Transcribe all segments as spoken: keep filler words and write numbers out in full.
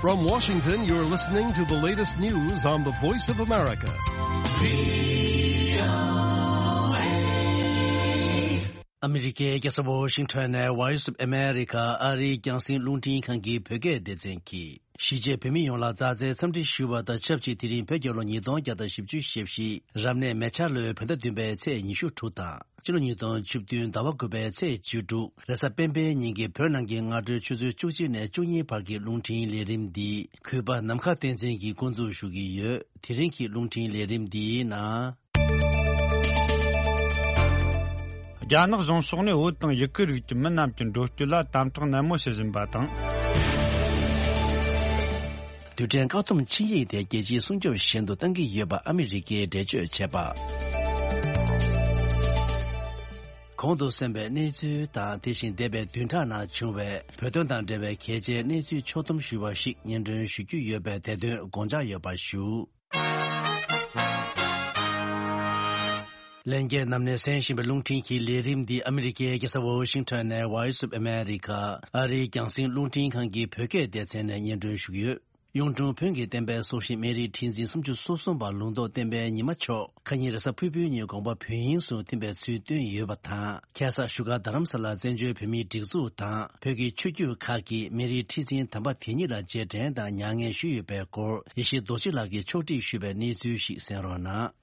From Washington, you're listening to the latest news on the Voice of America. ཨ་མི་རི་ཀའི་རྒྱལ་ས་ཝོ་ཤིང་ཊོན་ནས་Voice of America ཨ་རིའི་རྒྱང་སྲིང་རླུང་འཕྲིན་ཁང་གི་བོད་སྐད་སྡེ་ཚན་གྱིས། གཞིས་བྱེས་བོད་མི་ཡོངས་ལ་མཛའ་བརྩེའི་འཚམས་འདྲི་ཞུ་བ་དང་ཆབས་ཅིག་དེ་རིང་བོད་རྒྱལ་ལོ་ཉིས་སྟོང་བརྒྱ་དང་བཞི་བཅུ་ཞེ་བཞི་རབ་གནས་མེ་བྱ་ལོའི་བོད་ཟླ་བདུན་པའི་ཚེས་ཉི་ཤུ་དྲུག་དང་། ཕྱི་ལོ་ཉིས་སྟོང་བཅུ་བདུན་ཟླ་བ་དགུ་པའི་ཚེས་བཅུ་དྲུག་རེས་གཟའ་སྤེན་པའི་ཉིན་གྱི་བོད་ནང་གི་སྔ་དྲོའི་ཆུ་ཚོད་བཅུ་གཅིག་ནས་བཅུ་གཉིས་བར་གྱི་རླུང་འཕྲིན་ལས་རིམ་འདི་གུས་པ་ནམ་མཁའ་བསྟན་འཛིན་གྱིས་འགོ་འཛུགས་ཞུ་གི་ཡོད། དེ་རིང་གི་རླུང་འཕྲིན་ལས་རིམ་འདིའི་ནང་། རྒྱ་ནག་གཞུང་ཕྱོགས་ནས་བོད་དང་ཡུ་གུར་རིགས་ཀྱི་མི་རྣམས་ཀྱི་འགྲོ་སྐྱོད་ལ་དམ་དྲག་ནན་མོ་བྱེད་བཞིན་པ་དང་། རྡུལ་ཕྲན་བཀག་སྡོམ་ཆིངས་ཡིག་དེ་རྒྱལ་སྤྱིའི་སྲུང་སྐྱོབ་བཞིན་དུ་གཏང་གི་ཡོད་པ་ཨ་མི་རི་ཀས་འགྲེལ་བརྗོད་བྱས་པ། གོང་དུ་གསན་པའི་གནས་ཚུལ་དང་དེ་བཞིན་འདས་པའི་བདུན་ཕྲག་ནང་བྱུང་བའི་བོད་དོན་དང་འབྲེལ་བའི་གལ་ཆེའི་གནས་ཚུལ་ཕྱོགས་བསྡོམས་ཞུས་པ་ཞིག་སྙན་སྒྲོན་ཞུ་རྒྱུ་ཡོད་པས་དེ་དོན་དགོངས་འཇགས་ཡོད་པ་ཞུ། ལྷན་རྒྱས་རྣམས་ནས་གསན་བཞིན་པའི་རླུང་འཕྲིན་གྱི་ལས་རིམ་འདི་ཨ་མི་རི་ཀའི་རྒྱལ་ས་ཝོ་ཤིང་ཊོན་ནས་Voice of America ཨ་རིའི་རྒྱང་སྲིང་རླུང་འཕྲིན་ཁང་གི་བོད་སྐད་སྡེ་ཚན་ནས་སྙན་སྒྲོན་ཞུ་གི་ཡོད། གཡུང་དྲུང་བོན་གྱི་བསྟན་པའི་སྲོག་ཤིང་སྨན་རིའི་ཁྲི་འཛིན་སུམ་ཅུ་སོ་གསུམ་པ་ལུང་རྟོགས་བསྟན་པའི་ཉི་མ་མཆོག་ཁ་ཉིན་རེས་གཟའ་ཕུར་བུའི་ཉིན་དགོངས་པ་བོད་དབྱིངས་སུ་ཐིམ་པའི་ཚུལ་བཏོན་ཡོད་པ་དང་། ཁ་སང་བཞུགས་སྒར་རྡ་རམ་ས་ལར་བཙན་བྱོལ་བོད་མིའི་སྒྲིག་འཛུགས་དང་བོད་ཀྱི་ཆོས་བརྒྱུད་ཁག་གིས་སྨན་རིའི་ཁྲི་འཛིན་དམ་པ་དེ་ཉིད་ལ་རྗེས་དྲན་དང་མྱ་ངན་ཞུས་ཡོད་པའི་སྐོར་ཡེ་ཤེས་རྡོ་རྗེ་ལགས་ཀྱིས་ཕྱོགས་སྒྲིག་ཞུས་པའི་གནས་ཚུལ་ཞིག་གསན་རོགས་གནང་།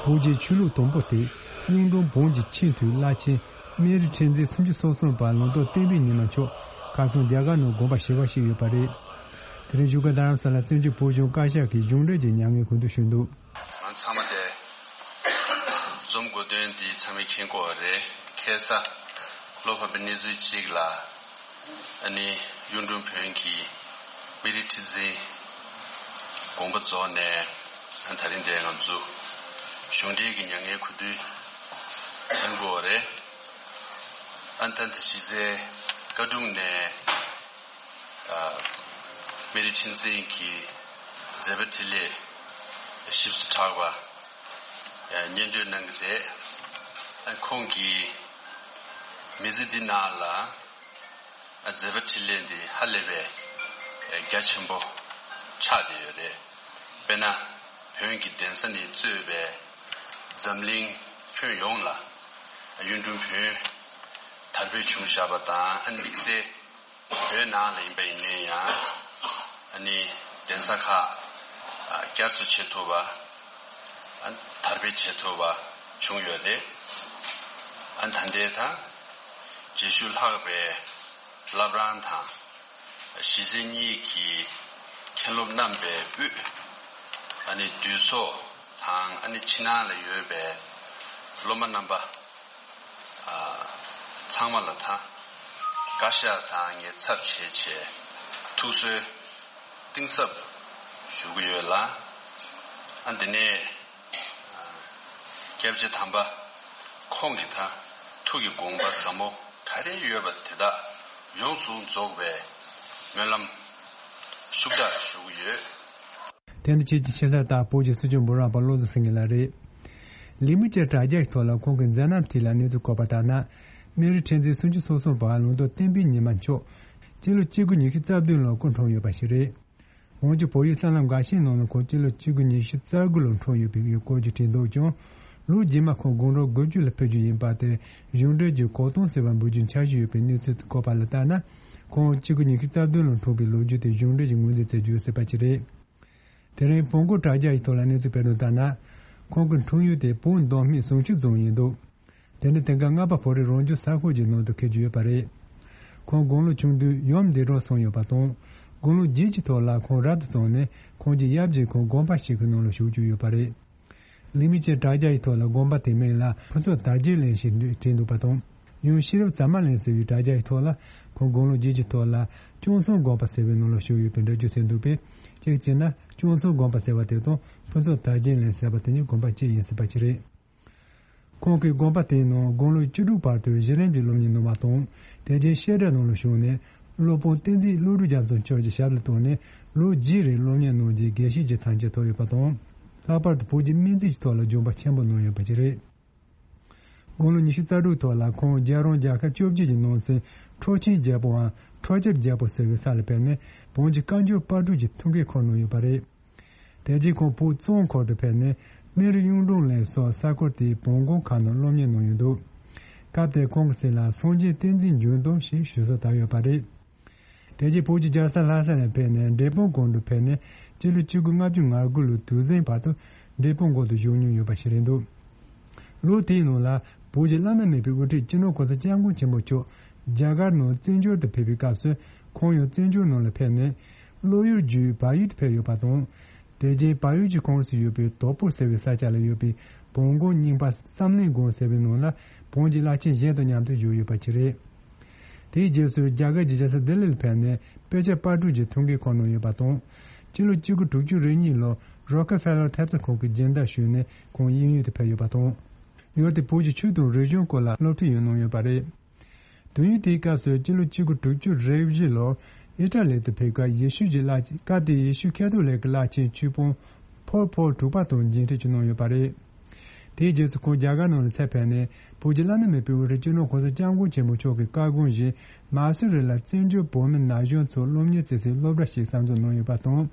བོད་ཀྱི་ཆོས་ལུགས་དང་པོ་སྟེ། གཡུང་དྲུང་བོན་གྱི་ཆེས་མཐོའི་བླ་ཆེན་སྨན་རི་ཁྲི་འཛིན་སུམ་ཅུ་སོ་གསུམ་པ་ལུང་རྟོགས་བསྟན་པའི་ཉི་མ་མཆོག་ཁ་སང་རྒྱ་གར་ནང་དགོངས་པ་ཞི་བ་ཞིག་ཡོད་པ་རེད། དེ་རིང་བཞུགས་སྒར་རྡ་རམ་ས་ལ་བཙན་བྱོལ་བོད་གཞུང་བཀའ་ཤག་གིས་གཞུང་འབྲེལ་གྱི་མྱ་ངན་གུས་འདུད་ཞུས་འདུག། ང་ཚང་མ་དེ་འཛོམས་དགོས་དོན་འདི་ཚང་མས་མཁྱེན་གྱི་ཡོད་རེད། ཁ་སང་བློ་ཕམ་པའི་གནས་ཚུལ་གཅིག་ལ། ཨ་ནི་གཡུང་དྲུང་བོན་གྱི་སྨན་རི་ཁྲི་འཛིན་དགོངས་པ་རྫོགས་ནས། ཨ་ད་རིང་འདིར་ང་ཚོ་གཞུང་འབྲེལ་གྱི་མྱ་ངན་གུས་འདུད་ལེན་དགོས་པ་རེད། ཨ་ད་ལྟ་གཞི་རྩའི་བཀའ་དྲུང་ནས་ཨ་སྨན་རི་ཁྲི་འཛིན་གྱི་མཛད་པ་འཕྲིན་ལས་ཞིབ་ཏུ་གྲགས་པ་སྙན་སྒྲོན་གནང་གི་རེད། ཨ་ཁོང་གིས་མི་ཚེ་འདི་ནང་ལ། མཛད་པ་འཕྲིན་ལས་འདི་ཧ་ལས་པའི་རྒྱ་ཆེན་པོ་ཆགས་བསྡད་ཡོད་རེད། དཔེར་ན། བོན་གྱི་གདན་ས་ནས་གཙོས་པའི་འཛམ་གླིང་ཁྱོན་ཡོངས་ལ་གཡུང་དྲུང་བོན་དར་སྤེལ་བྱུང་བཞག་པ་དང་། ཨ་ནི་དམིགས་བསལ་བོད་ནང་ལ་ཡིན་པ་ཡིན་ན་ཡང་། ཨ་ནི་གདན་ས་ཁག་བསྐྱར་གསོ་བྱེད་ཐུབ་པ། དར་སྤེལ་བྱེད་ཐུབ་པ་བྱུང་ཡོད་རེད། ཨ་ནི་ད་ལྟའི་དང་རྗེས་ཤུལ་ལྷག་པའི་བླ་བྲང་དང་། གཞིས་བྱེས་གཉིས་ཀྱི་མཁན་སློབ་རྣམ་པའི་དབུས། ཨ་ནི་འདུས་ཚོགས་དང་། ཨ་ནི་ཕྱི་ནང་ལ་ཡོད་པའི་སློབ་མ་རྣམ་པ། ཨ་ཚང་མ་ལ་ད་བཀའ་ཤག་དང་ངས་ཚབ་བྱས་བྱས་ཐུགས་གསོའི་གཏིང་ཟབ་ཞུ་གི་ཡོད་ལ། ཨ་འདི་ནས། སྐྱབས་རྗེ་དམ་པ་ཁོང་གི་ད་ཐུགས་ཀྱི་དགོངས་པ་ཟབ་མོ་ག་རེ་ཡོད་པ་དེ་དག་ཡོངས་སུ་རྫོགས་པའི་སྨོན་ལམ་ཤུགས་དྲག་ཞུ་གི་ཡོད། དེ་ནི་ཁྱེད་ཀྱི་ཆེ་ས་རྟག་བོད་ཀྱི་སྲིད་སྐྱོང་འབུམ་རམས་པ་བློ་བཟང་སེང་གེ་ལགས་རེད། ལི་མི་ཅེ་དྲ་རྒྱ་ཡི་ཐོག་ལ་ཁོང་གི་མཛད་རྣམ་ཐད་ལ་གནས་ཚུལ་བཀོད་པ་ལྟར་ན། སྨན་རི་ཁྲི་འཛིན་སུམ་ཅུ་སོ་གསུམ་པ་ལུང་རྟོགས་བསྟན་པའི་ཉི་མ་མཆོག་སྤྱི་ལོ་གཅིག་དགུ་ཉི་ཤུ་རྩ་བདུན་ལོར་སྐུ་འཁྲུངས་ཡོད་པ་ཞིག་རེད། འོན་ཀྱང་བོད་ཡིག་གསར་ལམ་འགའ་ཤས་ནང་ལ་ཁོང་སྤྱི་ལོ་གཅིག་དགུ་ཉི་ཤུ་རྩ་དགུ་ལོར་འཁྲུངས་ཡོད་པའི་སྐོར་གྱི་བྲིས་འདུག་ཀྱང་། ལོ་རྗེས་མ་ཁོང་དགུང་གྲངས་དགུ་བཅུ་ལ་ཕེབས་རྒྱུ་ཡིན་པ་དེ་གཞུང་འབྲེལ་གྱི་གོ་སྟོན་ཟེར་བ་འབུལ་རྒྱུའི་འཆར་གཞི་ཡོད་པའི་གནས་ཚུལ་བཀོད་པ་ལ་ལྟར་ན། ཁོང་གཅིག་དགུ་ཉི་ཤུ་རྩ་བདུན་ལོར་འཁྲུངས་པའི་ལོ་རྒྱུས་དེ་གཞུང་འབྲེལ་གྱི་ངོས་འཛིན་བྱེད་རྒྱུ་ཡོད་སྲིད་པ་ཅིག་རེད། དེ་རིང་བོན་སྐོར་དྲ་རྒྱ་ཡི་ཐོག་ལ་གནས་ཚུལ་སྤེལ་དོན་ལྟར་ན། ཁོང་གི་འཁྲུངས་ཡུལ་དེ་བོད་མདོ་སྨད་ཟུང་ཆུ་རྫོང་ཡིན་འདུག། དེ་ནི་དེང་སྐབས་རྔ་པ་བོད་རིགས་རང་སྐྱོང་ས་ཁུལ་གྱི་ནང་དུ་འཁེལ་རྒྱུ་ཡོད་པ་རེད། ཁོང་དགུང་ལོ་ཆུང་དུས་ཡུམ་བདེ་གྲོངས་སོང་ཡོད་པ་དང་། དགུང་ལོ་བརྒྱད་ཀྱི་ཐོག་ལ་ཁོང་རབ་ཏུ་བྱུང་ནས་ཁོང་གི་ཡབ་ཀྱིས་ཁོང་དགོན་པ་ཞིག་གི་ནང་ལ་བཞུགས་བཅུག་ཡོད་པ་རེད། ལི་མི་ཅེ་དྲ་རྒྱ་ཡི་ཐོག་ལ་དགོན་པ་དེའི་མིང་ལ་ཕུན་ཚོགས་དར་རྒྱས་གླིང་ཞེས་བྲིས་འདུག་པ་དང་། ཡང་ཤེས་རབ་ཛ་མ་གླིང་ཟེར་བའི་དྲ་རྒྱ་ཡི་ཐོག་ལ་ཁོང་དགུང་ལོ་བརྒྱད་ཀྱི་ཐོག་ལ་སྐྱོང་ཚོང་དགོན་པ་ཟེར་བའི་ནང་ལ་བཞུགས་ཡོད་པའི་འགྲེལ་བརྗོད་མཛད་འདུག་པས། གཅིག་བྱས་ན་སྐྱོང་ཚོང་དགོན་པ་ཟེར་བ་དེ་དང་ཕུན་ཚོགས་དར་རྒྱས་གླིང་ཟེར་བ་དེ་གཉིས་དགོན་པ་གཅིག་ཡིན་སྲིད་པ་ཅིག་རེད། ཁོང་གིས་དགོན་པ་དེའི་ནང་དགུང་ལོ་བཅུ་དྲུག་བར་དུ་གཞི་རིམ་གྱི་སློབ་གཉེར་གནང་བ་དང་། དེ་རྗེས་བཤད་གྲྭའི་ནང་ལ་ཞུགས་ནས་སློབ་དཔོན་བསྟན་འཛིན་བློ་གྲོས་རྒྱ་མཚོ་མཆོག་གི་ཞབས་ལ་གཏུགས་ནས་ལོ་བརྒྱད་རིང་སློབ་གཉེར་གནང་རྗེས་དགེ་བཤེས་ཀྱི་མཚན་གྱིས་ཐོབ་ཡོད་པ་དང་། ལྷག་པར་དུ་བོད་ཀྱི་སྨན་རྩིས་ཀྱི་ཐོག་ལ་སྦྱོང་བ་ཆེན་པོ་གནང་ཡོད་པ་ཞིག་རེད། དགུང་ལོ་ཉི་ཤུ་རྩ་དྲུག་ཐོག་ལ་ཁོང་རྒྱལ་རོང་རྒྱལ་ཁབ་བཅོ་བརྒྱད་ཀྱི་ནང་ཚན་ཁྲོ་ཆེན་རྒྱལ་པོའམ་ཁྲོ་ཆེབ་རྒྱལ་པོ་ཟེར་བའི་ས་ལ་ཕེབས་ནས་བོན་གྱི་བཀའ་འགྱུར་དཔལ་སྤྲུལ་གྱི་ཐུགས་འགན་འཁུར་གནང་ཡོད་པ་རེད། དེ་རྗེས་ཁོང་བོད་གཙང་ཁུལ་དུ་ཕེབས་ནས་སྨན་རི་གཡུང་དྲུང་ལན་སོགས་ས་ཁུལ་དེའི་བོན་སྒར་ཁག་ནང་སློབ་གཉེར་གནང་ཡོད་འདུག་སྐབས་དེར་ཁོང་གི་མཚན་ལ་སངས་རྒྱས་བསྟན་འཛིན་འབྱུང་སྟོབས་ཞེས་ཞུ་སྲོལ་དར་ཡོད་པ་རེད། དེ་རྗེས་བོད་ཀྱི་རྒྱལ་ས་ལྷ་ས་ནས་ཕེབས་ནས་འབྲས་སྤུངས་སྒང་དུ་ཕེབས་ནས་སྤྱི་ལོ་ཆིག་སྟོང་དགུ་བརྒྱ་ལྔ་བཅུ་ང་དགུ་ལོའི་དུས་ཟིང་བར་དུ་འབྲས་སྤུངས་སྒང་དུ་བཞུགས་མྱོང་ཡོད་པ་ཞིག་རེད་འདུག་ལོ་དེའི་ནང་ལ་བོད་ཀྱི་བླ་ན་མེད་པའི་དབུ་ཁྲིད་སྤྱི་ནོར་གོང་ས་སྐྱབས་མགོན་ཆེན་པོ་མཆོག་རྒྱ་གར་ནང་བཙན་བྱོལ་དུ་ཕེབས་པའི་སྐབས་སུ་ཁོང་ཡང་བཙན་བྱོལ་ནང་ལ་ཕེབས་ནས་བློ་ཡུལ་བརྒྱུད་བལ་ཡུལ་དུ་ཕེབས་ཡོད་པ་དང་། དེ་རྗེས་བལ་ཡུལ་གྱི་ཁོངས་སུ་ཡོད་པའི་དོག་པོ་ཟེར་བའི་ས་ཆ་ལ་ཡོད་པའི་བོན་སྒར་རྙིང་པ་བསམ་གླིང་སྒང་ཟེར་བའི་ནང་ལ་བོན་གྱི་བླ་ཆེན་གཞན་དང་མཉམ་དུ་བཞུགས་ཡོད་པ་ཞིག་རེད། དེའི་རྗེས་སུ་རྒྱ་གར་གྱི་རྒྱལ་ས་ལྡི་ལིར་ཕེབས་ནས་དཔེ་ཆ་དཔར་སྐྲུན་གྱི་ཐུགས་འགན་འཁུར་གནང་ཡོད་པ་དང་། སྤྱི་ལོ་གཅིག་དགུ་དྲུག་ཅུ་རེ་གཉིས་ལོར་རོ་ཀེ་ཕེ་ལར་ཐེབས་རྩ་ཁང་གི་སྦྱིན་བདག་ཞུས་ནས་ཁོང་དབྱིན་ཡུལ་དུ་ཕེབས་ཡོད་པ་དང་། ཡུལ་དེའི་བོད་ཀྱི་ཆོས་དང་རིག་གཞུང་སྐོར་ལ་སློབ་ཁྲིད་ཡང་གནང་ཡོད་པ་རེད། དུས་ཡུན་དེའི་སྐབས་སུ་སྤྱི་ལོ་གཅིག་དགུ་དྲུག་ཅུ་རེ་བཞི་ལོར་ཨི་ཊ་ལི་དུ་ཕེབས་སྐབས་ཡེ་ཤུ་གྱི་བླ་སྐབས་དེའི་ཡེ་ཤུ་ཁ་ཐོ་ལིག་གི་བླ་ཆེན་ཆོས་དཔོན་ཕོལ་པོལ་དྲུག་པ་དང་མཇལ་འཕྲད་ཅིག་གནང་ཡོད་པ་རེད། དེའི་རྗེས་སུ་ཁོང་རྒྱ་གར་ནང་ལ་ཚུར་ཕེབས་ནས་བོད་ཀྱི་བླ་ན་མེད་པའི་དབུ་ཁྲིད་སྤྱི་ནོར་གོང་ས་སྐྱབས་མགོན་ཆེན་པོ་མཆོག་གི་བཀའ་དགོངས་བཞིན་མ་སུ་རི་ལ་བཙན་བྱོལ་བོད་མི་ན་གཞོན་ཚོར་སློབ་གཉེར་བྱེད་སའི་སློབ་གྲྭ་ཞིག་གསར་འཛུགས་གནང་ཡོད་པ་དང་།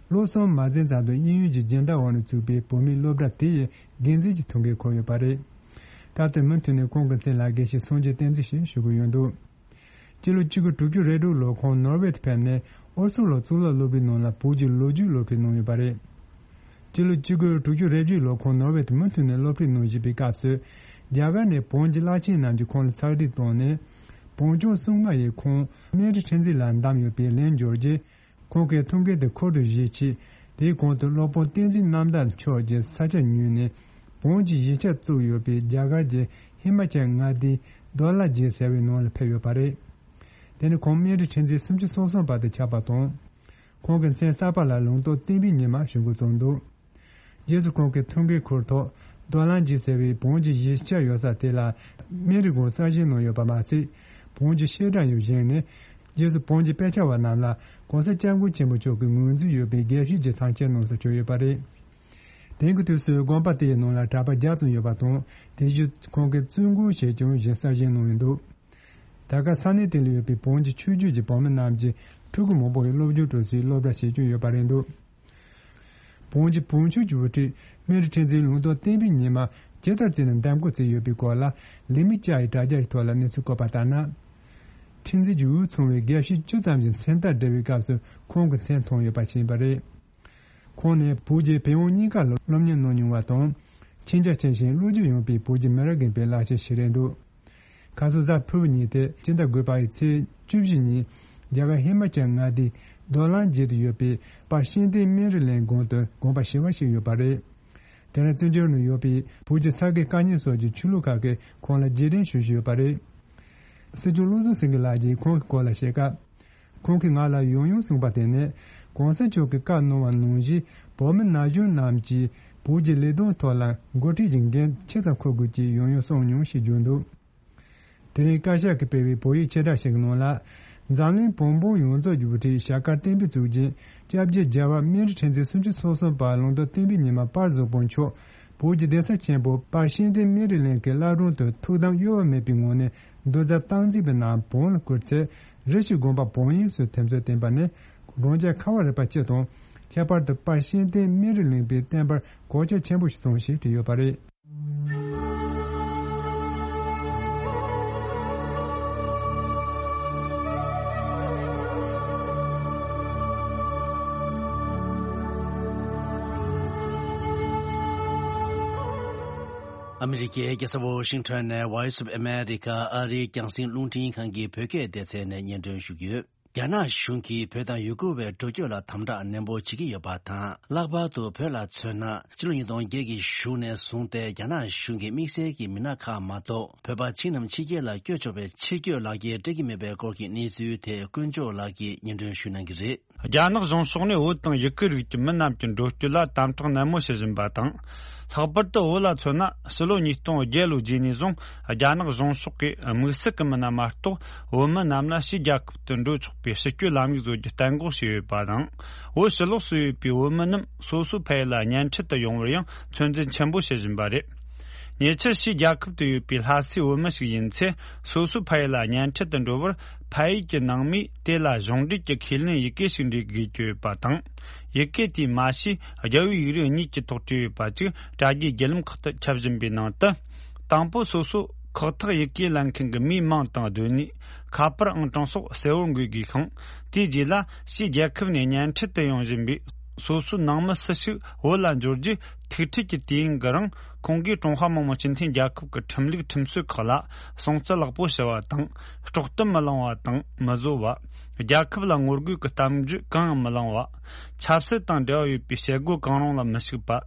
ལོ་གསུམ་མ་ཟིན་ཙམ་དུ་དབྱིན་ཡུལ་གྱི་སྦྱིན་བདག་འོག་ནས་བཙུགས་པའི་བོད་མིའི་སློབ་གྲྭ་དེ་ཡི་འགན་འཛིན་གྱི་ཐུགས་འགན་འཁུར་ཡོད་པ་རེད། སྐབས་དེར་མུ་མཐུད་ནས་ཁོང་གི་མཚན་ལ་དགེ་བཤེས་སངས་རྒྱས་བསྟན་འཛིན་ཞེས་ཞུ་གི་ཡོད་འདུག་སྤྱི་ལོ་གཅིག་དགུ་དྲུག་ཅུ་རེ་དྲུག་ལོར་ཁོང་ནོར་ཝེ་དུ་ཕེབས་ནས་ཨོ་སི་ལོ་གཙུག་ལག་སློབ་གྲྭའི་ནང་ལ་བོད་ཀྱི་ལོ་རྒྱུས་སློབ་ཁྲིད་གནང་ཡོད་པ་རེད། སྤྱི་ལོ་གཅིག་དགུ་དྲུག་ཅུ་རེ་བརྒྱད་ལོར་ཁོང་ནོར་ཝེ་དུ་མུ་མཐུད་ནས་སློབ་ཁྲིད་གནང་བཞིན་པའི་སྐབས་སུ། རྒྱ་གར་ནས་བོན་གྱི་བླ་ཆེན་རྣམས་ཀྱིས་ཁོང་ལ་ཚགས་སྒྲིག་བཏང་ནས། བོན་སྐྱོང་སྲུང་མ་ཡིས་ཁོང་སྨན་རི་ཁྲི་འཛིན་ལ་བདམས་ཡོད་པའི་ལན་འབྱོར་རྗེས། ཁོང་གིས་ཐུགས་འགན་དེ་ཁུར་དུ་བཞེས་ཆེད། དེའི་གོང་དུ་སློབ་དཔོན་བསྟན་འཛིན་རྣམ་དག་མཆོག་གིས་ས་ཆ་ཉོས་ནས། བོན་གྱི་གཞིས་ཆགས་བཙུགས་ཡོད་པའི་རྒྱ་གར་གྱི་ཧི་མ་ཅལ་མངའ་སྡེའི་རྡོ་ལ་རྗེ་ཟེར་བའི་ནང་ལ་ཕེབས་ཡོད་པ་རེད། དེ་ནི་ཁོང་སྨན་རི་ཁྲི་འཛིན་སུམ་ཅུ་སོ་གསུམ་པ་དེ་ཆགས་པ་དང་། ཁོང་གི་མཚན་གསར་པ་ལ་ལུང་རྟོགས་བསྟན་པའི་ཉི་མ་ཞུ་འགོ་བརྩམས་འདུག་རྗེས་སུ་ཁོང་གིས་ཐུགས་འགན་འཁུར་ཐོག་རྡོ་ལ་རྗེ་ཟེར་བའི་བོན་གྱི་གཞིས་ཆགས་ཡོད་ས་དེ་ལ་སྨན་རི་སྒང་གསར་བཞེངས་གནང་ཡོད་པ་མ་ཚད། བོན་གྱི་བཤད་གྲྭ་ཡང་བཞེངས་ནས། རྗེས་སུ་བོན་གྱི་དཔེ་ཆ་བ་རྣམས་ལ་གོང་ས་སྐྱབས་མགོན་ཆེན་པོ་མཆོག་གིས་ངོས་འཛིན་ཡོད་པའི་དགེ་བཤེས་ཀྱི་ཚབ་མཆོག་གནང་སར་བསྐྱོད་ཡོད་པ་རེད། དེང་གི་དུས་སུ་དགོན་པ་དེའི་ནང་ལ་གྲྭ་པ་བརྒྱ་ཙམ་ཡོད་པ་དང་། དེ་བཞིན་ཁོང་གིས་བཙུན་དགོན་ཞེས་ཀྱང་གཞན་གསར་བཞེངས་གནང་ཡོད་འདུག་ད་སྐབས་ས་གནས་དེ་ལ་ཡོད་པའི་བོན་གྱི་ཆོས་བརྒྱུད་ཀྱི་བོད་མི་རྣམས་ཀྱིས་ཕྲུ་གུ་མང་པོ་ཡི་སློབ་སྦྱོང་སྤྲོད་སའི་སློབ་གྲྭ་ཞིག་ཀྱང་ཡོད་པ་རེད་འདུག་བོན་གྱི་བོན་ཆོས་ཀྱི་དབུ་ཁྲིད་སྨན་རི་ཁྲི་འཛིན་ལུང་རྟོགས་བསྟན་པའི་ཉི་མ་ཇི་ལྟར་བརྩིས་ནས་འདེམས་བསྐོ་བྱས་ཡོད་པའི་སྐོར་ལ་ལི་མི་ཅཱ་ཡི་དྲ་རྒྱ་ཡི་ཐོག་ལ་གནས་ཚུལ་བཀོད་པ་ལྟར་ན། ཁྲི་འཛིན་གྱི་འོས་ཚང་བའི་དགེ་བཤེས་བཅུ་ཙམ་གྱི་མཚན་རྟགས་སྦྲེལ་བའི་སྐབས་སུ་ཁོང་གི་མཚན་ཐོན་ཡོད་པ་ཞིག་ཡིན་པ་རེད། ཁོང་ནི་བོད་ཀྱི་བོན་དབང་གཉིས་ཀ་ལ་སློབ་གཉེར་གནང་མྱོང་བ་དང་། མཁྱེན་རྒྱ་ཆེ་ཞིང་བློ་སྦྱོང་ཡངས་པའི་བོད་ཀྱི་མི་རབས་རྒན་པའི་བླ་ཆེན་ཞིག་རེད་འདུག་ཁ་སང་གཟའ་ཕུར་བུ་ཉིན་ཏེ་སྤྱི་ཟླ་དགུ་པའི་ཚེས་བཅུ་བཞི་ཉིན་རྒྱ་གར་ཧི་མ་ཅལ་མངའ་སྡེའི་རྡོ་ལ་རྗེ་དུ་ཡོད་པའི་དཔལ་ཤིང་སྡེ་སྨན་རི་གླིང་དགོན་དུ་དགོངས་པ་ཞི་བ་ཞིག་ཡོད་པ་རེད། དེ་ནས་བཙན་བྱོལ་ནང་ཡོད་པའི་བོད་ཀྱི་ས་དགེ་བཀའ་རྙིང་སོགས་ཀྱི་ཆོས་ལུགས་ཁག་གིས་ཁོང་ལ་རྗེས་དྲན་ཞུ་བཞིན་ཡོད་པ་རེད། སྲིད་སྐྱོང་བློ་བཟང་སེང་གེ་ལགས་ཀྱིས་ཁོང་གི་སྐོར་ལ་བཤད་སྐབས། ཁོང་གིས་ང་ལ་ཡང་ཡང་གསུངས་པ་དེ་ནི། གོང་ས་མཆོག་གིས་བཀའ་གནང་བ་ནང་བཞིན་བོད་མི་ན་གཞོན་རྣམས་ཀྱིས་བོད་ཀྱི་ལས་དོན་ཐོག་ལ་འགོ་ཁྲིད་ཀྱི་འགན་ཆེ་ཙམ་འཁུར་དགོས་ཅེས་ཡང་ཡང་གསུངས་མྱོང་ཞེས་བརྗོད་འདུག་དེ་རིང་བཀའ་ཤག་གིས་སྤེལ་བའི་བོད་ཡིག་ཕྱིར་བསྒྲགས་ཤིག་གི་ནང་ལ། འཛམ་གླིང་བོན་སྤུན་ཡོངས་རྫོགས་ཀྱི་དབུ་ཁྲིད་ཞྭ་དཀར་བསྟན་པའི་གཙུག་རྒྱན་སྐྱབས་རྗེ་རྒྱལ་བ་སྨན་རི་ཁྲི་འཛིན་སུམ་ཅུ་སོ་གསུམ་པ་ལུང་རྟོགས་བསྟན་པའི་ཉི་མ་དཔལ་བཟང་པོ་མཆོག་བོད་ཀྱི་གདན་ས་ཆེན་པོ་དཔལ་ཤིང་སྡེ་སྨན་རི་གླིང་གི་བླ་བྲང་དུ་ཐུགས་དམ་གཡོ་བ་མེད་པའི་ངང་ནས་འདུ་འཛོམས་སྟངས་འཛིན་པའི་ནང་བོན་ལ་བསྐུལ་ཚེ། རེ་ཞིག་དགོན་པ་བོན་ཡིག་སོགས་ཐེབས་རྩ་བསྟན་པ་ནི་རང་རྒྱལ་ཁ་བ་རི་པ་སྤྱི་དང་། ཁྱད་པར་དུ་དཔལ་ཤིང་སྡེ་སྨན་རི་གླིང་པའི་བསྟན་པར་གོད་ཆག་ཆེན་པོ་ཞིག་སོང་ཞེས་བྲིས་ཡོད་པ་རེད། ཨ་མི་རི་ཀའི་རྒྱལ་ས་ཝོ་ཤིང་ཊོན་ནས་Voice of America ཨ་རིའི་རྒྱང་སྲིང་རླུང་འཕྲིན་ཁང་གི་བོད་སྐད་སྡེ་ཚན་ནས་སྙན་སྒྲོན་ཞུ་གི་ཡོད། རྒྱ་ནག་གཞུང་གིས་བོད་དང་ཡུ་གུར་བའི་འགྲོ་སྐྱོད་ལ་དམ་དྲག་ནན་པོ་བྱེད་ཀྱི་ཡོད་པ་དང་། ལྷག་པར་དུ་བོད་ལ་མཚོན་ན། ཕྱི་ལོ་ཉིས་སྟོང་བརྒྱད་ཀྱི་གཞུག་ནས་བཟུང་སྟེ་རྒྱ་ནག་གཞུང་གིས་དམིགས་བསལ་གྱི་མི་སྣ་ཁག་མ་གཏོགས། བོད་པ་ཕྱི་ནང་ཕྱི་རྒྱལ་ལ་བསྐྱོད་ཆོག་པའི་ཕྱིར་སྐྱོད་ལག་འཁྱེར་སྤྲད་ཀྱི་མེད་པའི་སྐོར་གྱི་གནས་ཚུལ་དེ་དཀོན་མཆོག་ལགས་ཀྱིས་སྙན་སྒྲོན་ཞུ་གནང་གི་རེད། རྒྱ་ནག་གཞུང་ཕྱོགས་ནས་བོད་དང་ཡུ་གུར་རིགས་ཀྱི་མི་རྣམས་ཀྱི་འགྲོ་སྐྱོད་ལ་དམ་དྲག་ནན་མོ་བྱེད་བཞིན་པ་དང་། ལྷག་པར་དུ་བོད་ལ་མཚོན་ན། ཕྱི་ལོ་ཉིས་སྟོང་བརྒྱད་ལོའི་རྗེས་ནས་བཟུང་རྒྱ་ནག་གཞུང་ཕྱོགས་ཀྱིས་དམིགས་བསལ་གྱི་མི་སྣ་མ་གཏོགས་བོད་མི་རྣམས་ལ་ཕྱིའི་རྒྱལ་ཁབ་ཏུ་འགྲོ་ཆོག་པའི་ཕྱི་སྐྱོད་ལམ་ལུགས་བཟོ་རྒྱུ་གཏན་འགོག་བྱས་ཡོད་པ་དང་། བོད་ཕྱི་ལོགས་སུ་ཡོད་པའི་བོད་མི་རྣམས་སོ་སོའི་ཕ་ཡུལ་ལ་གཉེན་འཕྲད་དུ་ཡོང་བར་ཡང་ཚོད་འཛིན་ཆེན་པོ་བྱེད་བཞིན་པ་རེད། ཉེ་ཆར་ཕྱིའི་རྒྱལ་ཁབ་ཏུ་ཡོད་པའི་ལྷ་སའི་བོད་མི་ཞིག་ཡིན་ཚེ། སོ་སོའི་ཕ་ཡུལ་ལ་གཉེན་འཕྲད་དུ་འགྲོ་བར་ཕ་ཡུལ་གྱི་ནང་མིས་དེ་ལ་གཞུང་འབྲེལ་གྱི་ཁས་ལེན་ཡི་གེ་ཞིག་འབྲི་དགོས་ཀྱི་ཡོད་པ་དང་། ཡི་གེ་དེའི་མ་ཕྱི་རྒྱལ་བའི་ཡིག་རིགས་གཉིས་ཀྱི་ཐོག་བྲིས་ཡོད་པ་ཅིག་དྲ་རྒྱའི་བརྒྱུད་ལམ་ཁག་ཏུ་ཁྱབ་བཞིན་པའི་ནང་དུ། དང་པོ་སོ་སོ་ཁག་ཐེག་ཡི་གེ་ལེན་མཁན་གྱི་མིའི་མིང་དང་སྡོད་གནས། ཁ་པར་ཨང་གྲངས་སོགས་གསལ་བོར་འགོད་དགོས་ཤིང་། དེའི་རྗེས་ལ་ཕྱིའི་རྒྱལ་ཁབ་ནས་གཉེན་འཕྲད་དུ་ཡོང་བཞིན་པའི་སོ་སོའི་ནང་མི་སུ་ཞིག་བོད་ལ་འབྱོར་རྗེས། ཐུག་འཕྲད་ཀྱི་དུས་ཡུན་གྱི་རིང་ཁོང་གིས་ཀྲུང་ཧྭ་མི་དམངས་སྤྱི་མཐུན་རྒྱལ་ཁབ་ཀྱི་ཁྲིམས་ལུགས་ཁྲིམས་སྲོལ་ཁག་ལ་སྲུང་བརྩི་ལེགས་པོ་བྱ་བ་དང་། དཀྲོག་གཏམ་མི་གླེང་བ་དང་མི་བཟོ་བ། རྒྱལ་ཁབ་ལ་ངོ་རྒོལ་གྱི་གཏམ་བརྗོད་གང་ཡང་མི་གླེང་བ། ཆབ་སྲིད་དང་འབྲེལ་བ་ཡོད་པའི་བྱེད་སྒོ་གང་རུང་ལ་མི་ཞུགས་པ།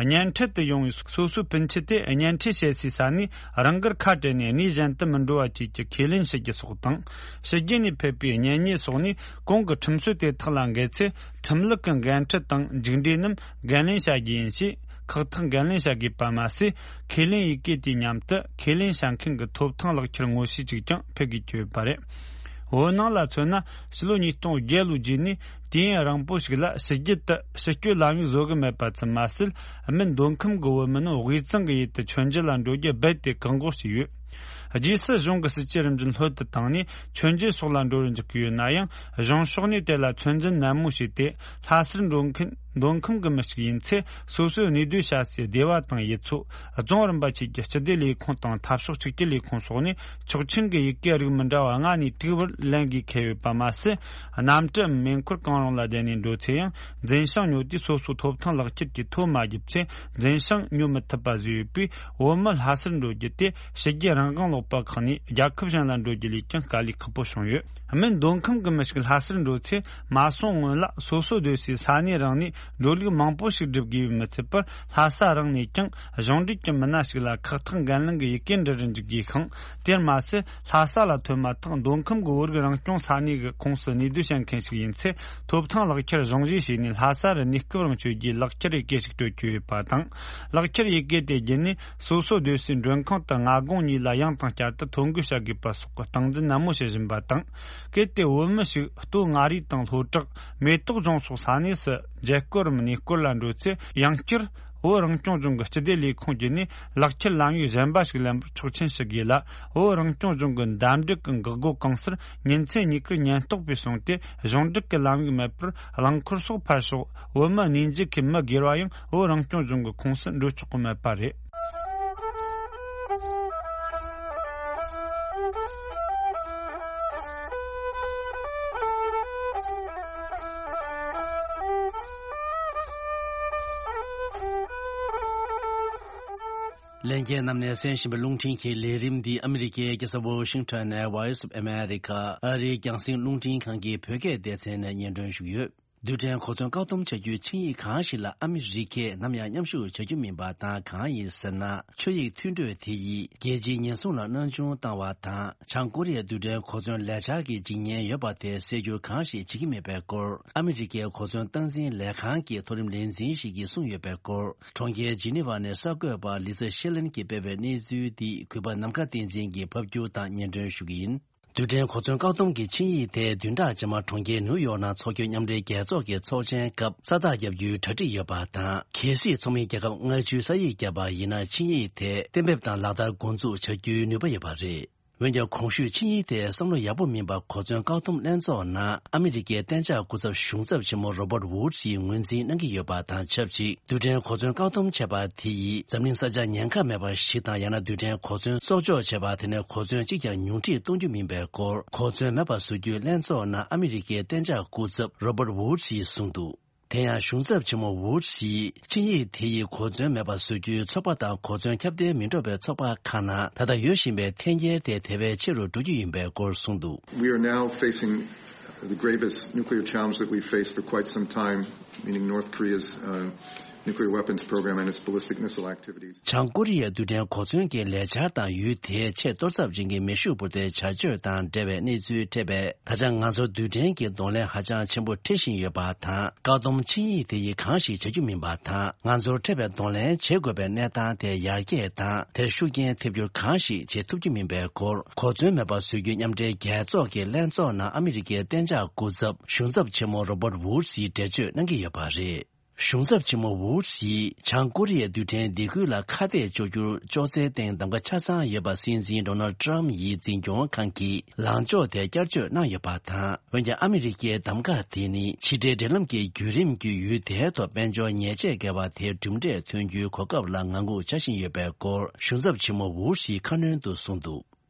གཉེན་འཕྲད་དུ་ཡོང་བའི་སོ་སོའི་སྤུན་མཆེད་དེ་གཉེན་འཕྲད་བྱེད་སའི་ས་ནས་རང་དགར་ཁ་བྲལ་ནས་གནས་གཞན་དུ་མི་འགྲོ་བ་བཅས་ཀྱི་ཁས་ལེན་བྱེད་རྒྱུ་སོགས་དང་། ཕྱི་རྒྱལ་ནས་ཕེབས་པའི་གཉེན་ཉེ་སོགས་ནས་གོང་གི་ཁྲིམས་སྲོལ་དེ་དག་ལ་འགལ་ཚེ། ཁྲིམས་ལུགས་ཀྱི་འགན་འཁྲི་དང་མཇུག་འབྲས་རྣམས་འགན་ལེན་བྱ་རྒྱུ་ཡིན་ཞེས་ཁག་ཐེག་འགན་ལེན་བྱ་དགོས་པ་མ་ཟད། ཁས་ལེན་ཡི་གེ་དེའི་མཉམ་དུ་ཁས་ལེན་བྱ་མཁན་གྱི་ཐོབ་ཐང་ལག་ཁྱེར་ངོ་ཤེས་ཅིག་ཀྱང་ཕུལ་དགོས་ཀྱི་ཡོད་པ་རེད། བོད་ནང་ལ་མཚོན་ན། ཕྱི་ལོ་ཉིས་སྟོང་བརྒྱད་ལོའི་རྗེས་ནས་དུས་ཡུན་རིང་པོ་ཞིག་ལ་ཕྱི་རྒྱལ་དུ་ཕྱི་སྐྱོད་ལམ་ལུགས་བཟོ་གི་མེད་པ་ཙམ་མ་ཟད། སྨན་འདོན་ཁུལ་གྱི་བོད་མི་རྣམས་དབུས་གཙང་གི་ཡུལ་དུ་མཆོད་མཇལ་ལ་འགྲོ་རྒྱུ་རྦད་དེ་བཀག་འགོག་བྱས་ཡོད། རྗེས་སུ་གཞུང་གི་སྲིད་ཇུས་རིམ་བཞིན་ལྷོད་དུ་བཏང་ནས་མཆོད་མཇལ་སོགས་ལ་འགྲོ་རུ་འཇུག་གི་ཡོད་ན་ཡང་། གཞུང་ཕྱོགས་ནས་དེ་ལ་ཚོད་འཛིན་ནན་མོ་བྱས་ཏེ། ལྷ་སར་འགྲོ་མཁན་འདོན་ཁུལ་གྱི་མི་ཞིག་ཡིན་ཚེ། སོ་སོའི་གནས་སྡོད་བྱ་སའི་སྡེ་བ་དང་ཡུལ་ཚོ། རྫོང་རིམ་པ་བཅས་ཀྱི་སྤྱི་བདེ་ལས་ཁུངས་དང་འཐབ་ཕྱོགས་གཅིག་གྱུར་ལས་ཁུངས་སོགས་ནས་ཆོག་མཆན་གྱི་ཡི་གེ་རིགས་མི་འདྲ་བ་ལྔ་ནས་དྲུག་བར་ལེན་དགོས་འཁེལ་ཡོད་པ་མ་ཟད། གནམ་གྲུའམ་མེ་འཁོར་གང་རུང་ལ་བསྡད་ནས་འགྲོ་ཚེ་ཡང་། འཛིན་བྱང་ཉོ་དུས་སོ་སོའི་ཐོབ་ཐང་ལག་ཁྱེར་གྱི་ཐོ་མ་བརྒྱབ་ཚེ། འཛིན་བྱང་ཉོ་མི་ཐུབ་པ་བཟོས་ཡོད་པས། བོད་མི་ལྷ་སར་འགྲོ་རྒྱུ་དེ་ཕྱི་རྒྱལ་རང་དབང་ལུང་པ་ཁག་ནས་རྒྱལ་ཁབ་གཞན་ལ་འགྲོ་རྒྱུ་ལས་ཀྱང་དཀའ་ལས་ཁག་པོ་བྱུང་ཡོད། སྨན་འདོན་ཁུལ་གྱི་མི་ཞིག་ལྷ་སར་འགྲོ་ཚེ། མ་སོང་སྔོན་ལ་སོ་སོ་སྡོད་སའི་ས་གནས་རང་ནས་འགྲོ་ལུགས་མང་པོ་ཞིག་སྒྲུབ་དགོས་པས་མི་ཚད་པར། ལྷ་ས་རང་ནས་ཀྱང་གཞུང་འབྲེལ་གྱི་མི་སྣ་ཞིག་ལ་ཁག་ཐེག་འགན་ལེན་གྱི་ཡི་གེ་འབྲི་རུ་འཇུག་དགོས་ཤིང་། དེར་མ་ཟད། ལྷ་ས་ལ་ཐོན་མ་ཐག་འདོན་ཁུལ་གྱི་བོད་རིགས་རང་སྐྱོང་ས་གནས་ཀྱི་ཁོངས་སུ་གནས་སྡོད་བྱེད་མཁན་ཞིག་ཡིན་ཚེ། ཐོབ་ཐང་ལག་ཁྱེར་གཞུང་བཞེས་བྱས་ནས་ལྷ་ས་རུ་གནས་སྐབས་རིང་བསྐྱོད་རྒྱུའི་ལག་ཁྱེར་ཡི་གེ་ཞིག་སྤྲོད་རྒྱུ་ཡོད་པ་དང་། ལག་ཁྱེར་ཡི་གེ་དེ་བརྒྱུད་ནས་སོ་སོ་སྡོད་སའི་མགྲོན་ཁང་དུ་སྔ་དགོང་གཉིས་ལ་ཡང་དང་བསྐྱར་དུ་ཐོ་འགོད་བྱ་དགོས་པ་སོགས་ཀྱི་སྟངས་འཛིན་ནན་མོ་བྱེད་བཞིན་པ་དང་། གལ་ཏེ་བོད་མི་ཞིག་སྟོད་མངའ་རིས་དང་ལྷོ་བྲག་མེ་ཏོག་ལྗོངས་སོགས་ས་གནས་སུ་མཇལ་སྐོར་རམ་གནས་སྐོར་ལ་འགྲོ་ཚེ། ཡང་བསྐྱར་བོད་རང་སྐྱོང་ལྗོངས་ཀྱི་སྤྱི་བདེ་ལས་ཁུངས་བརྒྱུད་ནས་ལག་ཁྱེར་ལམ་ཡིག་གཞན་པ་ཞིག་ལེན་པར་ཆོག་མཆན་ཞུ་དགོས་ལ། བོད་རང་སྐྱོང་ལྗོངས་ཀྱི་འདེམས་སྒྲུག་གི་འགག་སྒོ་གང་སར་ཉིན་མཚན་གཉིས་ཀར་ཉེན་རྟོག་པས་སྲུང་སྟེ། གཞུང་འབྲེལ་གྱི་ལམ་ཡིག་མེད་པར་རླངས་འཁོར་སོགས་ཕར་ཞོག་བོད་མི་གནས་མཇལ་མཁན་མི་སྒེར་བ་ཡང་བོད་རང་སྐྱོང་ལྗོངས་ཀྱི་ཁོངས་སུ་འགྲོ་ཆོག་གི་མེད་པ་རེད། ལྷན་རྒྱས་རྣམས་ནས་གསན་བཞིན་པའི་རླུང་འཕྲིན་གྱི་ལས་རིམ་འདི་ཨ་མི་རི་ཀའི་རྒྱལ་ས་ཝོ་ཤིང་ཊོན་ནས་Voice of America ཨ་རིའི་རྒྱང་སྲིང་རླུང་འཕྲིན་ཁང་གི་བོད་སྐད་སྡེ་ཚན་ནས་སྙན་སྒྲོན་ཞུས་ཡོད། རྡུལ་ཕྲན་གོ་མཚོན་བཀག་སྡོམ་བྱ་རྒྱུའི་ཆིངས་ཡིག་གང་ཞིག་ལ་ཨ་མི་རི་ཀས་ནམ་ཡང་མཉམ་ཞུགས་བྱ་རྒྱུ་མིན་པ་དང་། གང་ཡིན་ཟེར་ན། ཆོད་ཡིག་མཐུན་གྲོས་དེ་ཡིས་རྒྱལ་སྤྱིའི་ཉེན་སྲུང་ལ་སྣང་ཆུང་བཏང་བ་དང་། བྱང་ཀོ་རི་ཡའི་རྡུལ་ཕྲན་གོ་མཚོན་ལས་འཆར་གྱི་འཇིགས་ཉེན་ཡོད་པ་དེ་སེལ་རྒྱུ་གང་ཞིག་བྱེད་ཀྱི་མེད་པའི་སྐོར། ཨ་མི་རི་ཀའི་གོ་མཚོན་སྟངས་འཛིན་ལས་ཁང་གི་མཐོ་རིམ་ལས་འཛིན་ཞིག་གིས་གསུངས་ཡོད་པའི་སྐོར། གྲོང་ཁྱེར་ཇི་ནི་ཝ་ནས་གསར་འགོད་པ་ལི་ཙ་ཤེ་ལན་གྱིས་སྤེལ་བའི་གནས་ཚུལ་འདི་གུས་པ་ནམ་མཁའ་བསྟན་འཛིན་གྱིས་ཕབ་སྒྱུར་དང་སྙན་སྒྲོན་ཞུ་གི་ཡིན། རྡུལ་ཕྲན་གོ་མཚོན་བཀག་སྡོམ་གྱི་ཆིངས་ཡིག་དེ་བདུན་ཕྲག་རྗེས་མ་གྲོང་ཁྱེར་ནིའུ་ཡོག་ནང་འཚོགས་རྒྱུའི་མཉམ་འབྲེལ་རྒྱལ་ཚོགས་ཀྱི་ཚོགས་ཆེན་སྐབས་ས་རྟགས་བརྒྱབ་རྒྱུའི་གྲ་སྒྲིག་ཡོད་པ་དང་། གལ་སྲིད་ཚོགས་མི་རྒྱལ་ཁབ་ལྔ་བཅུའི་ས་ཡིག་བརྒྱབ་པ་ཡིན་ན། ཆིངས་ཡིག་དེ་གཏན་འབེབས་དང་ལག་བསྟར་འགོ་འཛུགས་བྱ་རྒྱུའི་ནུས་པ་ཡོད་པ་རེད། འོན་ཀྱང་། གོང་ཞུས་ཆིངས་ཡིག་དེ་བསམ་བློ་ཡག་པོ་མིན་པར་གོ་མཚོན་བཀག་སྡོམ་ལྷན་ཚོགས་ནང་ཨ་མི་རི་ཀའི་གཏན་འཇགས་སྐུ་ཚབ་གཞུང་ཚབ་ཆེན་མོ་Robert Wood ཡིས་ངོས་འཛིན་གནང་གི་ཡོད་པ་དང་ཆབས་ཅིག་རྡུལ་ཕྲན་གོ་མཚོན་བཀག་སྡོམ་བྱས་པ་དེ་ཡིས་འཛམ་གླིང་ས་ཆ་ཉེན་ཁ་མེད་པ་ཞིག་དང་། ཡང་ན་རྡུལ་ཕྲན་གོ་མཚོན་གསོག་འཇོག་བྱས་པ་དེ་ནས་གོ་མཚོན་གཅིག་ཀྱང་ཉུང་འཕྲི་གཏོང་རྒྱུ་མིན་པའི་སྐོར། གོ་མཚོན་མེད་པ་བཟོ་རྒྱུའི་ལྷན་ཚོགས་ནང་ཨ་མི་རི་ཀའི་གཏན་འཇགས་སྐུ་ཚབ་Robert Wood ཡིས་གསུངས་འདུག་དེ་ཡང་གཞུང་ཚབ་ཆེན་མོ་Wood ཡིས་ཆིངས་ཡིག་དེ་ཡིས་གོ་མཚོན་མེད་པ་བཟོ་རྒྱུའི་ཚོགས་པ་དང་། གོ་མཚོན་ཁྱབ་གདལ་མི་འགྲོ་བའི་ཚོགས་པ་ཁག་ནང་ད་ལྟ་ཡོད་བཞིན་པའི་འཐེན་འཁྱེར་དེ་དེ་བས་ཆེ་རུ་འགྲོ་རྒྱུ་ཡིན་པའི་སྐོར་གསུངས་འདུག We are now facing the gravest nuclear challenge that we've faced for quite some time, meaning North Korea's uh, nuclear weapons program and its ballistic missile activities. བྱང་ཀོ་རི་ཡའི་རྡུལ་ཕྲན་གོ་མཚོན་གྱི་ལས་འཆར་དང་ཡུལ་དེའི་ཆེས་གཏོར་ཚབས་ཅན་གྱི་མེ་ཤུགས་འཕུར་མདའི་བྱ་སྤྱོད་དང་འབྲེལ་བའི་གནས་ཚུལ་འཕྲད་པས། ད་ཆ་ང་ཚོར་རྡུལ་ཕྲན་གྱི་གདོང་ལེན་ཧ་ཅང་ཆེན་པོ་འཕྲད་བཞིན་ཡོད་པ་དང་། བཀག་སྡོམ་ཆིངས་ཡིག་དེ་ཡིས་གང་ཞིག་བྱ་རྒྱུ་མིན་པ་དང་། ང་ཚོར་འཕྲད་པའི་གདོང་ལེན་བྱེད་དགོས་པའི་གནས་སྟངས་དེ་ཡར་རྒྱས་དང་། དེར་ཤུགས་རྐྱེན་ཐེབས་རྒྱུ་གང་ཞིག་བྱེད་ཐུབ་རྒྱུ་མིན་པའི་སྐོར། གོ་མཚོན་མེད་པར་བཟོ་རྒྱུའི་མཉམ་འབྲེལ་རྒྱལ་ཚོགས་ཀྱི་ལྷན་ཚོགས་ནང་ཨ་མི་རི་ཀའི་གཏན་འཇགས་སྐུ་ཚབ་གཞུང་ཚབ་ཆེན་མོ་རོ་བར་ཝུཌ་སིས་འགྲེལ་བརྗོད་གནང་གི་ཡོད་པ་རེད། གཞུང་ཚབ་ཆེན་མོ་ཝུཌ་སིས་བྱང་ཀོ་རི་ཡའི་རྡུལ་ཕྲན་སྡེ་ཁུལ་ལ་ཁ་གཏད་གཅོག་རྒྱུར་ཅོག་ཙེའི་སྟེང་གདམ་ག་ཆ་ཚང་ཡོད་པ་སྲིད་འཛིན་ཌོ་ནལ་ཌི་ཊརམ་ཕི་ཡི་འཛིན་སྐྱོང་ཁང་གིས་ལངས་ཕྱོགས་དེ་བསྐྱར་བཅོས་གནང་ཡོད་པ་དང་། འོན་ཀྱང་ཨ་མི་རི་ཀའི་གདམ་ག་དེ་ནི་ཕྱི་འབྲེལ་འབྲེལ་ལམ་གྱི་བརྒྱུད་རིམ་བརྒྱུད་ཡུལ་དེའི་ཐོག་དཔལ་འབྱོར་ཉེས་ཆད་བཀལ་བ་དེའི་གྲུབ་འབྲས་ཐོན་རྒྱུའི་གོ་སྐབས་ལ་ངང་སྒུག་བྱ་བཞིན་ཡོད་པའི་སྐོར། གཞུང་ཚབ་ཆེན་མོ་ཝུཌ་སིས་ཁ་སྣོན་དུ་གསུངས་འདུག།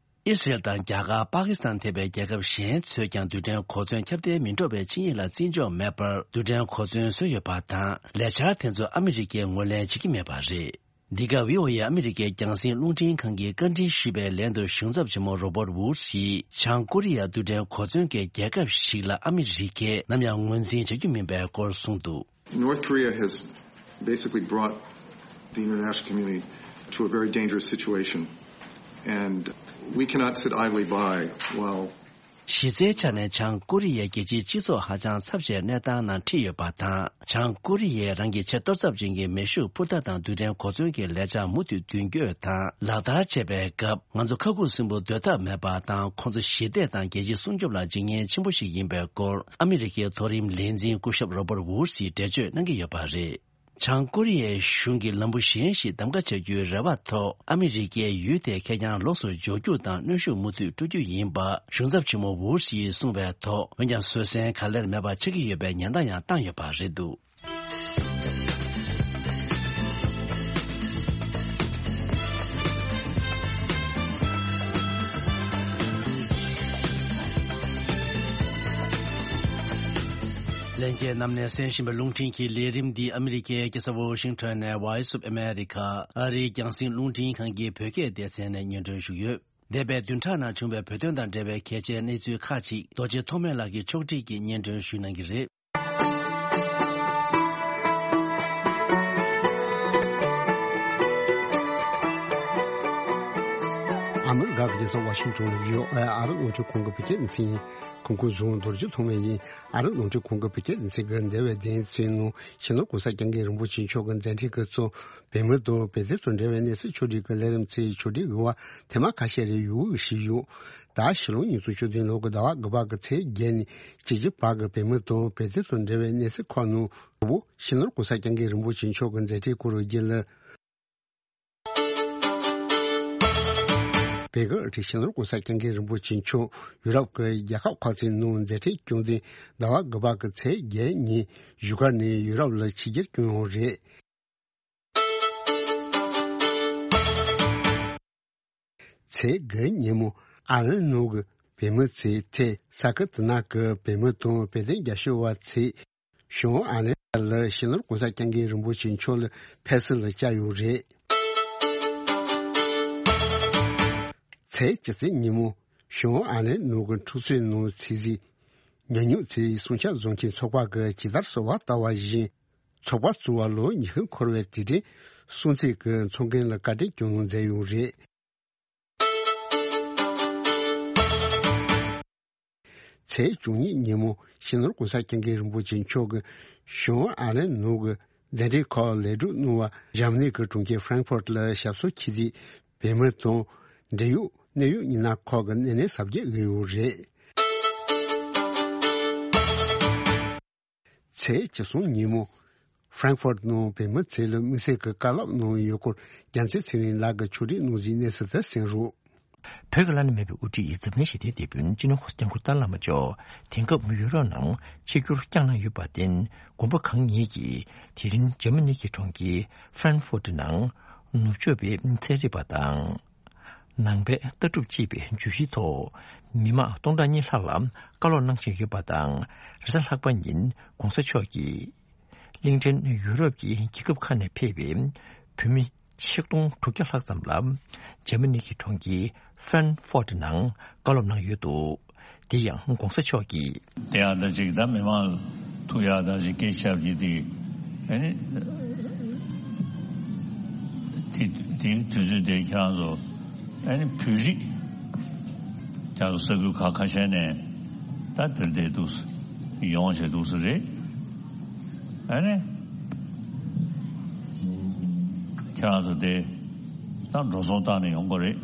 ཨི་སི་རེལ་དང་རྒྱ་གར། པ་ཀི་སི་ཐན་ཐེ་བའི་རྒྱལ་ཁབ་གཞན་ཚོས་ཀྱང་རྡུལ་ཕྲན་གོ་མཚོན་ཁྱབ་གདལ་མི་འགྲོ་བའི་ཆིངས་ཡིག་ལ་བརྩི་འཇོག་མེད་པར་རྡུལ་ཕྲན་གོ་མཚོན་བཟོས་ཡོད་པ་དང་། ལས་འཆར་དེ་ཚོ་ཨ་མི་རི་ཀས་ངོས་ལེན་བྱེད་ཀྱི་མེད་པ་རེད། འདི་ག་ཝི་ཨོ་ཨེ་ཨ་མི་རི་ཀའི་རྒྱང་སྲིང་རླུང་འཕྲིན་ཁང་གིས་བཀའ་འདྲི་ཞུས་པའི་ལན་དུ། གཞུང་ཚབ་ཆེན་མོ་རོ་བར་ཝུཌ་སིས་བྱང་ཀོ་རི་ཡ་རྡུལ་ཕྲན་གོ་མཚོན་གྱི་རྒྱལ་ཁབ་ཞིག་ལ་ཨ་མི་རི་ཀས་ནམ་ཡང་ངོས་འཛིན་བྱ་རྒྱུ་མིན་པའི་སྐོར་གསུངས་འདུག། North Korea has basically brought the international community to a very dangerous situation, and we cannot sit idly by while གཞི་རྩའི་ཆ་ནས་བྱང་ཀོ་རི་ཡའི་རྒྱལ་སྤྱིའི་སྤྱི་ཚོགས་ཧ་ཅང་ཚབས་ཆེའི་གནས་སྟངས་ནང་ཁྲིད་ཡོད་པ་དང་། བྱང་ཀོ་རི་ཡས་རང་གི་ཆེས་གཏོར་ཚབས་ཅན་གྱི་མེ་ཤུགས་འཕུར་མདའ་དང་རྡུལ་ཕྲན་གོ་མཚོན་གྱི་ལས་འཆར་མུ་མཐུད་མདུན་སྐྱོད་དང་ལག་བསྟར་བྱེད་པའི་སྐབས། ང་ཚོ་ཁ་ཁུ་སིམ་པོ་སྡོད་ཐབས་མེད་པ་དང་། ཁོང་ཚོ་ཞི་བདེ་དང་རྒྱལ་སྤྱིའི་སྲུང་སྐྱོབ་ལ་འཇིགས་ཉེན་ཆེན་པོ་ཞིག་ཡིན་པའི་སྐོར། ཨ་མི་རི་ཀའི་མཐོ་རིམ་ལས་འཛིན་སྐུ་ཞབས་རོ་བར་ཝུཌ་སིས་འགྲེལ་བརྗོད་གནང་གི་ཡོད་པ་རེད། བྱང་ཀོ་རི་ཡའི་གཞུང་གིས་ལམ་བུ་གཞན་ཞིག་གདམ་ག་བྱ་རྒྱུའི་རེ་བ་ཐོག་ཨ་མི་རི་ཀས་ཡུལ་དེའི་ཁེར་རྐྱང་ལོགས་སུ་འཇོག་རྒྱུ་དང་གནོན་ཤུགས་མུ་མཐུད་སྤྲོད་རྒྱུ་ཡིན་པ་གཞུང་ཚབ་ཆེན་མོ་ཝུཌ་སིས་གསུངས་པའི་ཐོག་འོན་ཀྱང་བཟོད་བསྲན་ག་ལེར་མེད་པ་ཆགས་ཀྱི་ཡོད་པའི་ཉེན་བརྡ་ཡང་བཏང་ཡོད་པ་རེད་འདུག། ལྷན་རྒྱས་རྣམས་ནས་གསན་བཞིན་པའི་རླུང་འཕྲིན་གྱི་ལས་རིམ་འདི་ཨ་མི་རི་ཀའི་རྒྱལ་ས་ཝོ་ཤིང་ཊོན་ནས་Voice of America ཨ་རིའི་རྒྱང་སྲིང་རླུང་འཕྲིན་ཁང་གི་བོད་སྐད་སྡེ་ཚན་ནས་སྙན་སྒྲོན་ཞུས་ཡོད། འདས་པའི་བདུན་ཕྲག་ནང་བྱུང་བའི་བོད་དོན་དང་འབྲེལ་བའི་གལ་ཆེའི་གནས་ཚུལ་ཁག་ཅིག་རྡོ་རྗེ་ཐོགས་མེད་ལགས་ཀྱིས་ཕྱོགས་སྒྲིག་གིས་སྙན་སྒྲོན་ཞུ་གནང་གི་རེད། ཨ་མི་རི་ཀ་གི་རྒྱལ་ས་ཝ་ཤིང་ཊོན་ལ་ཡོད། ཨ་རི་རླུང་འཕྲིན་ཁང་གི་བོད་སྐད་སྡེ་ཚན་ཡིན། གོང་བཀུར་བཟུང་རྡོ་རྗེ་ཐོགས་མེད་ཡིན། ཨ་རི་རླུང་འཕྲིན་ཁང་གི་བོད་སྐད་སྡེ་ཚན་གྱི་འདས་པའི་བདུན་ཚིགས་ནང་། སྤྱི་ནོར་གོང་ས་སྐྱབས་མགོན་རིན་པོ་ཆེ་མཆོག་གི་མཛད་འཕྲིན་གྱི་གཙོ། བོད་མི་དང་བོད་དོན་དང་འབྲེལ་བའི་གནས་ཚུལ་ཕྱོགས་སྒྲིག་གི་ལས་རིམ་ཚོའི་ཕྱོགས་སྒྲིག་གི་བར་ཐེངས་མ་ཁ་ཤས་རེ་ཡོང་གི་ཞིག་ཡོད། ད་ཕྱི་ལོ་ཉིས་སྟོང་བཅུ་བདུན་ལོ་གི་ཟླ་བ་དགུ་པ་གི་ཚེས་བརྒྱད་ནས་བཅུ་གཅིག་བར་གྱི་བོད་མི་དང་བོད་དོན་དང་འབྲེལ་བའི་གནས་ཚུལ་ཁག་ནང་དང་པོ་སྤྱི་ནོར་གོང་ས་སྐྱབས་མགོན་རིན་པོ་ཆེ་མཆོག་གི་མཛད་འཕྲིན་སྐོར་རྒྱུན་ལ། བོད་ཀྱི་སྤྱི་ནོར་གོང་ས་སྐྱབས་མགོན་རིན་པོ་ཆེ་མཆོག་ཡུ་རོབ་ཀྱི་རྒྱལ་ཁབ་ཁག་ཅིག་ནང་མཛད་འཕྲིན་བསྐྱངས་ཏེ། ཟླ་བ་དགུ་པ་གི་ཚེས་བརྒྱད་ཉིན་བཞུགས་སྒར་ནས་ཡུ་རོབ་ལ་ཕྱི་རྒྱལ་བསྐྱོད་ཡོད་རེད། ཚེས་དགུ་ཉིན་མོ་ཨར་ལན་ནང་གི་བོད་མི་ཚོས་ཐེ་ས་ཁི་ཐི་ན་གི་བོད་མི་དང་བོད་དོན་རྒྱབ་སྐྱོར་བ་ཚོས་གཞུང་ཨར་ལན་ལ་སྤྱི་ནོར་གོང་ས་སྐྱབས་མགོན་རིན་པོ་ཆེ་མཆོག་ལ་ཕེབས་བསུ་ལ་བཅར་ཡོད་རེད། ཚེས་བཅུ་གཅིག་ཉིན་མོ་གཞུང་ཨར་ལན་ནང་གི་འཁྲུག་རྩོད་ནང་ཚེ་གཟིགས་ཉམས་མྱོང་ཚོའི་སྲུང་སྐྱོབ་བཟོ་མཁན་ཚོགས་པ་གིས་ཇི་ལྟར་གསོལ་བ་བཏབ་པ་བཞིན། ཚོགས་པ་བཙུགས་པ་ལོ་ཉི་ཤུ་འཁོར་བའི་དུས་དྲན་སྲུང་བརྩི་གི་ཚོགས་རྒྱན་ལ་བཀའ་དྲིན་སྐྱོང་གནང་མཛད་ཡོད་རེད། ཚེས་བཅུ་གཉིས་ཉིན་མོ་སྤྱི་ནོར་གོང་ས་སྐྱབས་མགོན་རིན་པོ་ཆེ་མཆོག་གིས་གཞུང་ཨར་ལན་ནང་གི་མཛད་འཕྲིན་ཁག་ལེགས་གྲུབ་གནང་བ། འཇར་མ་ནི་གི་གྲོང་ཁྱེར་ཧྥ་རན་ཧྥོར་ལ་ཞབས་སོར་ཆེད་དུ་བོད་མི་དང་འབྲེལ་ཡོད་གནད་ཡོད་མི་སྣ་ཁག་གི་སྣེ་ལེན་གཟབ་རྒྱས་ཡོད་རེད། ཚེས་བཅུ་གསུམ་ཉིན་མོ་ཧྥ་རན་ཧྥོར་ནང་བོད་མི་ཚོས་ལ་དམིགས་བསལ་གྱི་བཀའ་སློབ་གནང་ཡོད་སྐོར་རྒྱལ་མཚན་ཚེ་རིང་ལགས་ཀྱིས་ཕྱོགས་སྒྲིག་གནང་གཟིགས་གནས་ཚུལ་དེ་གསན་རོགས། བོད་ཀྱི་བླ་ན་མེད་པའི་དབུ་ཁྲིད་འཛམ་གླིང་ཞི་བདེའི་དེད་དཔོན་སྤྱི་ནོར་༧གོང་ས་༧སྐྱབས་མགོན་ཏཱ་ལའི་བླ་མ་མཆོག་དེང་སྐབས་ཡུ་རོབ་ནང་ཆིབས་བསྒྱུར་བསྐྱངས་གནང་ཡོད་པར་བརྟེན། དགོན་པ་གང་ཉིད་ཀྱིས་དེ་རིང་འཇར་མ་ནི་གི་གྲོང་ཁྱེར་ཧྥ་རན་ཧྥོར་ནང་ནུབ་ཕྱོགས་པའི་ཚན་རིག་པ་དང་། ནང་པའི་ལྟ་གྲུབ་ཅེས་པའི་བརྗོད་གཞིའི་ཐོག་མི་མང་སྟོང་ཕྲག་གཉིས་ལྷག་ལ་བཀའ་སློབ་གནང་བཞིན་ཡོད་པ་དང་། རེས་གཟའ་ལྷག་པ་ཉིན་༧གོང་ས་མཆོག་གིས་གླིང་ཕྲན་ཡུ་རོབ་ཀྱི་རྒྱལ་ཁབ་ཁག་ནས་ཕེབས་པའི་བོད་མི་ཆིག་སྟོང་དྲུག་བརྒྱ་ལྷག་ཙམ་ལ་འཇར་མ་ནི་གི་གྲོང་ཁྱེར་ཧྥ་རན་ཧྥོར་ནང་བཀའ་སློབ་གནང་ཡོད་འདུག། དེ་ཡང་༧གོང་ས་མཆོག་གིས། དེ་ཡང་ད་ཅིག་ད་མི་མང་ཐུག་ཡག་ད་ཅིག་སྐད་ཆ་བརྒྱབ་ཀྱི་དེ་ཨ་ནི་ དེ་དེའི་དུས་ཚོད་དེ་ཁྱེད་རང་ཚོ་ཨ་ནི་བོད་རིགས་ཁྱེད་རང་ཚོ་ས་ཁུལ་ཁག་ཁ་ཤས་ནས་ད་དེར་བསྡད་འདུག་ཡོང་བྱས་འདུག་ས་རེད། ཨ་ནི་ཁྱེད་རང་ཚོ་དེ་ད་འགྲོ་སོང་བཏང་ནས་ཡོང་དགོས་རེད།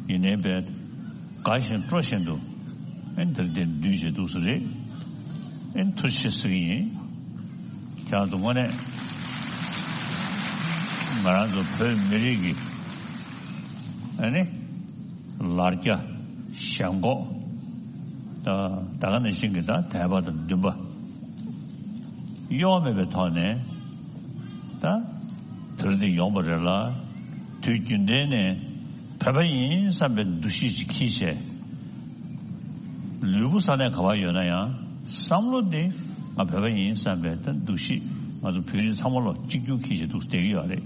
ཡིན་ནའི་བས་དགའ་བཞིན་སྤྲོ་བཞིན་དུ་ཨེ་འདིར་དེར་འདུས་བྱས་འདུག་ས་རེད། ཨེ་ཐུགས་རྗེ་ཆེ་ཟེར་གྱི་ཡིན། ཁྱེད་རང་ཚོ་དངོས་གནས་ང་རང་ཚོ་བོད་མི་རིགས་ཀྱི་ཨ་ནི་ལར་རྒྱ་ཞེན་ཁོག་ད་ད་ག་ནང་བཞིན་གྱི་ད་དད་པ་དང་འདུན་པ་གཡོ་བ་མེད་པའི་ཐོག་ནས་ད་དེར་དེ་ཡོང་པ་རེད་ལ། དུས་རྒྱུན་ལྡན་ནས་བོད་པ་ཡིན་བསམ་པའི་འདུ་ཤེས་ཅིག་འཁྱེར་བྱས། ལུས་པོ་ས་གནས་ག་པར་ཡོད་ན་ཡང་བསམ་བློ་དེ་ང་བོད་པ་ཡིན་བསམ་པའི་ད་འདུ་ཤེས་ང་ཚོ་བོད་རིགས་ཚང་མ་ལོ་གཅིག་གྱུར་འཁྱེར་བྱས་འདུག་བསྡད་ཀྱི་ཡོད་རེད།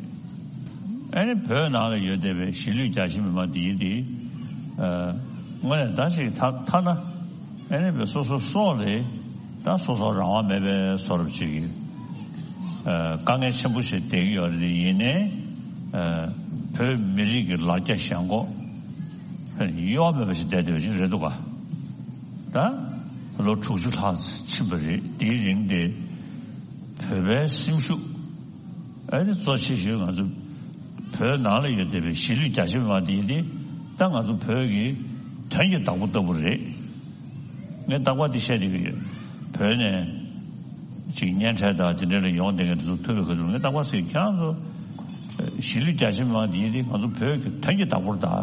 ཨ་ནི་བོད་ནང་ལ་ཡོད་བསྡད་པའི་གཞིས་ལུས་རྒྱ་ཆེ་མི་མང་འདི་ཡིན་ཏེ། དངོས་གནས་ད་ཅིག་ཐ་ཐ་ན་ཨ་ནི་བོད་སོ་སོ་སོགས་ལས་ད་སོ་སོ་རང་དབང་མེད་པའི་བཟོ་འདྲ་ཅིག་གི་དཀའ་ངལ་ཆེན་པོ་ཞིག་བསྡད་ཀྱི་ཡོད་རེད། ཡིན་ནའི་བོད་མི་རིགས་ཀྱི་ལར་རྒྱ་ཞེན་ཁོག་གཡོ་བ་མེད་པ་ཞིག་བསྡད་བསྡད་པ་ཅིག་རེད་འདུག་ག་ད་ལོ་དྲུག་ཅུ་ལྷག་ཕྱིན་པ་རེད། དེའི་རིང་དེ་བོད་པའི་སེམས་ཤུགས་ཨ་ནི་གཙོ་ཆེ་ཤོས་ང་ཚོ་བོད་ནང་ལ་ཡོད་བསྡད་པའི་གཞིས་ལུས་རྒྱ་ཆེ་མི་མང་དེ་ཡིན་ཏེ། ད་ང་ཚོ་བོད་ཀྱི་དོན་གྱི་བདག་པོ་ལྟ་བུ་རེད། ངས་རྟག་པར་དེ་བཤད་བསྡད་ཀྱི་ཡོད། བོད་ནས་ཅིག་གཉེན་འཕྲད་དང་དེ་འདྲ་ལ་ཡོང་བསྡད་མཁན་དེ་ཚོ་ཐུག་པའི་ཁ་ཐུག་ངས་རྟག་པར་ཟེར། ཁྱེད་རང་ཚོ་གཞིས་ལུས་རྒྱ་ཆེ་མི་མང་དེ་ཡིན་ཏེ་ང་ཚོ་བོད་ཀྱི་དོན་གྱི་བདག་པོར་གདའ།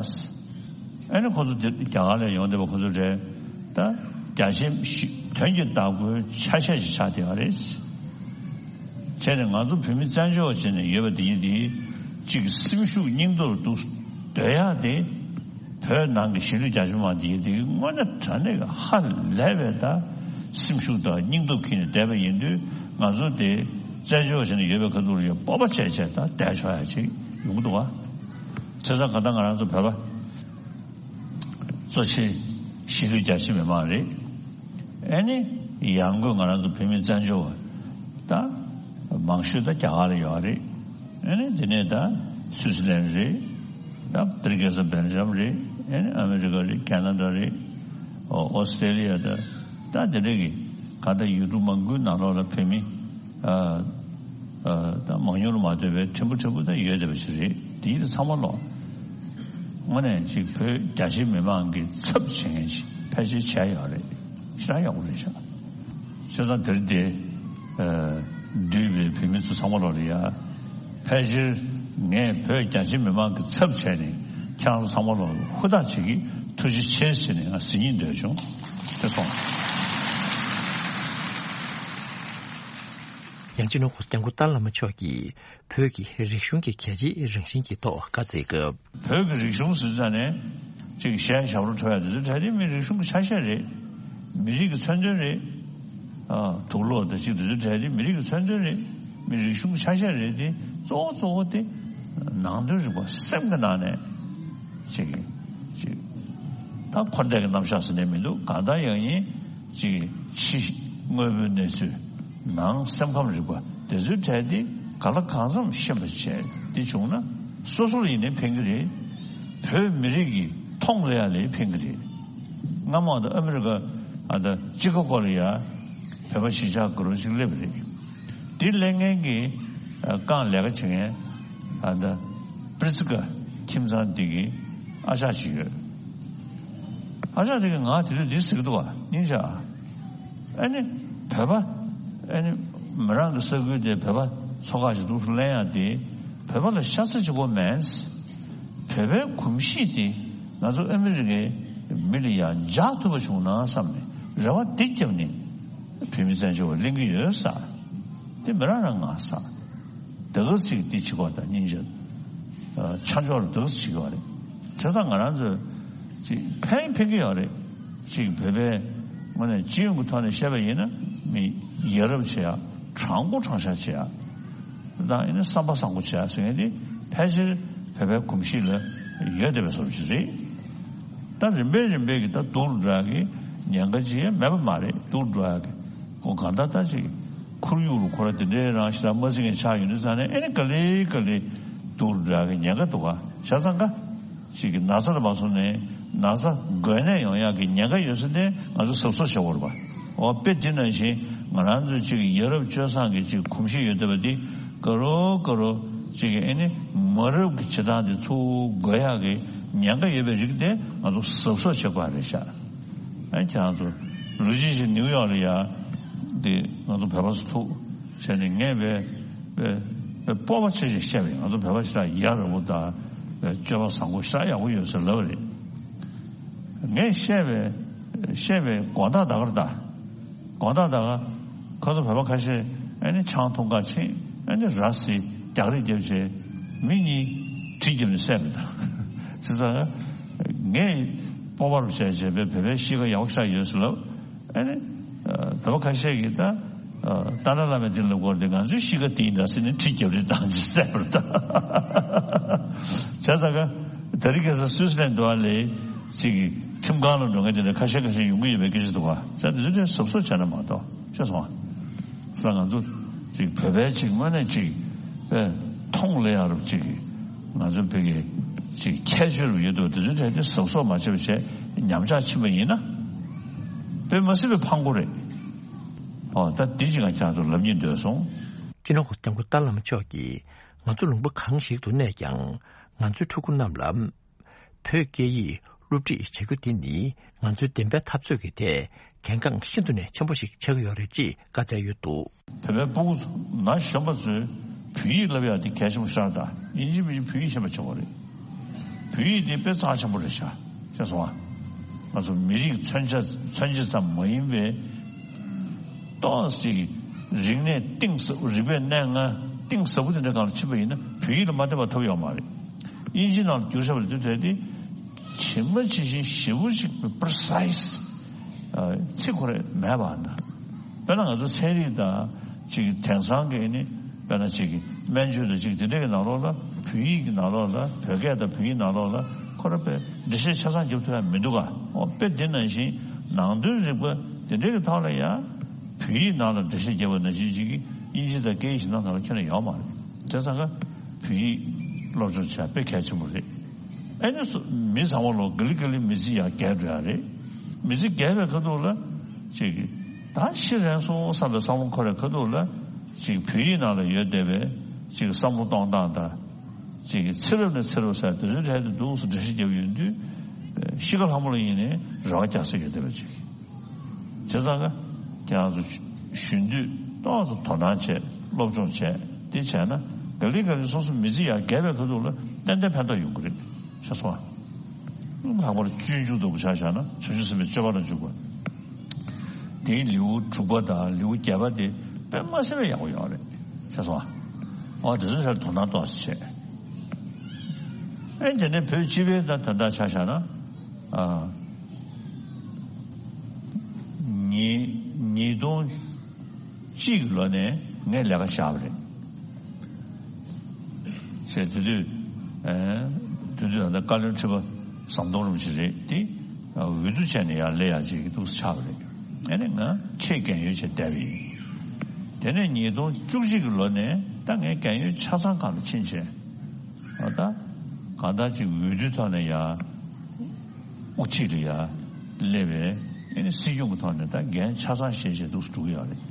ཨ་ནི་ཁོ་ཚོ་དེ་རྒྱ་གར་ལ་ཡོང་བསྡད་པ་ཁོ་ཚོ་རེད། ད་རྒྱ་ཆེ་ཞི་དོན་གྱི་བདག་པོའི་ཆ་ཤས་ཤིག་ཆགས་བསྡད་པ་རེད། བྱས་ནས་ང་ཚོ་བོད་མི་བཙན་བྱོལ་བ་བྱས་ནས་ཡོད་པ་དེ་ཡིན་དེ་གཅིག་སེམས་ཤུགས་སྙིང་སྟོབས་འདུག་སྡོད་ཡག་དེ་བོད་ནང་གི་གཞིས་ལུས་རྒྱ་ཆེ་མ་དེ་ཡིན་དེ་དངོས་གནས་དྲང་གནས་ཀྱི་ཧ་ལས་པའི་ད་སེམས་ཤུགས་དང་སྙིང་སྟོབས་འཁྱེར་ནས་བསྡད་པ་ཡིན་དུས་ང་ཚོ་དེ་བཙན་བྱོལ་བ་བྱས་ནས་ཡོད་པའི་ཁ་ཐུག་ལ་ཡང་སྤོབས་པ་བྱས་བྱས་ད་བསྡད་ཆོག་ཡག་ཅིག་ཡོང་གི་འདུག་བ། བྱས་ཙང་ག་ད་ང་རང་ཚོ་བོད་པ་གཙོ་ཆེ་གཞིས་ལུས་རྒྱ་ཆེ་མི་མང་རེད། ཨ་ནི་ཡང་སྒོས་ང་རང་ཚོ་བོད་མི་བཙན་བྱོལ་བ་ད་མང་ཤོས་ད་རྒྱ་གར་ལ་ཡོད་རེད། ཨ་ནི་དེ་ནས་ད་སུའི་སི་ལན་རེད། ད་ཨ་མི་རི་ཀ་ས་སྦེལ་ཇམ་རེད། ཨ་ནི་ཨ་མི་རི་ཀ་རེད། ཁེ་ན་ཌ་རེད། ཨོ་ཨོ་སི་ཏྲེ་ལི་ཡ་ད་ད་དེ་འདྲ་གི་ག་ད་ཡུལ་གྲུ་མང་པོའི་ནང་ལོགས་ལ་བོད་མི་ཨ། ཨ། ད་མང་ཉུང་ལ་མ་ལྟོས་པའི་ཕྲན་བུ་ཕྲན་བུ་ད་ཡོད་བསྡད་པ་ཞིག་རེད། དེ་ཡིན་ད་ཚང་མ་ལོ། དངོས་གནས་ཅིག་བོད་རྒྱ་ཆེ་མི་མང་གི་ཚབ་བྱེད་མཁན་ཞིག་ཕལ་ཆེར་བྱས་ཡོད་རེད། ཞེ་དྲག་ཡག་པོ་རེད་ཤག་བྱས་ཙང་དེར་དེ་ཨ། འདུས་པའི་བོད་མི་ཚོ་ཚང་མ་ལོ་ལ་ཡ། ཕལ་ཆེར་ངས་བོད་རྒྱ་ཆེ་མི་མང་གི་ཚབ་བྱས་ནས་ཁྱེད་རང་ཚོ་ཚང་མ་ལོ་ཧུར་ཐག་བྱེད་ཀྱི་ཐུགས་རྗེ་ཆེ་ཟེར་ནས་ང་ཟེར་སྙིང་འདོད་བྱུང་། དེ་སོང་། ཡང་སྤྱི་ནོར་༸གོང་ས་༸སྐྱབས་མགོན་ཏཱ་ལའི་བླ་མ་མཆོག་གིས་བོད་ཀྱི་རིག་གཞུང་གི་གལ་ཆེའི་རང་བཞིན་གྱི་ཐོག་བཀའ་སྩལ་སྐབས། བོད་ཀྱི་རིག་གཞུང་ཟེར་ཙང་ནས་ཅིག་གཞས་ཞབས་བྲོ་འཁྲབ་ཡ་དེ་ཚོ་གྲས་དེ་མི་རིག་གཞུང་གི་ཆ་ཤས་རེད། མི་རིགས་ཀྱི་མཚོན་དོན་རེད། ཨ། དུག་ལོག་དང་ཅིག་དེ་ཚོ་གྲས་དེ་མི་རིགས་ཀྱི་མཚོན་དོན་རེད། མི་རིག་གཞུང་གི་ཆ་ཤས་རེད་དེ། གཙོ་བོ་གཙོ་བོ་དེ་ནང་དོན་རིག་པ་སེམས་ཀྱི་ནང་ནས་ཅིག་ཅིག་ད་འཁོར་འདས་ཀྱི་རྣམ་གཞག་ཟེར་ནས་མི་འདུག་གང་ལྟར་ཡང་ཡིན། ཅིག་ཕྱི་དངོས་པོའི་གནས་ཚུལ། ནང་སེམས་ཁམས་རིག་པ་དེ་ཚོའི་གྲས་དེ་ག་ལ་གང་འཚམ་ཤེས་པ་བྱས་དེ་བྱུང་ན་སོ་སོ་ལ་ཡིན་ནའི་ཕན་གྱི་རེད། བོད་མི་རིགས་ཀྱི་མཐོང་ལ་ཡ་ལའི་ཕན་གྱི་རེད། སྔ་མོ་ད་ཨ་མི་རི་ཀ་ཨ་ད་ཅི་ཀ་གོ་ལ་ཡ་བོད་པ་གཞིས་ཆགས་དགུ་རོ་ཅིག་སླེབས་རེད། དེ་སླེབས་མཁན་གྱི་ཨ་རྐང་ལས་ཀ་བྱེད་མཁན་ཨ་ད་པྲི་ཙི་ཀ་ཁྱིམ་ཚང་འདི་གི་ཨ་ཅག་ཅིག་ཡོད། ཨ་ཅག་དེ་གིས་ང་དེ་དུས་འདི་ཟེར་གི་འདུག་བ། སྙིང་རྗེ། ཨ་ནི་བོད་པ་ཨ་ནི་མི་རང་གི་ས་ཁུལ་དེ་བོད་པ་ཚོ་ཁག་ཅིག་འདུག་སེ་ལེན་ཡ་དེ་བོད་པ་ལ་ཤ་ཚ་ཅིག་དགོས་མེད། བོད་པའི་གོམས་གཤིས་དེ་ང་ཚོ་ཨ་མི་རི་ཀའི་མི་ལ་ཡང་འཇགས་ཐུབ་པ་བྱུང་ན་བསམ་ནས་རེ་བ་འདི་བརྒྱབ་ནས་བོད་མི་བཙན་བྱོལ་བ་གླེང་གི་ཡོད་ས། དེ་མི་རང་རང་ང་ས། དེ་ག་ཚིག་འདི་བྱེད་དགོས་དང་སྙིང་རྗེ། ཨ། ཆ་འཇོག་ལ་དེ་ག་ཚིག་བྱེད་དགོས་རེད། བྱས་ཙང་ང་རང་ཚོས་ཅིག་ཕན་ཕན་གྱི་ཡོད་རེད། ཅིག་བོད་པའི་ངོས་ནས་སྤྱི་ཡོངས་ཀྱི་ཐོག་ནས་བཤད་པ་ཡིན་ན་མི་ཡ་རབས་བྱེད་ཡ། དྲང་པོ་དྲང་བཞག་བྱེད་ཡ། དང་ཡིན་ན་བསམ་པ་བཟང་པོ་བྱེད་ཡ་ཟེར་མཁན་དེ་ཕལ་ཆེར་བོད་པའི་གོམས་གཤིས་ལ་ཡོད་བསྡད་པའི་བཟོ་འདྲ་ཅིག་རེད། ད་རིམ་པས་རིམ་པས་ཀྱི་ད་སྡུག་རུ་འགྲོ་ཡག་གི་ཉེན་ཁ་ཅིག་ཡང་མེད་པ་མ་རེད། སྡུག་རུ་འགྲོ་ཡག་གི་ཁོ་གང་ལྟར་ད་ཅིག་ཁོར་ཡུག་རུ་ཁོ་ར་དེ་འདྲའི་རང་ཞེ་དྲག་མ་བརྩི་མཁན་ཆགས་ཡོང་དུས་ཙང་ནས་ཨེ་ནི་ག་ལེ་ག་ལེ་ སྡུག་རུ་འགྲོ་ཡག་གི་ཉེན་ཁ་འདུག་ག་བྱས་ཙང་ཀ་ཅིག་གི་ན་ཚ་དང་མ་སོང་ནས་ན་ཚ་འགོས་ནད་ཡོང་ཡག་གི་ཉེན་ཁ་ཡོད་ས་དེ་ང་ཚོ་གཟབ་གཟབ་བྱེད་དགོས་རེད་པ། འོ་དཔེ་འདི་ནང་བཞིན་ང་རང་ཚོའི་ཅིག་ཡ་རབས་སྤྱོད་བཟང་གི་ཅིག་གོམས་གཤིས་ཡོད་བསྡད་པ་འདི་ག་རོ་ག་རོ་ཅིག་གི་ཨེ་ནི་མ་རབས་ཀྱི་བྱེད་སྟངས་དེ་ཚུར་འགོས་ཡག་གི་ཉེན་ཁ་ཡོད་པའི་རིགས་དེ་ང་ཚོ་གཟབ་གཟབ་བྱེད་དགོས་རེད་ཤག་ཨ་ཁྱེད་རང་ཚོ་ལོ་གཅིག་ཅིག་ནིའུ་ཡོག་ལ་ཡ་དེ་ང་ཚོ་བོད་པ་ཚོ་ཐུག་བྱས་ནས་ངས་བས་བས་བས་སྤོབས་པ་ཆེ་ཆེ་བཤད་པ་ཡིན། ང་ཚོ་བོད་པ་ཞེ་དྲག་ཡ་རབས་པོ་དང་སྤྱོད་པ་བཟང་པོ་ཞེ་དྲག་ཡག་པོ་ཡོད་ཟེར་ལབ་པ་རེད། ངས་བཤད་པའི་བཤད་པའི་དགོངས་དག་ད་གར་ད་དགོངས་དག་ད་ག་ཁོ་ཚོ་བོད་པ་ཁ་ཤས་ཨ་ནི་ཆང་འཐུང་ག་ཕྱིན་ཨ་ནི་ར་བཟི་རྒྱག་རེས་རྒྱབ་བྱས་མི་གཉིས་གྲི་རྒྱབ་ནས་བསད་པ་དང་། བྱས་ཙང་ངས་སྤོབས་པ་རུ་བྱས་བྱས་པའི་བོད་པའི་གཤིས་ཀ་ཡག་པོ་ཞེ་དྲག་ཡོད་ཟེར་ལབ། ཨ་ནི། ཨ། བོད་པ་ཁ་ཤས་ཀྱིས་ད། ཨ། ཏཱ་ལའི་བླ་མའི་མདུན་ལ་བསྐོར་ཏེ་ང་ཚོའི་གཤིས་ཀ་དེ་ཡིན་ད་ཟེར་ནས་གྲི་རྒྱབ་རེས་བཏང་ཅི་བསད་པར་ད། བྱས་ཙང་ཀ། དེ་རིང་ཁ་སང་སུད་སི་ལན་འགྲོ་བ་ལས་ཅིག་གི་ཁྲིམས་ཁང་ལ་འགྲོ་མཁན་དེ་འདྲ་ཁ་ཤས་ཁ་ཤས་ཡོང་གི་ཡོད་པའི་སྐད་ཆ་འདུག་བ། བྱས་ཙང་དེ་ཚོ་གཟབ་གཟབ་བྱས་ན་མ་གཏོགས་ཤེས་སོང་བ། ས་ང་ཚོ་ཅིག་བོད་པའི་ཅིག་དངོས་གནས་ཅིག་པས་མཐོང་ལེ་ཡ་རུ་ཅིག་ང་ཚོ་བོད་ཀྱི་ཅིག་ཁྱད་ཆོས་རུ་ཡོད་དོ་དེ་ཚོའི་གྲས་དེ་གཟབ་གཟབ་མ་བྱས་པ་བྱས་ཉམས་ཆག་ཕྱིན་པ་ཡིན་ན་དཔེ་མ་སྲིད་པའི་ཕངས་པོ་རེད། ཨོ་ད་འདི་ཅིག་ང་ཁྱེད་ཚོ་ལབ་སྙིང་འདོད་སོང་། སྤྱི་ནོར་༸གོང་ས་༸སྐྱབས་མགོན་ཏཱ་ལའི་བླ་མ་མཆོག་གིས་ང་ཚོ་ལུང་པ་གང་ཞིག་ཏུ་གནས་ཀྱང་ང་ཚོའི་ཕྲུ་གུ་རྣམས་ལ། བོད་སྐད་ཡིག་སློབ་ཁྲིད་བྱེད་རྒྱུ་འདི་ནི་ང་ཚོའི་བདེན་པའི་འཐབ་རྩོད་ཀྱི་ཐད་གལ་འགངས་ཤིན་ཏུ་ནས་ཆེན་པོ་ཞིག་ཆགས་ཀྱི་ཡོད་རེད་ཅེས་བཀའ་སྩལ་ཡོད་འདུག། བོད་པའི་སྤུ་གུ་ཚོ་ན་གཞོན་པ་ཚོས་བོད་ཡིག་བསླབ་ཡག་འདི་གལ་ཆེན་པོ་ཤར་དང་ཡིན་གཅིག་མིན་གཅིག་བོད་ཡིག་ཤེས་པ་བྱེད་དགོས་རེད། བོད་ཡིག་འདི་དཔེ་རྩ་ཆེན་པོ་རེད་ཤག་ཤེས་སོང་ཨ། ང་ཚོ་མི་རིགས་མཚོན་ཆ་མཚོན་བྱེད་ཙམ་མ་ཡིན་པའི་ཏོག་ཙམ་རིག་གནས་གཏིང་ཟབ་རིག་པའི་གནས་ལྔ་གཏིང་ཟབ་པོ་དེ་འདྲ་སྒང་ལ་ཕྱིན་པ་ཡིན་ན་བོད་ཡིག་ལ་མ་བསྟེན་པ་ཐབས་ཡོད་མ་རེད། དབྱིན་ཇི་ནང་ལ་བསྒྱུར་བཞག་པ་རེད་དུས་དེ་དེ་ཇི་མ་ཇི་བཞིན་ཞེ་པོ་ཞིག་པི་རི་སའི་སི་ཚིག་ཁོ་རེ་མེད་པ་འདྲ། དཔེར་ན་ང་ཚོ་ཚན་རིག་དང་ཅིག་དེང་སང་གི་ནི་དཔེར་ན་ཅིག་སྨན་བཅོས་དང་ཅིག་དེ་འདྲ་གི་ནང་ལོགས་ལ་བོད་ཡིག་གི་ནང་ལོགས་ལ་བོད་སྐད་དང་བོད་ཡིག་ནང་ལོགས་ལ་ཁོ་ར་པའི་འགྲེལ་བཤད་ཆ་ཚང་རྒྱབ་ཐུབ་ཡ་མི་འདུག་ག། ཨོ་དཔེ་དེ་ནང་བཞིན་ནང་དོན་རིག་པ་དེ་འདྲ་གི་ཐོག་ལ་ཡང་བོད་ཡིག་ནང་ལ་འགྲེལ་བཤད་རྒྱབ་པ་ནང་བཞིན་ཅིག་གི་དབྱིན་ཇི་དང་སྐད་ཡིག་གཞན་དག་ནང་ལ་ཁྱོན་ནས་ཡོད་མ་རེད། བྱས་ཙང་ཀ་བོད་ཡིག་སློབ་སྦྱོང་བྱས་དཔེ་གལ་ཆེན་པོ་རེད། ཨེ་ནི་སུ་མི་ཚང་མ་ལོ་ག་ལི་ག་ལི་མི་ཚེ་ཡར་རྒྱས་འགྲོ་ཡ་རེད། མི་ཚེ་རྒྱས་པའི་ཁ་ཐུག་ལ་ཅིག་གི་ད་ཤི་རན་སོང་བསམ་པའི་བསམ་བློ་འཁོར་བའི་ཁ་ཐུག་ལ་ཅིག་བོད་ཡིག་ནང་ལ་ཡོད་བསྡད་པའི་ཅིག་བསམ་བློ་གཏོང་སྟངས་དང་། ཅིག་གི་ཚེ་རབས་ནས་ཚེ་རབས་ཟེར་དེ་ཚོའི་གྲས་དེ་འདུག་སེ་འགྲེལ་བཤད་རྒྱབ་ཡོང་དུས་ཤི་ཁ་ལྷ་མོ་ལ་ཡིན་ནའི་རེ་བ་རྒྱག་ས་ཡོད་བསྡད་པ་ཅིག། བྱས་ཙང་ཀ་ཁྱེད་རང་ཚོ་གཞོན་དུས་ཏོག་ཙམ་དོ་སྣང་བྱས་སློབ་སྦྱོང་བྱས་དེ་བྱས་ན་ག་ལེ་ག་ལེ་སོ་སོ་མི་ཚེ་ཡར་རྒྱས་པའི་ཁ་ཐུག་ལ་ཏན་ཏན་ཕན་ཐོགས་ཡོང་གི་རེད་ཤེས་སོང་ཨ། ལྷག་པར་སྤྱོད་འཇུག་ལྟ་བུ་ཆ་བཞག་ན་བྱང་ཆུབ་སེམས་དཔའི་སྤྱོད་པ་ལ་འཇུག་པ། དེའི་ལེའུ་དྲུག་པ་དང་ལེའུ་བརྒྱད་པ་དེ་དཔེ་མ་སྲིད་པའི་ཡག་པོ་ཡོད་རེད་ཤེས་སོང་ཨ། ཨོ་དེ་ཚོའི་ཐད་དོ་སྣང་ཏོག་ཙམ་བྱས། ཨེ་དེ་ནས་བོད་སྤྱི་པའི་དང་དོན་དག་ཆ་བཞག་ན། ཨ། ཉིས་ཉིས་སྟོང་གཅིག་གི་ལོ་ནས་ངས་ལས་ཀ་བཞག་པ་རེད། ཞེས་དེ་དུས་ཨེ་དེ་དུས་ད་ལྟ་བཀའ་བློན་ཁྲི་པ་ཟམ་གདོང་རིན་པོ་ཆེ་རེད་དེ། འོས་བསྡུ་བྱས་ནས་ཡར་སླེབས་ཡག་ཅིག་འདུག་སེ་ཆགས་པ་རེད། ཨེ་ནས་ང་ཆེད་རྒན་ཡོལ་བྱས་བསྡད་པ་ཡིན། དེ་ནས་ཉིས་སྟོང་བཅུ་གཅིག་གི་ལོ་ནས་ད་ངས་རྒན་ཡོལ་ཆ་ཚང་སྒང་ལ་ཕྱིན་བྱས། ཨ་ད་གང་ལྟར་ཅིག་འོས་བསྡུའི་ཐོག་ནས་ཡར་དབུ་ཁྲིད་ལ་ཡར་སླེབས་པས་ཨེ་ནི་སྲིད་སྐྱོང་གི་ཐོག་ནས་ད་འགན་ཆ་ཚང་བཞེས་བྱས་འདུག་སེ་འགྲོ་གི་ཡོད་རེད།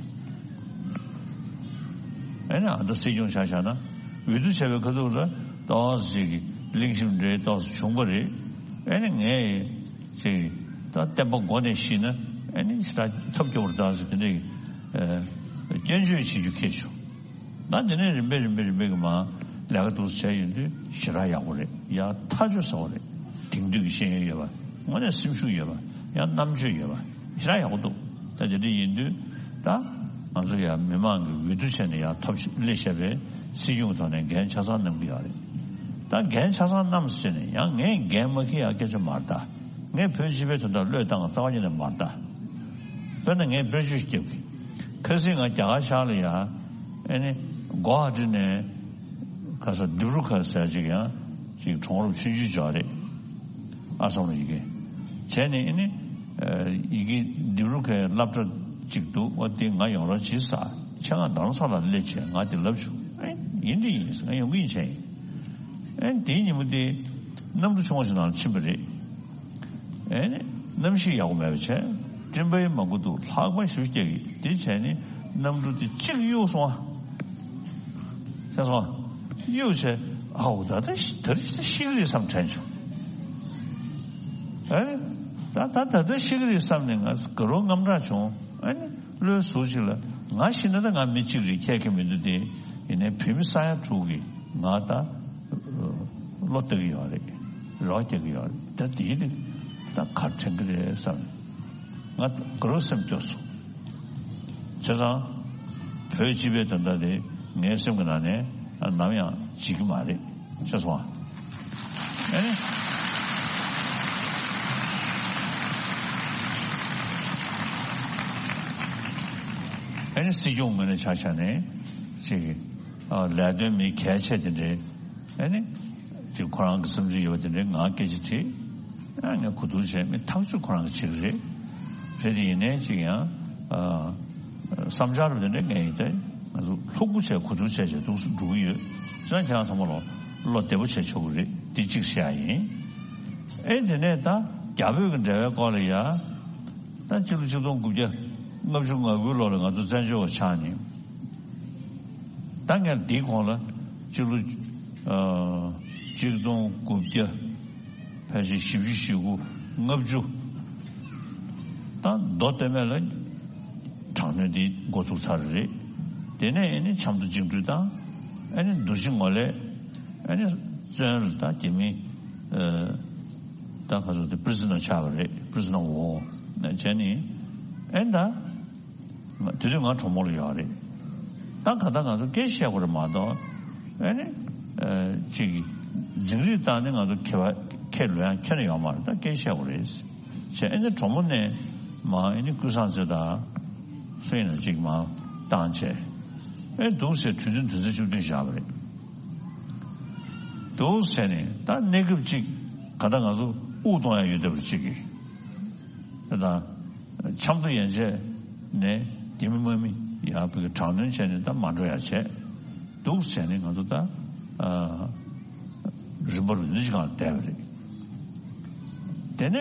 ཨེ་ནི་ཨ་ད་སྲིད་སྐྱོང་ཆ་བཞག་ན་འོས་བསྡུ་བྱས་པའི་ཁ་ཐུག་ལ་ཏོག་ཙམ་ཅིག་གི་གླེང་གཞི་འདྲ་ཏོག་ཙམ་བྱུང་བ་རེད། ཨེ་ནི་ངས་ཅིག་ད་བསྟན་པ་མགོ་ནས་ཤེས་ན་ཨེ་ནི་ཞེ་དྲག་ཐབས་སྐྱོ་བོར་བཏང་ཟེར་དེ་འདྲའི་ཨེ་སྐྱོན་བརྗོད་བྱེད་རྒྱུ་ཁེལ་བྱུང་། ད་དེ་ནས་རིམ་པས་རིམ་པས་རིམ་པས་ཀྱི་མ་ལས་ཀ་འདུག་སེ་བྱས་ཡོང་དུས་ཞེ་དྲག་ཡག་པོ་རེད། ཡ་ཐག་ཆོད་ཟེར་བ་རེད། དེང་དུས་ཀྱི་ཤེས་ཡོན་ཡོད་པ་དངོས་གནས་སེམས་ཤུགས་ཡོད་པ་ཡང་རྣམ་དཔྱོད་ཡོད་པ་ཞེ་དྲག་ཡག་པོ་འདུག། ད་དེ་འདྲ་ཡིན་དུས་ད་ང་ཚོ་ཡང་མི་མང་གི་འོས་བསྡུ་བྱས་ནས་ཡར་ཐོབ་སླེབས་བཞག་པའི་སྲིད་སྐྱོང་གི་ཐོག་ནས་འགན་ཆ་ཚང་གནང་གི་ཡོད་རེད། ད་འགན་ཆ་ཚང་གནང་ཟེར་ནས་ཡང་ངས་འགན་མ་འཁྱེར་ཡག་སྐད་ཆ་མ་རེད་ད། ངས་བོད་སྤྱི་པའི་དོན་དག་བློས་བཏང་བ་རྩ་བ་ཉིད་ནས་མ་རེད་ད། དཔེར་ན་ངས་དཔེར་བརྗོད་ཞིག་རྒྱབ་གི། ཁ་སང་ང་རྒྱ་གར་ཤར་ལ་ཡ། ཨེ་ནི་གོ་ཧ་ཊི་ནས་ཁ་ས་ཌི་བྷྲུ་ཁར་ཟེར་ཅིག་ཡང་ཅིག་གྲོང་རབ་ཆུང་ཆུང་ཅིག་རེད། ཨ་སམ་ལ་ཡི་གེ། བྱས་ནས་ཨེ་ནི་ཡི་གེ་ཌི་བྷྲུ་ཁའི་སློབ་གྲྭ་ཅིག་འདུག། འོ་དེ་ང་ཡོང་རོགས་བྱེད་ས། ཆེད་མངགས་རྡ་རམ་ས་ལ་སླེབས་བྱས་ང་དེ་ལབ་བྱུང་། ཨེ་ཡིན་དེ་ཡིན་ང་ཡོང་གི་ཡིན་བྱས་ཡིན། ཨེ་དེའི་ཉིན་མོ་དེ་གནམ་གྲུ་ཆུང་བ་ཞིག་ནང་ལ་ཕྱིན་པ་རེད། ཨེ་ནི་གནམ་གཤིས་ཡག་པོ་མེད་པ་བྱས། སྤྲིན་པ་ཡང་མང་པོ་འདུག་ལྷགས་པ་ཞེ་པོ་རྒྱག་གི། དེ་བྱས་ནས་གནམ་གྲུ་དེ་གཅིག་གཡུག་སོང་བ། ཤེས་སོང་བ། གཡུག་བྱས། ཨའོ་ད་ལྟ་ཤི་ད་རེས་ཤི་གི་རེད་བསམ་དྲན་བྱུང་། ཨེ་ད་ད་ད་ལྟ་ཤི་གི་རེད་བསམ་ནས་ང་དགའ་རབ་དངངས་སྐྲག་བྱུང་། ཨེ་ནི་བློའི་ཟུར་ཅིག་ལ་ང་ཤི་ན་ད་ང་མི་གཅིག་རེད། ཁྱད་ཁྱད་མི་འདུག་སྟེ། ཡིན་ནའི་བོད་མི་ས་ཡ་དྲུག་གིས་ང་ད་བློ་གཏད་ཀྱི་ཡོད་རེད། རོགས་རྒྱག་གི་ཡོད་རེད། ད་དེའི་རིགས་ད་ག་དྲན་གྱི་རེད་བསམ། ང་དགའ་རབ་སེམས་སྐྱོ་སོང་། བྱས་ཙང་བོད་སྤྱི་པའི་དོན་དག་དེ་ངའི་སེམས་ཀྱི་ནང་ནས་ནམ་ཡང་བརྗེད་ཀྱི་མ་རེད། ཤེས་སོང་ཨ། ཨེ་ནི། ཨེ་ནི་སྲིད་སྐྱོང་ངོས་ནས་ཆ་བཞག་ནས་ཅིག་ཨ་ལས་དོན་མི་གལ་ཆེ་དེ་འདྲའི། ཨེ་ནི་ཅིག་ཁོ་རང་གི་བསམ་ཚུལ་ཡོད་པ་དེ་འདྲའི་ང་སྐད་ཆ་དྲིས། ཨ་ངས་གོ་བསྡུར་བྱས། མི་ཐག་ཆོད་ཁོ་རང་གིས་བྱེད་ཀྱི་རེད། རེད་དེ་ཡིན་ནའི་ཅིག་ཡང་ཨ་བསམ་འཆར་རུ་དེ་འདྲ་ངས་ཡིན་ཏེ། ང་ཚོ་ལྷུག་པོ་བྱས་གོ་བསྡུར་བྱས་བྱས་འདུག་སེ་འགྲོ་གི་ཡོད། བྱས་ཙང་ཁྱེད་རང་ཚང་མ་ལ་བློ་བདེ་པོ་བྱས་ཆོག་གི་རེད། འདི་གཅིག་བཤད་ཡ་ཡིན། ཨེ་དེ་ནས་ད་རྒྱ་བོད་ཀྱི་འབྲེལ་བའི་སྐོར་ལ་ཡ། ད་སྤྱི་ལོ་ཆིག་སྟོང་དགུ་བརྒྱ་ལྔ་བཅུ་ང་དགུའི་ལོ་ལ་ང་ཚོ་བཙན་བྱོལ་བ་ཆགས་ནས། ད་ངས་འདིའི་གོང་ལ་སྤྱི་ལོ་ཨ་ཆིག་སྟོང་དགུ་བརྒྱ་ཕལ་ཆེར་བཞི་བཅུ་ཞེ་དགུ་ལྔ་བཅུ། ད་མདོ་སྟོད་སྨད་ལ་དྲག་གནོན་འདི་འགོ་ཚུགས་ཚར་རེད། དེ་ནས་ཨེ་ནི་ཆབ་མདོ་བཅིངས་འགྲོལ་དང་། ཨེ་ནི་འདུ་བྱེད་ངོ་ལས། ཨེ་ནི་བཙོན་ལ་ད་རྒྱ་མི་ཨ་ད་ག་ཚོད་དེ་པི་རི་ཛི་ནར་ཆགས་པ་རེད། པི་རི་ཛི་ནར་ཝར་བྱས་ནས། ཨེ་ད་དེ་དུས་ང་གྲོ་མོ་ལ་ཡོད་རེད། ད་ག་ད་ང་ཚོ་སྐད་བཤད་དགོས་རེད་མ་གཏོགས། ཨེ་ནི་ཨ་ཅིག་འཛིང་རེས་བཏང་ནས་ང་ཚོ་ཁྱེད་པ་ཁྱེད་ལོས་ཡང་ཁྱོན་ནས་ཡོད་མ་རེད། ད་སྐད་བཤད་དགོས་རེད་བྱས། ཨེ་ནི་གྲོ་མོ་ནས་མ་ཨེ་ནི་ཀུན་བཟང་ཚེ་དང་སུ་ཡིན་ན་ཅིག་མ་བཏང་བྱས། ཨེ་འདུག་ཟེར་གྲོས་མཐུན་དོན་ཚན་བཅུ་བདུན་བཞག་པ་རེད། འདུག་ཟེར་ནས་ད་གནས་སྐབས་ཅིག་ག་ད་ང་ཚོ་དབུགས་གཏོང་ཡ་ཡོད་བསྡད་པ་ཅིག་གིས། ད་ཆབ་མདོ་ཡན་ཆད་ནས་རྒྱ་མི་དམག་མི་ཡར་བོད་ཀྱི་དྲག་གནོན་བྱས་ནས་ད་མ་འགྲོ་ཡ་བྱས། འདུག་ཟེར་ནས་ང་ཚོ་ད་ཨ་རིམ་པ་རུ་འདི་ཅིག་སྒང་ལ་བསྡད་པ་རེད། དེ་ནས་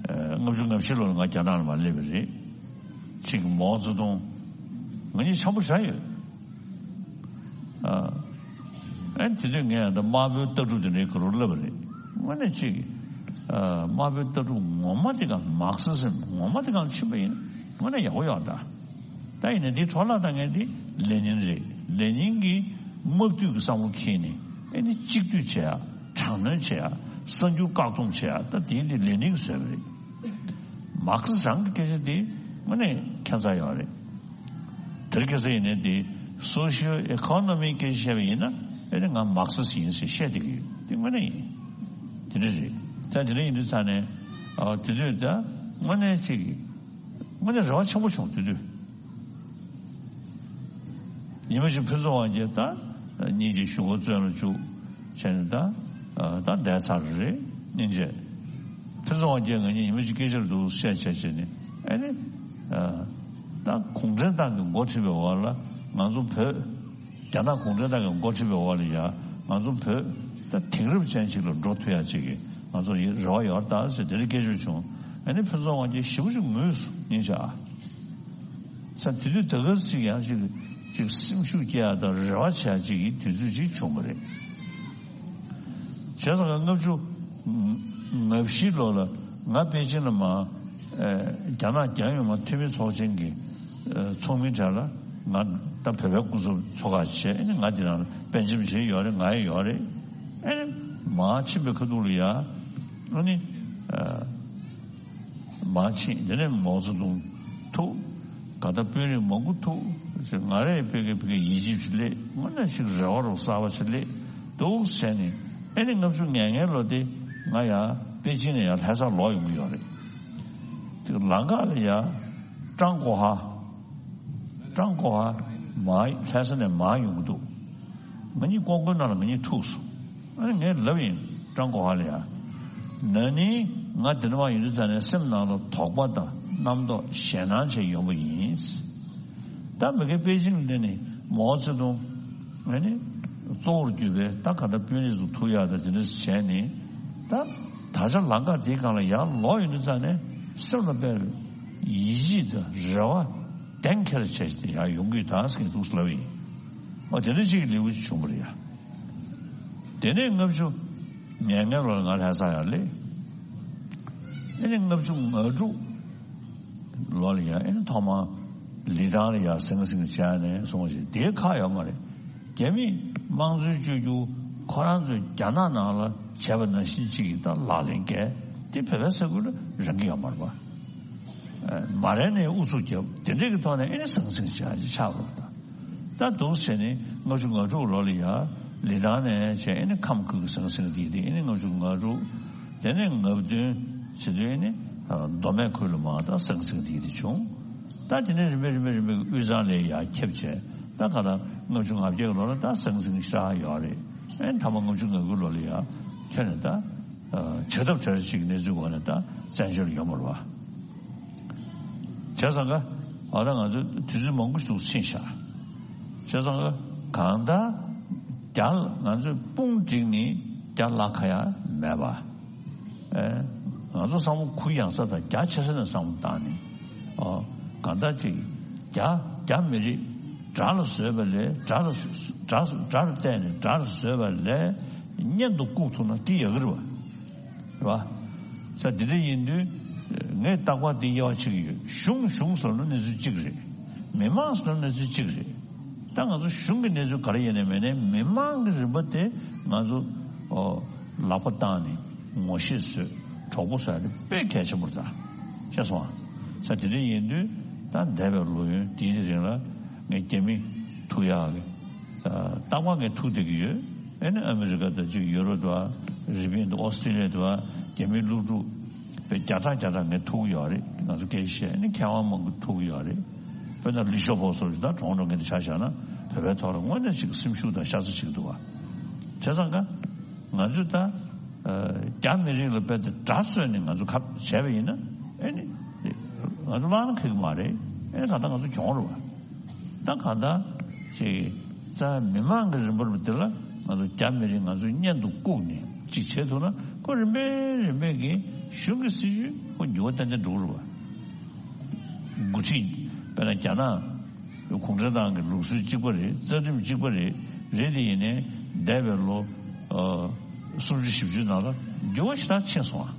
ཨ་ལྔ་བཅུ་ང་བཞི་ལོ་ལ་ང་རྒྱ་ནག་ལ་མར་སླེབས་པ་རེད། ཅིག་མའོ་ཙེ་ཏུང་ང་གཉིས་འཆམ་པོ་བྱས་ཡོད། ཨ་ཨེ་དེ་དུས་ངས་ད་དམར་པོའི་ལྟ་གྲུབ་དེ་འདྲའི་ག་རུ་བསླབས་པ་རེད། དངོས་གནས་ཅིག་ཨ་དམར་པོའི་ལྟ་གྲུབ་ངོ་མ་དེ་ག་མར་ཁེ་སི་ཛིམ་ངོ་མ་དེ་ག་ལ་ཕྱིན་པ་ཡིན། དངོས་གནས་ཡག་པོ་ཡོད་ད། ད་ཡིན་ནའི་འདི་འཕྲོ་བརླག་བཏང་མཁན་དེ་ལེ་ནིན་རེད། ལེ་ནིན་གྱིས་དམག་དུས་ཀྱི་བསམ་བློ་འཁྱེར་ནས་ཨེ་ནི་གཅིག་སྡུད་བྱེད་ཡ། དྲག་གནོན་བྱེད་ཡ། གསར་འགྱུར་བཀག་སྡོམ་བྱེད་ཡ། ད་དེ་འདི་ལེ་ནིན་གྱིས་བཟོས་པ་རེད། མར་ཁེ་སི་རང་གི་སྐད་ཆ་དེ་དངོས་གནས་ཁྱད་མཚར་ཡོད་རེད། དེར་ཁ་སང་ཡིན་ནའི་དེ་སོ་ཤི་ཡལ་ཨི་ཀོ་ནོ་མིའི་སྐད་ཆ་བཤད་པ་ཡིན་ན་ཨེ་ནི་ང་མར་ཁེ་སི་ཡིན་ཟེར་བཤད་བསྡད་ཀྱི་ཡོད། དེ་དངོས་གནས་ཡིན། དེ་འདྲ་རེད། ད་དེ་འདྲ་ཡིན་དུས་ཙང་ནས་ཨ་དེ་དུས་ད་དངོས་གནས་ཅིག་དངོས་གནས་རེ་བ་ཆེན་པོ་བྱུང་། དེ་དུས་ཉི་མ་གཅིག་ཕུན་ཚོགས་དབང་རྒྱལ་ད་སྙིང་རྗེ་ཞུ་སྒོ་བཙོན་ལ་བཅུག་བྱས་ནས་ད་ཨ་ད་བསྡད་ཚར་རེད། སྙིང་རྗེ། ཕུན་ཚོགས་དབང་རྒྱལ་ང་གཉིས་ཉི་མ་གཅིག་སྐད་ཆ་རེ་འདུག་བཤད་བྱས་བྱས་ནས་ཨེ་ནི་ཨ་ད་གུང་ཁྲན་ཏང་གི་འགོ་ཁྲིད་པའི་འོག་ལ་ང་ཚོ་བོད། རྒྱ་ནག་གུང་ཁྲན་ཏང་གི་འགོ་ཁྲིད་པའི་འོག་ལ་ཡ་ང་ཚོ་བོད་ད་དེང་རབས་ཅན་ཞིག་ལ་འགྲོ་ཐུབ་ཡ་ཅིག་གི་ང་ཚོ་ཡི་རེ་བ་ཡོད་ད་ཟེར་དེ་འདྲ་སྐད་ཆ་བྱུང་། ཨེ་ནི་ཕུན་ཚོགས་དབང་རྒྱལ་ཞེ་པོ་ཅིག་ངུས་སོང་། སྙིང་རྗེ་ཨ། ས་དེ་དུས་ད་ག་ཅིག་ཡང་ཅིག་ཅིག་སེམས་ཤུགས་སྐྱེ་ཡ་དང་རེ་བ་བྱེད་ཡ་ཅིག་གི་དུས་ཚོད་ཅིག་བྱུང་བ་རེད། བྱས་ཙང་ལྔ་བཅུ་ང་བཞི་ལོ་ལ་ང་པེ་ཅིན་ལ་མ་ཨེ་རྒྱ་ནག་རྒྱལ་ཡོངས་མ་འཐུས་མི་ཚོགས་ཆེན་གྱི་ཨེ་ཚོགས་མི་གྲས་ལ་ང་ད་བོད་པའི་སྐུ་ཚབ་ཚོགས་ཁག་བྱས། ཨེ་ནི་ང་དེ་ནང་ལ་པཎ་ཆེན་བཞི་ཡོད་རེད། ང་ཡང་ཡོད་རེད། ཨེ་ནི་མར་ཕྱིན་པའི་ཁ་ཐུག་ལ་ཡ་ཨ་ནི་ཨེ། མར་ཕྱིན། དེ་ནས་མའོ་ཙེ་ཏུང་ཐུག་ག་ད་དཔོན་རིགས་མང་པོ་ཐུག་ང་རང་ཡང་ཕ་གི་ཕ་གི་ཡིད་ཆེས་ཅིག་སླེབས། དངོས་གནས་ཤིག་རེ་བ་རོ་གསར་པ་ཞིག་སླེབས་འདུག་བྱས་ནས་ཨེ་ནི་ལྔ་བཅུ་ང་ལྔའི་ལོ་དེ་ང་ཡང་པེ་ཅིན་ནས་ཡང་ལྷ་སར་ལོག་ཡོང་གི་ཡོད་རེད། དེ་ལམ་ཁ་ལ་ཡང་ཀྲང་གོ་ཧ། ཀྲང་གོ་ཧ་མར་ལྷ་ས་ནས་མར་ཡོང་གི་འདུག་ང་གཉིས་ཀོང་ཀོའི་ནང་ལ་ང་གཉིས་ཐུག་སོང་། ཨ་ནི་ངས་ལབ་ཡིན། ཀྲང་གོ་ཧ་ལ་ཡ། ན་ནིང་ང་འདི་ནས་མར་ཡོང་དུས་ཙ་ནས་སེམས་ནང་ལ་དོགས་པ་དང་རྣམ་རྟོག་ཞེད་སྣང་བྱས་ཡོང་པ་ཡིན། ད་མི་ཁའི་པེ་ཅིང་འདི་ནི་མའོ་ཙེ་ཏུང་ཨ་ནི་ གཙོ་བོར་གྱུར་པའི་ད་ག་ད་དཔོན་རིགས་སུ་ཐུག་ཡག་ད་དེ་འདྲ་བྱས་ནས། ད་ད་ཆ་ལམ་ཁ་དེའི་སྒང་ལ་ཡར་ལོག་ཡོང་དུས་ཙ་ནས་སེམས་ལ་དཔེ་ཡིད་ཆེས་དང་རེ་བ་གཏན་འཁེལ་བྱས་ཏེ་ཡར་ཡོང་གི་ཡོད་ད་ཟེར་གྱི་འདུག་ཟེར་ལབ་ཡིན། ཨོ་དེ་འདྲ་ཅིག་གི་ལེའུ་ཅིག་བྱུང་བ་རེད་ཡ། དེ་ནས་ལྔ་བཅུ་ང་ལྔ་ལོར་ང་ལྷ་ས་ཡར་སླེབས། ཨེ་ནི་ལྔ་བཅུ་ང་དྲུག་ལོ་ལ་ཡ་ཨེ་ནི་ཐོག་མར་ལི་ཐང་ལ་ཡ་ཟང་ཟིང་བྱས་ནས་སོང་ཞིག་དེའི་ཁག་ཡོད་མ་རེད། རྒྱ་མི་དམངས་གཙོའི་བཅོས་བསྒྱུར་ཁོ་རང་ཚོས་རྒྱ་ནག་ནང་ལ་བྱས་པ་ནང་བཞིན་ཅིག་གི་ད་ལག་ལེན་བཀལ་དེ་བོད་པའི་ས་ཁུལ་ལ་རང་གི་ཡོད་མ་རེད་པ། མ་རན་ནས་ཨུ་ཚུགས་རྒྱབ་དེ་འདྲས་ཀྱི་ཐོག་ནས་ཨེ་ནི་ཟང་ཟིང་བྱས་ཅིག་ཆགས་རོགས་ད། ད་འདུག་བྱས་ནས་ལྔ་བཅུ་ང་དྲུག་ལོ་ལ་ཡ་ལི་ཐང་ནས་བྱས་ཨེ་ནི་ཁམས་ཁུལ་གྱི་ཟང་ཟིང་དེ་དེ་ཨེ་ནི་ལྔ་བཅུ་ང་དྲུག་དེ་ནས་ང་བདུན་བྱེད་དུས་ཨེ་ནི་མདོ་སྨད་ཁུལ་ལ་མར་ད་ཟང་ཟིང་དེ་དེ་བྱུང་། ད་དེ་ནས་རིམ་པས་རིམ་པས་རིམ་པས་དབུས་གཙང་ལ་ཡ་ཁྱབ་བྱས་ད་ག་ད་ལྔ་བཅུ་ང་བརྒྱད་ལོ་ལ་ད་ཟང་ཟིང་ཞེ་དྲག་ཡོད་རེད། ཨེ་ནི་མཐའ་མ་ལྔ་བཅུ་ང་དགུ་ལོ་ལ་ཡ་ཁྱོན་ནས་ད་བྱ་ཐབས་བྲལ་ཅིག་གནས་ཚུལ་འོག་ནས་ད་བཙན་བྱོལ་ཡོང་བ་རེད་པ། བྱས་ཙང་ཀ་ཨ་ད་ང་ཚོ་དུས་ཚོད་མང་པོ་ཞིག་ཕྱིན་ཤག་བྱས་ཙང་ཀ་གང་ལྟར་རྒྱ་ང་ཚོས་དཔུང་བསྒྲིགས་ནས་རྒྱ་བརླག་ག་ཡ་མེད་པ། ཨེ་ང་ཚོ་བསམ་བློ་གུ་ཡངས་ས་དང་རྒྱ་ཆེ་ས་ནས་བསམ་བློ་བཏང་ནས། ཨོ་གང་ལྟར་ཅིག་རྒྱ་རྒྱ་མི་རིགས་དགྲ་ལ་བཟོས་པ་ལས་དགྲ་ལ་དགྲ་དགྲ་རུ་བལྟས་ནས་དགྲ་ལ་བཟོས་པ་ལས་གཉེན་དུ་བཀུག་ཐུབ་ན་དེ་ཡག་གི་རེད་པ། རེད་པ། ས་དེ་འདྲ་ཡིན་དུས་ངས་རྟག་པར་འདི་དབྱེ་བ་ཕྱེ་གི་ཡོད། གཞུང་གཞུང་ཟེར་ན་གནས་ཚུལ་གཅིག་རེད། མི་མང་ཟེར་ན་གནས་ཚུལ་གཅིག་རེད། ད་ང་ཚོ་གཞུང་གི་གནས་ཚུལ་ག་རེ་ཡིན་ནའི་མིན་ནའི་མི་མང་གི་རིམ་པ་དེ་ང་ཚོ་ཨོ་ལག་པ་བཏང་ནས་ངོ་ཤེས་བཟོས་གྲོགས་པོ་བཟོས་ནི་དཔེ་གལ་ཆེན་པོ་རེད་ད། ཤེས་སོང་ཨ། ས་དེ་འདྲ་ཡིན་དུས་ད་འདས་པའི་ལོ་ཡུན་དེའི་རིང་ལ་ངས་རྒྱ་མི་ཐུག་ཡག་གི་རྟག་པར་ངས་ཐུག་བསྡད་ཀྱི་ཡོད། ཨེ་ནི་ཨ་མི་རི་ཀ་དང་གཅིག་ཡུ་རོབ་དང་རི་པིན་དང་ཨོ་སི་ཀྲི་ལི་ཡ་དང་རྒྱ་མིའི་སློབ་ཕྲུག་དཔེ་བརྒྱ་ཕྲག་བརྒྱ་ཕྲག་ངས་ཐུག་གི་ཡོད་རེད། ང་ཚོ་སྐད་ཆ་བཤད་ཨེ་ནི་མཁས་དབང་མང་པོ་ཐུག་གི་ཡོད་རེད། དཔེར་ན་ལི་ཤོ་ཕོ་སོགས་ཀྱི་ད་གྲོང་གྲོང་ངན་དེ་ཆ་བཞག་ན་བོད་པའི་ཐོག་ལ་དངོས་གནས་ཅིག་སེམས་ཤུགས་དང་ཤ་ཚ་ཅིག་འདུག་བ། བྱས་ཙང་ཀ་ང་ཚོས་ད་རྒྱ་མི་རིགས་ལ་དཔེ་དེ་དགྲ་བཟོས་ནས་ང་ཚོ་ཁ་བྱས་པ་ཡིན་ན་ཨེ་ནི་ང་ཚོ་བླངས་ན་ཁེགས་མ་རེད། ཨེ་ནི་ད་ལྟ་ང་ཚོ་གྱོང་རེད་བ། ད་གང་ལྟར་ཅིག་རྩ་མི་མང་གི་རིམ་པར་དེ་ལ་ང་ཚོ་རྒྱ་མི་རིགས་ང་ཚོའི་གཉེན་དུ་བཀུག་ནས་ཅིག་བྱེད་ཐུབ་ན་ཁོ་རིམ་པས་རིམ་པས་ཀྱི་གཞུང་གི་སྲིད་བྱུས་ཁོ་འགྱུར་བ་ཏན་ཏན་འགྲོ་གི་རེད་བ། འགོ་ཁྲིད་དཔེར་ན་རྒྱ་ནག་གུང་ཁྲན་ཏང་གི་ལུགས་སྲོལ་གཅིག་པ་རེད། རྩ་ཁྲིམས་གཅིག་པ་རེད། རེད་དེ་ཡིན་ནའི་འདས་པའི་ལོ་ཨ་སུམ་ཅུ་བཞི་བཅུ་ནང་ལ་འགྱུར་བ་ཞེ་དྲག་ཕྱིན་སོང་ཨ།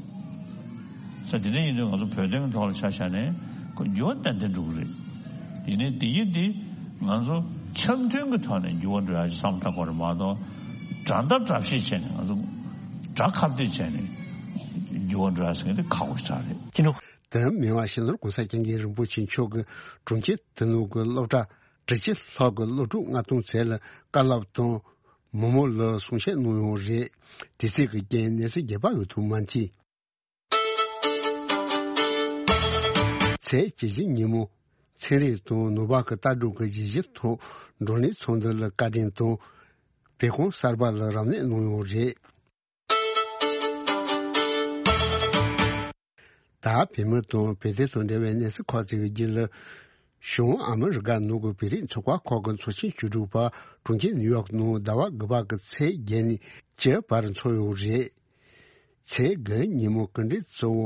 ས་དེ་འདྲ་ཡིན་དུས་ང་ཚོ་བོད་དོན་གྱི་ཐོག་ལ་ཆ་བཞག་ནས་ཁོ་འགྱུར་བ་ཏན་ཏན་འགྲོ་གི་རེད། ཡིན་ནའི་དེ་ཡིན་དེ་ང་ཚོ་འཆམ་མཐུན་གྱི་ཐོག་ནས་འགྱུར་བ་འགྲོ་ཡག་ཅིག་བསམ་བློ་བཏང་དགོས་རེད་མ་གཏོགས་དགྲ་ཟླ་དགྲ་བཤེས་བྱས་ནས་ང་ཚོ་དགྲ་ཁ་གཏད་བྱས་ནས་འགྱུར་བ་འགྲོ་ཡག་ཟེར་མཁན་དེ་ཁག་པོ་ཞིག་རེད། དེ་ནི་དེ་མི་དབང་སྤྱི་ནོར་༸གོང་ས་༸སྐྱབས་མགོན་རིན་པོ་ཆེ་མཆོག་གི་དྲུང་ཆེ་དོན་གླུ་གི་སློབ་གྲྭ་དྲུག་ཅུ་ལྷག་གི་སློབ་ཕྲུག་ལྔ་སྟོང་ཙམ་ལ་བཀའ་སློབ་དང་མི་མོ་ལ་གསུང་བཤད་གནང་ཡོད་རེད། དེ་ཚིག་གི་རྐྱེན་གནས་ཚུལ་རྒྱས་པ་ཡོད་ཐུབ་མ་མཐོང་། ཚེས་བཅུ་བཞི་ཉིན་མོ་ཚན་རིག་དང་ནུས་པ་གི་ལྟ་གྲུབ་ཀྱི་གཞི་གཞི་ཐོག་བགྲོ་གླེང་ཚོགས་འདུ་ལ་བཀའ་དྲིན་དང་བོད་ཁང་གསར་པ་ལ་རབ་གནས་གནང་ཡོད་རེད། ད་བོད་མི་དང་བོད་དོན་དང་འབྲེལ་བའི་གནས་ཚུལ་ཁག་ཅིག་གི་རྒྱུད་ལ། གཞུང་ཨ་མི་རི་ཀ་ནང་གི་བོད་རིགས་ཚོགས་པ་ཁག་གི་ཚོགས་ཆེན་བཅུ་དྲུག་པ་གྲོང་ཁྱེར་ནིའུ་ཡོག་ནང་ཟླ་བ་དགུ་པ་གི་ཚེས་བརྒྱད་ནས་བཅུ་བར་འཚོགས་ཡོད་རེད། ཚེས་དགུ་ཉིན་མོ་སྐུ་མགྲོན་གཙོ་བོ་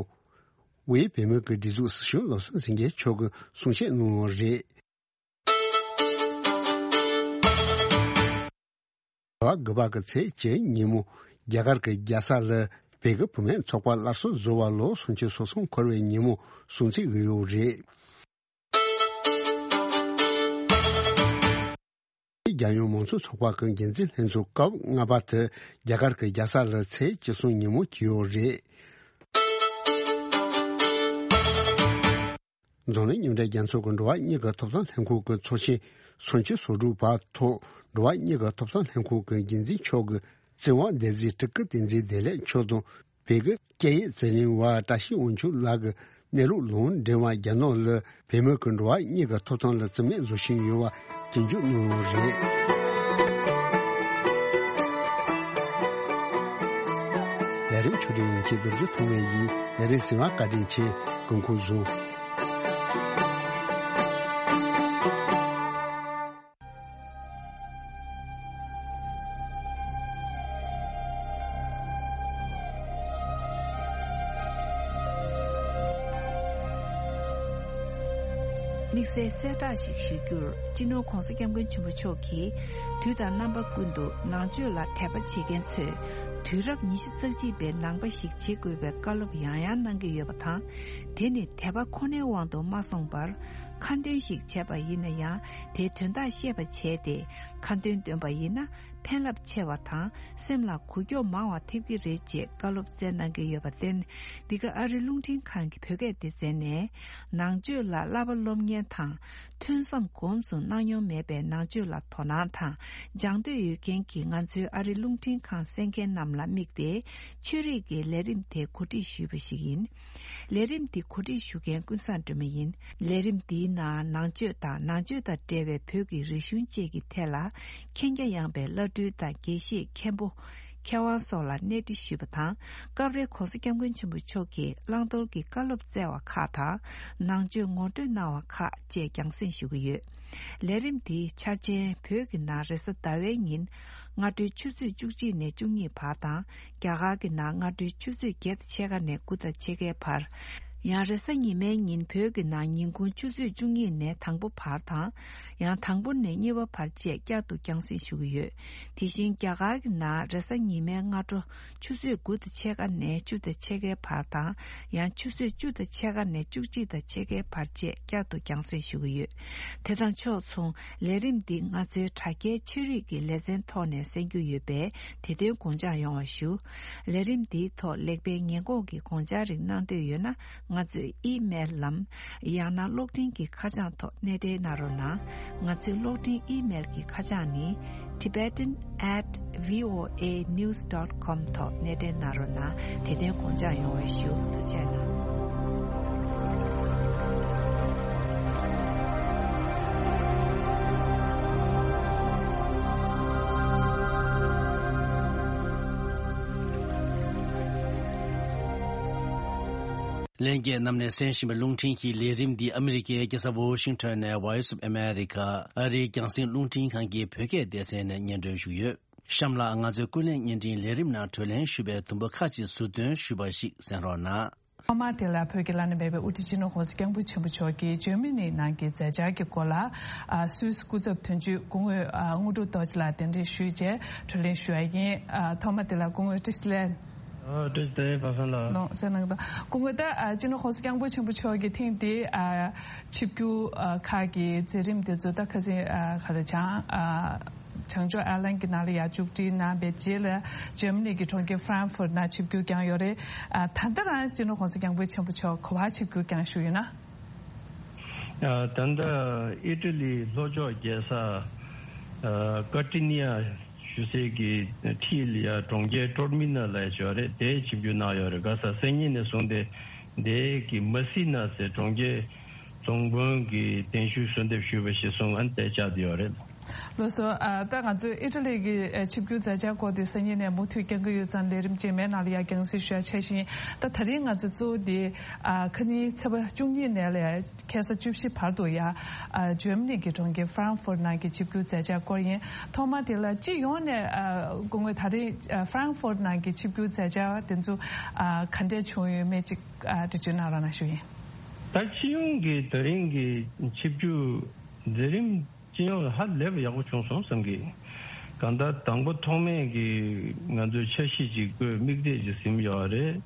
དབུས་བོད་མིའི་སྒྲིག་འཛུགས་སྲིད་སྐྱོང་བློ་བཟང་སེང་གེ་མཆོག་གིས་གསུང་བཤད་གནང་ཡོད་རེད། ཟླ་བ་དགུ་པ་གི་ཚེས་བཅུ་ཉིན་མོ་རྒྱ་གར་གྱི་རྒྱལ་ས་ལ་བོད་ཀྱི་བུད་མེད་ཚོགས་པ་སླར་གསོ་བཟོ་བ་ལོ་སུམ་ཅུ་སོ་གསུམ་འཁོར་བའི་ཉིན་མོ་སྲུང་བརྩི་ཡོད་རེད། རྒྱལ་ཡོངས་མང་གཙོ་ཚོགས་པ་གི་འགན་འཛིན་ལྷན་ཚོགས་སྐབས་ལྔ་པ་དེ་རྒྱ་གར་གྱི་རྒྱལ་ས་ལ་ཚེས་བཅུ་གསུམ་ཉིན་མོ་བྱས་ཡོད་རེད། འཛམ་གླིང་མཉམ་འབྲེལ་རྒྱལ་ཚོགས་ཀྱི་འགྲོ་བ་མིའི་ཐོབ་ཐང་ལྷན་ཁང་གི་ཚོགས་ཆེན་སུམ་ཅུ་སོ་དྲུག་པ་ཐོག་འགྲོ་བ་མིའི་ཐོབ་ཐང་ལྷན་ཁང་གི་འགན་འཛིན་མཆོག་གི་བཙུན་དབང་སྡེ་ཚན་དྲུག་གི་བསྟན་འཛིན་བདེ་ལེགས་མཆོག་དང་། བོད་ཀྱི་སྐད་ཡིག་རྩིས་ལེན་པ་བཀྲ་ཤིས་དབང་ཕྱུག་ལགས་ཀྱིས་གནས་ལུགས་ལུང་འདྲེན་པ་རྒྱ་ནག་ལ་བོད་མི་གི་འགྲོ་བ་མིའི་ཐོབ་ཐང་ལ་རྩིས་མེད་བཟོ་བཞིན་ཡོད་པ་སྐྱོན་བརྗོད་གནང་ཡོད་རེད། ལས་རིམ་ཆུ་སྒྲིག་ཡིན་གྱི་རྡོ་རྗེ་ཐོགས་མེད་ཡིས་ལས་རིམ་གཟིགས་པར་བཀའ་དྲིན་ཆེ། སྐུ་ཁམས་བཟང་། དམིགས་བསལ་གསལ་བསྒྲགས་ཤིག་ཞུ་རྒྱུར། སྤྱི་ནོར་༧གོང་ས་༧སྐྱབས་མགོན་ཆེན་པོ་མཆོག་གིས་དུས་དང་རྣམ་པ་ཀུན་ཏུ་ནང་ཆོས་ལ་དད་པ་བྱེད་མཁན་ཚོས་དུས་རབས་ཉི་ཤུ་རྩ་གཅིག་པའི་ནང་པ་ཞིག་བྱེད་དགོས་པའི་བཀའ་སློབ་ཡང་ཡང་གནང་གི་ཡོད་པ་དང་། དེ་ནི་དད་པ་ཁོ་ནའི་དབང་དུ་མ་སོང་བར། ཁ་འདོན་ཞིག་བྱས་པ་ཡིན་ན་ཡང་། དེའི་དོན་དག་ཤེས་པ་བྱས་ཏེ། ཁ་འདོན་འདོན་པ་ཡིན་ན། ཕན་རླབས་ཆེ་བ་དང་། སེམས་ལ་འགུལ་སྐྱོད་མང་བ་ཐེབས་ཀྱི་རེད་ཅེས་བཀའ་སློབ་སྩལ་གནང་གི་ཡོད་པར་བརྟེན། འདི་ག་ཨ་རི་རླུང་འཕྲིན་ཁང་གི་བོད་སྐད་སྡེ་ཚན་ནས། ནང་ཆོས་ལ་བསླབ་པ་སློབ་གཉེར་དང་། ཐོས་བསམ་གོམས་སུ་གནང་མྱོང་མེད་པའི་ནང་ཆོས་ལ་དོ་སྣང་དང་། སྦྱང་འདོད་ཡོད་མཁན་གྱི་ང་ཚོའི་ཨ་རི་རླུང་འཕྲིན་ཁང་གསན་མཁན་རྣམས་ལ་དམིགས་ཏེ། ཆོས་རིག་གི་ལས་རིམ་དེ་གོ་སྒྲིག་ཞུས་པ་ཞིག་ཡིན། ལས་རིམ་འདི་གོ་སྒྲིག་ཞུ་མཁན་ཀུན་བཟང་སྒྲོལ་མ་ཡིན། ལས་རིམ་འདིའི་ནང་ནང་ཆོས་དང་། ནང་ཆོས་དང་འབྲེལ་བའི་བོད་ཀྱི་རིག་གཞུང་བཅས་ཀྱི་ཐད་ལ་མཁྱེན་རྒྱ་ཡངས་པའི་བླ་སྤྲུལ་དང་། དགེ་བཤེས། མཁན་པོ། མཁས་དབང་སོགས་ལ་གནས་འདྲི་ཞུས་པ་དང་། སྐབས་རེ་༧གོང་ས་༧སྐྱབས་མགོན་ཆེན་པོ་མཆོག་གིས་བླང་དོར་གྱི་བཀའ་སློབ་སྩལ་བ་ཁག་དང་། ནང་ཆོས་ངོ་སྤྲོད་གནང་བ་ཁག་བཅས་རྒྱང་སྲིང་ཞུ་གི་ཡོད། ལས་རིམ་འདིའི་འཆར་ཅན། བོད་ཀྱི་ནང་རེས་གཟའ་ཟླ་བའི་ཉིན་སྔ་དྲོའི་ཆུ་ཚོད་བཅུ་གཅིག་ནས་བཅུ་གཉིས་བར་དང་། རྒྱ་གར་གྱི་ནང་སྔ་དྲོའི་ཆུ་ཚོད་བརྒྱད་དང་ཕྱེད་ཀ་ནས་དགུ་དང་ཕྱེད་ཀའི་བར། ཡང་རེས་གཟའ་ཉི་མའི་ཉིན་བོད་ཀྱི་ནང་ཉིན་གུང་ཆུ་ཚོད་བཅུ་གཉིས་ནས་དང་པོ་བར་དང་། ཡང་དང་པོ་ནས་གཉིས་པ་བར་བཅས་བསྐྱར་དུ་རྒྱང་སྲིང་ཞུ་གི་ཡོད། དེ་བཞིན་རྒྱ་གར་གྱི་ནང་རེས་གཟའ་ཉི་མའི་སྔ་དྲོ་ཆུ་ཚོད་དགུ་དང་ཕྱེད་ཀ་ནས་བཅུ་དང་ཕྱེད་ཀའི་བར་དང་། ཡང་ཆུ་ཚོད་བཅུ་དང་ཕྱེད་ཀ་ནས་བཅུ་གཅིག་དང་ཕྱེད་ཀའི་བར་བཅས་བསྐྱར་དུ་རྒྱང་སྲིང་ཞུ་གི་ཡོད། དེ་དང་ཕྱོགས་མཚུངས། ལས་རིམ་འདི་ང་ཚོའི་དྲ་རྒྱའི་ཆོས་རིག་གི་ལེ་ཚན་ཐོག་ནས་གསན་རྒྱུ་ཡོད་པས། དེ་དོན་དགོངས་འཇགས་ཡོང་བ་ཞུ། ལས་རིམ་འདིའི་ཐོག་ལེགས་སྤེལ་ཉེས་འགོག་གི་དགོངས་འཆར་རིགས་གནང་འདོད་ཡོད་ན། ང་ཚོའི་ཨི་མེལ་ལམ། ཡང་ན་གློག་འཕྲིན་གྱི་ཁ་བྱང་ཐོག་གནས་འབྲེལ་གནང་རོགས་གནང་། ང་ཚོའི་གློག་འཕྲིན་ཨི་མེལ་གྱི་ཁ་བྱང་ནི། tibetan at voanews dot com ཐོག་གནས་འབྲེལ་གནང་རོགས་གནང་། དེ་དོན་དགོངས་འཇགས་ཡོང་བ་ཞུ། ཐུགས་རྗེ་གནང་། ལྷན་རྒྱས་རྣམས་ནས་གསན་བཞིན་པའི་རླུང་འཕྲིན་གྱི་ལས་རིམ་འདི་ཨ་མི་རི་ཀའི་རྒྱལ་ས་ཝོ་ཤིང་ཊོན་ནས་Voice of America ཨ་རིའི་རྒྱང་སྲིང་རླུང་འཕྲིན་ཁང་གི་བོད་སྐད་སྡེ་ཚན་ནས་སྙན་སྒྲོན་ཞུས་ཡོད། གཤམ་ལ་ང་ཚོའི་ཀུན་གླེང་བརྙན་འཕྲིན་ལས་རིམ་ནང་དྲི་ལན་ཞུས་པའི་དུམ་བུ་ཁག་ཅིག་ཟུར་འདོན་ཞུས་པ་ཞིག་གསན་རོགས་གནང་། ཐོག་མར་དེ་ལ་བོད་ཀྱི་བླ་ན་མེད་པའི་དབུ་ཁྲིད་སྤྱི་ནོར་༧གོང་ས་༧སྐྱབས་མགོན་ཆེན་པོ་མཆོག་གིས་འཇར་མ་ནིའི་ནང་གི་མཛད་འཆར་གྱི་སྐོར་ལ། ཨ། སུད་སི་སྐུ་ཚབ་དོན་གཅོད་སྐུ་ངོ་དངོས་གྲུབ་རྡོ་རྗེ་ལགས་གདན་འདྲེན་ཞུས་རྗེས་དྲི་ལན་ཞུ་ཡ་ཡིན། ཨ། ཐོག་མ་དེ་ལ་སྐུ་ངོ་བཀྲ་ཤིས་བདེ་ལེགས། ཨ། བཀྲ་ཤིས་བདེ་ལེགས་པ་སངས་ལགས། ལགས་སོ། གནང་དང་། སྐུ་ངོ་ད། ཨ། སྤྱི་ནོར་༧གོང་ས་༧སྐྱབས་མགོན་ཆེན་པོ་མཆོག་གིས་ཐེངས་འདིའི། ཨ། ཆིབས་བསྒྱུར། ཨ། ཁག་གི་མཛད་རིམ་དེ་ཚོ་ད་ཁ་སང་། ཨ། ག་རེ་བྱང་། ཨ། བྱང་ཕྱོགས་ཨེར་ལན་གྱི་ནང་ལ་ཡར་མཇུག་སྒྲིལ་གནང་བའི་རྗེས་ལ་འཇར་མ་ནི་གི་གྲོང་ཁྱེར་ཧྥ་རན་ཧྥུར་ནང་ཆིབས་བསྒྱུར་བསྐྱངས་ཡོད་རེད། ཨ། ད་ལྟ་རང་སྤྱི་ནོར་༧གོང་ས་༧སྐྱབས་མགོན་ཆེན་པོ་མཆོག་ག་པར་ཆིབས་བསྒྱུར་བསྐྱངས་བཞུགས་ཡོད་ན། ཨ། ད་ལྟ་ཨི་ཊ་ལིའི་ལྷོ་ཕྱོགས་རྒྱལ་ས། ཨ། ཀར་ཊི་ནི་ཡ་ཞུ་སའི་གི་འཁྲིས་ལ་ཡ་གྲོང་ཁྱེར་ཊོར་མི་ན་ལ་ཡ་ཡོད་རེད། དེར་ཆིབས་བསྒྱུར་གནང་ཡོད་རེད། ག་ས་སང་ཉིན་ནས་བཟུང་སྟེ་དེ་གི་མ་སི་ན་ཟེར་གྲོང་ཁྱེར་རྫོང་དཔོན་གྱི་གདན་ཞུ་གསོལ་འདེབས་ཞུས་པ་ཞིག་སོང་། ཨ་ནི་དེ་བཅར་བསྡད་ཡོད་རེད། ལགས་སོ། ཨ། ད་ང་ཚོས་ཨི་ཊ་ལི་གི། ཨ། ཆིབས་བསྒྱུར་མཛད་འཆར་སྐོར་དེ་སང་ཉིན་ནས་མུ་མཐུད་བསྐྱང་གི་ཡོད་ཙང་ལས་རིམ་རྗེས་མའི་ནང་ལ་ཡ་རྒྱང་སྲིང་ཞུ་ཡ་འཆར་བཞིན། ད་ད་རིང་ང་ཚོ་གཙོ་བོ་དེ། ཨ། ཁ་ཉིན་ཚེས་པ་བཅུ་གཉིས་ནས་ལས་ཁ་སང་བཅུ་བཞི་བར་དུ་ཡ། ཨ། འཇར་མ་ནི་གི་གྲོང་ཁྱེར་ཧྥ་རན་ཧྥུར་ནང་གི་ཆིབས་བསྒྱུར་མཛད་འཆར་སྐོར་ཡིན། ཐོག་མ་དེ་ལ་སྤྱི་ཡོངས་ནས། ཨ། སྐུ་ངོས་ད་རིང་། ཨ། ཧྥ་རན་ཧྥུར་ནང་གི་ཆིབས་བསྒྱུར་མཛད་འཆར་དེ་ཚོ། ཨ། ག་འདྲས་བྱུང་ཡོད་མེད་ཅིག་ཨ། འགྲེལ་བརྗོད་གནང་རོགས་གནང་ཞུ་ཡིན། ད་སྤྱི་ཡོངས་ཀྱི་ད་རིང་གི་ཆིབས་བསྒྱུར་མཛད་རིམ་སྤྱི་ཡོངས་ལ་ཧ་ལས་པ་ཡག་པོ་བྱུང་སོང་བསམ་གི། གང་ལྟར་དང་པོ་ཐོག་མེད་ཀྱི་ང་ཚོས་འཆར་གཞི་ཅིག་བཀོད། དམིགས་གཏད་ཅིག་ཟིན་ཡོད་རེད།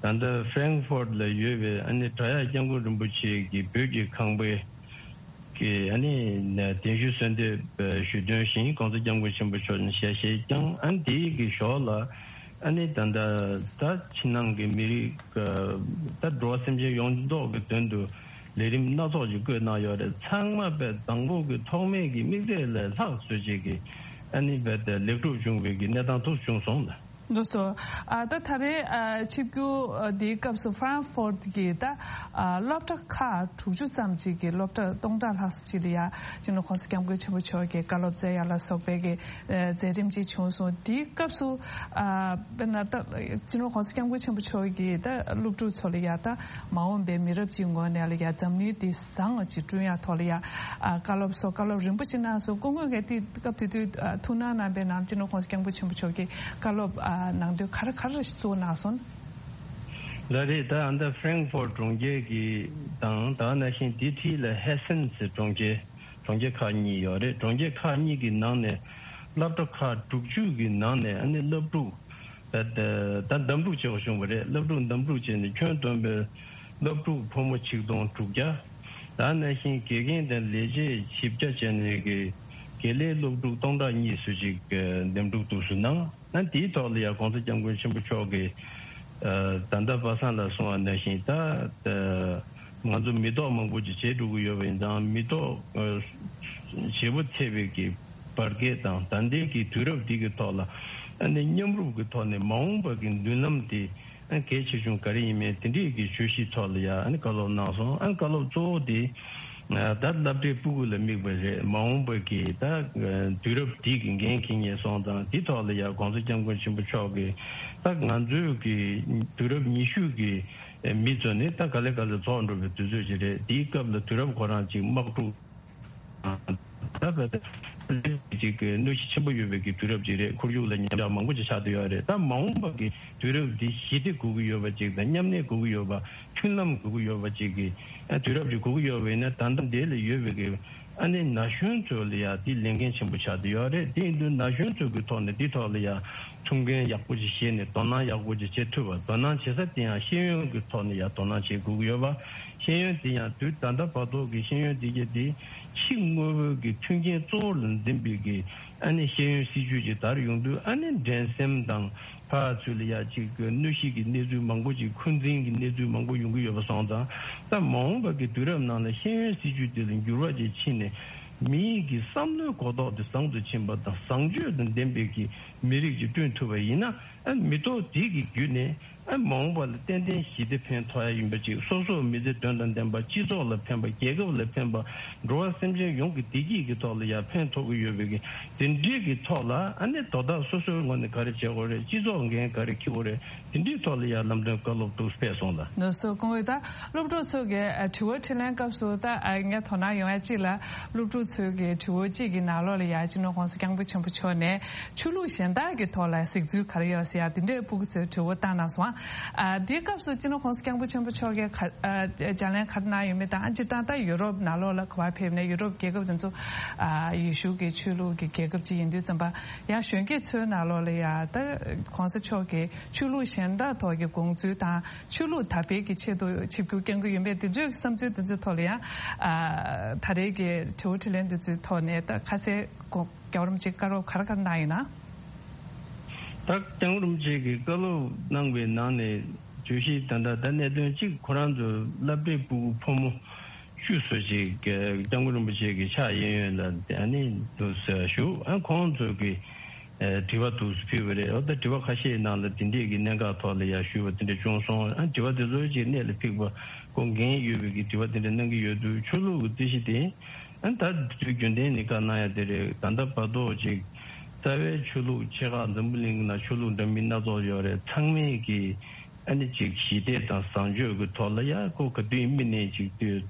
ད་ལྟ་ཧྥ་རན་ཧྥུར་ལ་ཡོད་པའི་ཨ་ནི་བྲག་གཡབ་སྐྱབས་མགོན་རིན་པོ་ཆེ་གི་བོད་ཀྱི་ཁང་པའི་གི་ཨ་ནི་གདན་ཞུ་གསོལ་འདེབས་ཞུས་དོན་བཞིན་༧གོང་ས་༧སྐྱབས་མགོན་ཆེན་པོ་མཆོག་ནས་ཞལ་བཞེས་བསྐྱངས། ཨ་ནི་དེའི་གི་ཞོར་ལ་ཨ་ནི་ད་ལྟ་ད་ཕྱི་ནང་གི་མི་རིགས། ད་འགྲོ་བ་སེམས་ཅན་ཡོངས་རྫོགས་ཀྱི་དོན་དུ་ལས་རིམ་སྣ་ཚོགས་ཤིག་བཀོད་གནང་ཡོད་རེད། ཚང་མ་དཔེ་དང་པོ་གི་ཐོག་མེད་ཀྱི་དམིགས་གཏད་ལས་ལྷག་བཟོ་བྱེད་ཀྱི་ཨ་ནི་དཔེ་དེ་ལེགས་གྲུབ་བྱུང་བའི་གི་གནས་སྟངས་ཐུགས་བྱུང་སོང་ལ། ལགས་སོ། ཨ། ད་ད་རེས། ཨ། ཆིབས་བསྒྱུར། ཨ། འདིའི་སྐབས་སུ་ཧྥ་རན་ཧྥུར་གྱི་ད། ཨ། སློབ་གྲྭ་ཁག་དྲུག་ཅུ་ཙམ་ཅིག་གི་སློབ་གྲྭ་སྟོང་ཕྲག་ལྷག་ཙམ་ཅིག་ལ་ཡ་སྤྱི་ནོར་༧གོང་ས་༧སྐྱབས་མགོན་ཆེན་པོ་མཆོག་གི་བཀའ་སློབ་སྩལ་ཡ་ལ་སོགས་པའི་གི། ཨ། མཛད་རིམ་ཅིག་བྱུང་སོང་། དེའི་སྐབས་སུ། ཨ། དཔེར་ན་ད་སྤྱི་ནོར་༧གོང་ས་༧སྐྱབས་མགོན་ཆེན་པོ་མཆོག་གིས་ད་སློབ་ཕྲུག་ཚོ་ལ་ཡ་ད་མ་འོངས་པའི་མི་རབས་ཅིག་ངོས་ནས་ལ་ཡ་འཛམ་གླིང་འདི་བཟང་བ་ཅིག་བསྐྲུན་ཡ་ཐོག་ལ་ཡ། ཨ། བཀའ་སློབ་སོགས་བཀའ་སློབ་རིམ་པ་ཅིག་གནང་སོང་། སྐུ་ངོས་ཀྱིས་དེ་སྐབས་དེ་དུས། ཨ། ཐུགས་སྣང་གནང་བའི་ནང་སྤྱི་ནོར་༧གོང་ས་༧སྐྱབས་མགོན་ཆེན་པོ་མཆོག་གིས་བཀའ་སློབ། ཨ། གནང་དོན་ག་རེ་ག་རེ་གཙོ་བོ་གནང་སོང་། ལགས་རེད། ད་ཨ་ད་ཧྥྲེང་ཧྥོར་གྲོང་ཁྱེར་གྱི་དང་ད་ནང་བཞིན་དེའི་འཁྲིས་ལ་ཧེ་སན་ཟེར་གྲོང་ཁྱེར་གྲོང་ཁྱེར་ཁག་གཉིས་ཡོད་རེད། གྲོང་ཁྱེར་ཁག་གཉིས་ཀྱི་ནང་ནས་སློབ་གྲྭ་ཁག་དྲུག་ཅུ་གི་ནང་ནས་ཨ་ནི་སློབ་ཕྲུག་ད་ད་འདེམས་སྒྲུག་བྱེད་དགོས་བྱུང་བ་རེད། སློབ་ཕྲུག་འདེམས་སྒྲུག་བྱས་ནས་ཁྱོན་བསྡོམས་པའི་སློབ་ཕྲུག་ཕོ་མོ་ཆིག་སྟོང་དྲུག་བརྒྱ། ད་ནང་བཞིན་དགེ་རྒན་དང་ལས་བྱེད་བཞི་བརྒྱ་བྱས་ནས་ཀྱི་དགེ་ལས་སློབ་ཕྲུག་སྟོང་ཕྲག་གཉིས་སུ་ཞིག་འདེམས་སྒྲུག་འདུག་སུ་གནང་། ཨ་དེའི་ཐོག་ལ་ཡང་༸གོང་ས་༸སྐྱབས་མགོན་ཆེན་པོ་མཆོག་གིས་ཨ་ད་ལྟ་པ་སངས་ལ་གསུངས་པ་ནང་བཞིན་ད་ཨ་ང་ཚོ་མི་ཐོག་མང་པོ་ཅིག་བྱེད་འགྲོ་གི་ཡོད་པ་ཡིན་ཙང་། མི་ཐོག་ཨ་བྱེད་པོ་ཚད་པའི་གི་བར་བརྒལ་དང་ད་ལྟའི་གི་དུས་རབས་འདི་གི་ཐོག་ལ་ཨ་ནི་མཉམ་རུབ་ཀྱི་ཐོག་ནས་མ་འོངས་པ་གི་མདུན་ལམ་དེ་ཨ་གལ་ཆེ་ཆུང་ག་རེ་ཡིན་མིན་དེ་འདྲའི་གི་བརྗོད་གཞིའི་ཐོག་ལ་ཡང་ཨ་ནི་བཀའ་སློབ་གནང་སོང་། ཨ་བཀའ་སློབ་གཙོ་བོ་དེ་ད་སློབ་གྲྭའི་སྤུ་གུ་ལ་དམིགས་པ་རེད། མ་འོངས་པ་གི་ད་དུས་རབས་འདི་གི་འགན་འཁྱེར་མཁན་སོང་ཙང་། དེ་ཐོག་ལ་ཡང་༸གོང་ས་༸སྐྱབས་མགོན་ཆེན་པོ་མཆོག་གིས་ད་ང་ཚོའི་གི་དུས་རབས་ཉི་ཤུ་གི་མི་ཚོ་ནི་ད་ག་ལེ་ག་ལེ་རྫོགས་འགྲོ་བའི་དུས་ཚོད་ཅིག་རེད། དེའི་སྐབས་ལ་དུས་རབས་ཁོ་རང་ཅིག་དམག་འཁྲུག་ད་ད་ཅིག་གི་གནོད་གཞི་ཆེན་པོ་ཡོད་པའི་གི་དུས་རབས་ཅིག་རེད། ཁོར་ཡུག་ལ་ཉམས་ཆག་མང་པོ་ཅིག་ཆགས་བསྡད་ཡོད་རེད། ད་མ་འོངས་པ་གི་དུས་རབས་འདི་ཞི་བདེ་དགོས་ཀྱི་ཡོད་པ་ཅིག་དང་། མཉམ་གནས་དགོས་ཀྱི་ཡོད་པ། མཐུན་ལམ་དགོས་ཀྱི་ཡོད་པ་ཅིག་གི་ཨ་དུས་རབས་ཅིག་དགོས་ཀྱི་ཡོད་པ་ཡིན་ན། ད་ལྟ་འདི་ལ་ཡོད་པའི་གི་ཨ་ནི་ན་གཞོན་ཚོ་ལ་ཡང་འདི་ལས་འགན་ཆེན་པོ་ཆགས་བསྡད་ཡོད་རེད། དེ་ཡིན་དུས་ན་གཞོན་ཚོ་གི་ཐོག་ནས་འདི་ཐོག་ལ་ཡང་ཐུགས་འགན་ཡག་པོ་ཅིག་བཞེས་ནས་དོ་སྣང་ཡག་པོ་ཅིག་བྱེད་ཐུབ་པ། དོ་སྣང་བྱེད་ས་དེ་ཡང་ཤེས་ཡོན་གྱི་ཐོག་ནས་ཡང་དོ་སྣང་བྱེད་དགོས་ཀྱི་ཡོད་པ། ཤེས་ཡོན་དེ་ཡང་དུས་ད་ལྟ་བར་དུ་གི་ཤེས་ཡོན་དེ་གྱད་དེ་ཕྱི་དངོས་པོའི་གི་མཐུན་རྐྱེན་གཙོ་བོ་ལ་འཛིན་པའི་གི་ཨ་ནི་ཤེས་ཡོན་སྲིད་བྱུས་ཅིག་དར་ཡོང་དུས། ཨ་ནི་འགྲན་སེམས་དང་ཕར་ཚུར་ལ་ཡ་ཅིག་གི་གནོད་གཞི་གི་གནས་ཚུལ་མང་པོ་ཅིག་འཁོན་འཛིན་གྱི་གནས་ཚུལ་མང་པོ་ཡོང་གི་ཡོད་པ་སོང་ཙང་། ད་མ་འོངས་པ་གི་དུས་རབས་ནང་ལ་ཤེས་ཡོན་སྲིད་བྱུས་དེ་ལ་འགྱུར་བ་ཅིག་ཕྱིན་ནས། མིའི་གི་བསམ་བློའི་གོ་རྟོགས་དེ་བཟང་དུ་ཕྱིན་པ་དང་། བཟང་སྤྱོད་དང་ལྡན་པའི་གི་མི་རིགས་ཅིག་བསྐྲུན་ཐུབ་པ་ཡིན་ན། ཨ་མི་ཐོག་དེ་གི་བརྒྱུད་ནས་ཨ་མ་འོངས་པ་ལ་ཏན་ཏན་ཞི་བདེ་ཕན་ཐོགས་ཡ་ཡིན་པ་ཅིག་སོ་སོའི་མི་ཚེ་དོན་དང་ལྡན་པ། སྤྱི་ཚོགས་ལ་ཕན་པ། རྒྱལ་ཁབ་ལ་ཕན་པ། འགྲོ་བ་སེམས་ཅན་ཡོངས་ཀྱི་བདེ་སྐྱིད་ཀྱི་ཐོག་ལ་ཡང་ཕན་ཐོགས་ཀྱི་ཡོད་པའི་གི་དེ་འདྲའི་གི་ཐོག་ལ། ཨ་ནི་དོ་བདག་སོ་སོའི་ངོས་ནས་ག་རེ་བྱེད་དགོས་རེད། སྤྱི་ཚོགས་འགན་ག་རེ་འཁྱེར་དགོས་རེད། དེ་འདྲའི་ཐོག་ལ་ཡང་ལམ་སྟོན་བཀའ་སློབ་ཏུ་ཕེབས་སོང་ལ། ལགས་སོ། སྐུ་ངོ། ད་སློབ་ཕྲུག་ཚོ་གི་ཨ་དྲི་བ་དྲིས་ལན་སྐབས་སུ་ད་ཨ་ངས་དོ་སྣང་ཡོང་ཡ་གཅིག་ལ། སློབ་ཕྲུག་ཚོའི་གི་དྲི་བ་གཅིག་གི་ནང་ལོགས་ལ་ཡ་སྤྱི་ནོར་༸གོང་ས་༸སྐྱབས་མགོན་ཆེན་པོ་མཆོག་ནས་ཆོས་ལུགས་གཞན་དག་གི་ཐོག་ལ་གཟིགས་ཚུལ་ག་རེ་ཡོད་ཟེར་ཡ་དེ་འདྲའི་སྤུ་གུ་ཚོས་དྲི་བ་བཏང་གནང་སོང་། ཨ་དེའི་སྐབས་སུ་སྤྱི་ནོར་༸གོང་ས་༸སྐྱབས་མགོན་ཆེན་པོ་མཆོག་གིས་ག་ཨ་ལྗགས་ལན་ག་རེ་གནང་ཡོད་མེད་དང་། ཨ་སྤྱིར་བཏང་ད་ཡུ་རོབ་ནང་ལོགས་ལ་ག་པར་ཕེབས་ནས་ཡུ་རོབ་རྒྱལ་ཁབ་དེ་ཚོ་ཨ་ཡེ་ཤུ་གི་ཆོས་ལུགས་ཀྱི་རྒྱལ་ཁབ་ཅིག་ཡིན་དུས་ཙམ་པ། ཡང་གཞོན་སྐྱེས་ཚོའི་ནང་ལོགས་ལ་ཡ་ད་༸གོང་ས་མཆོག་གིས་ཆོས་ལུགས་གཞན་དག་ཐོག་གི་དགོངས་ཚུལ་དང་། ཆོས་ལུགས་དར་སྤེལ་གྱི་ཆེད་དུ་ཆིབས་བསྒྱུར་བསྐྱང་གི་ཡོད་མེད། དེ་ཚོའི་བསམ་ཚུལ་དེ་ཚོའི་ཐོག་ལ་ཡང་ཨ་ད་རེས་ཀྱི་དྲི་བ་དྲིས་ལན་དེ་ཚོའི་ཐོག་ནས་ད་ཁ་གསལ་གོ་རྒྱལ་བ་རིན་པོ་ཆེས་བཀའ་སློབ་ག་རེ་ག་རེ་གནང་ཡོད་ན། ད་༸སྐྱབས་མགོན་རིན་པོ་ཆེ་གིས་བཀའ་སློབ་གནང་བའི་ནང་ནས་བརྗོད་གཞི་ད་ལྟ་ད་གནད་དོན་གཅིག་ཁོ་རང་ཚོ་སློབ་གྲྭའི་སྤུ་གུ་ཕོ་མོ་བཅུ་ཙམ་ཞིག་༸སྐྱབས་མགོན་རིན་པོ་ཆེ་གི་ཕྱག་གཡས་གཡོན་ལ་ཨ་ནི་འདུག་ཟེར་ཞུ། ཨ་ཁོང་ཚོ་གི་ཨ་དྲི་བ་འདུག་སེ་ཕུལ་བ་རེད། འོ་ད་དྲི་བ་ཁ་ཤས་ནང་ལ་དེ་འདྲས་ཀྱི་གནད་འགག་ཐོག་ལ་ཡང་ཞུས་པ་དེ་འདྲ་བྱུང་སོང་། ཨ་དྲི་བ་དེ་ཚོ་ཅིག་གནད་ལ་འཕིགས་པ། ཁོང་འགན་ཡོད་པའི་གི་དྲི་བ་དེ་འདྲ་གནང་གི་ཡོད་དུས། ཆོས་ལུགས་ཀྱི་རྩོད་གཞི་དེ་ཨ་ད་དུས་རྒྱུན་ལྡན་ནས་བཀའ་གནང་ཡ་དེ་རེད། ད་ལྟ་བར་དུ་ཅིག་རྩ་བའི་ཆོས་ལུགས་ཆེ་ཁག་འཛམ་བུ་གླིང་གི་ནང་ཆོས་ལུགས་འདྲ་མིན་སྣ་ཚོགས་ཡོད་རེད། ཚང་མས་ཀྱི་ཨ་ནི་ཅིག་ཞི་བདེ་དང་བཟང་སྤྱོད་ཀྱི་ཐོག་ལ་ཡ་ཁོ་ག་དུས་ཡིན་མིན་ནས་ཅིག་དུས་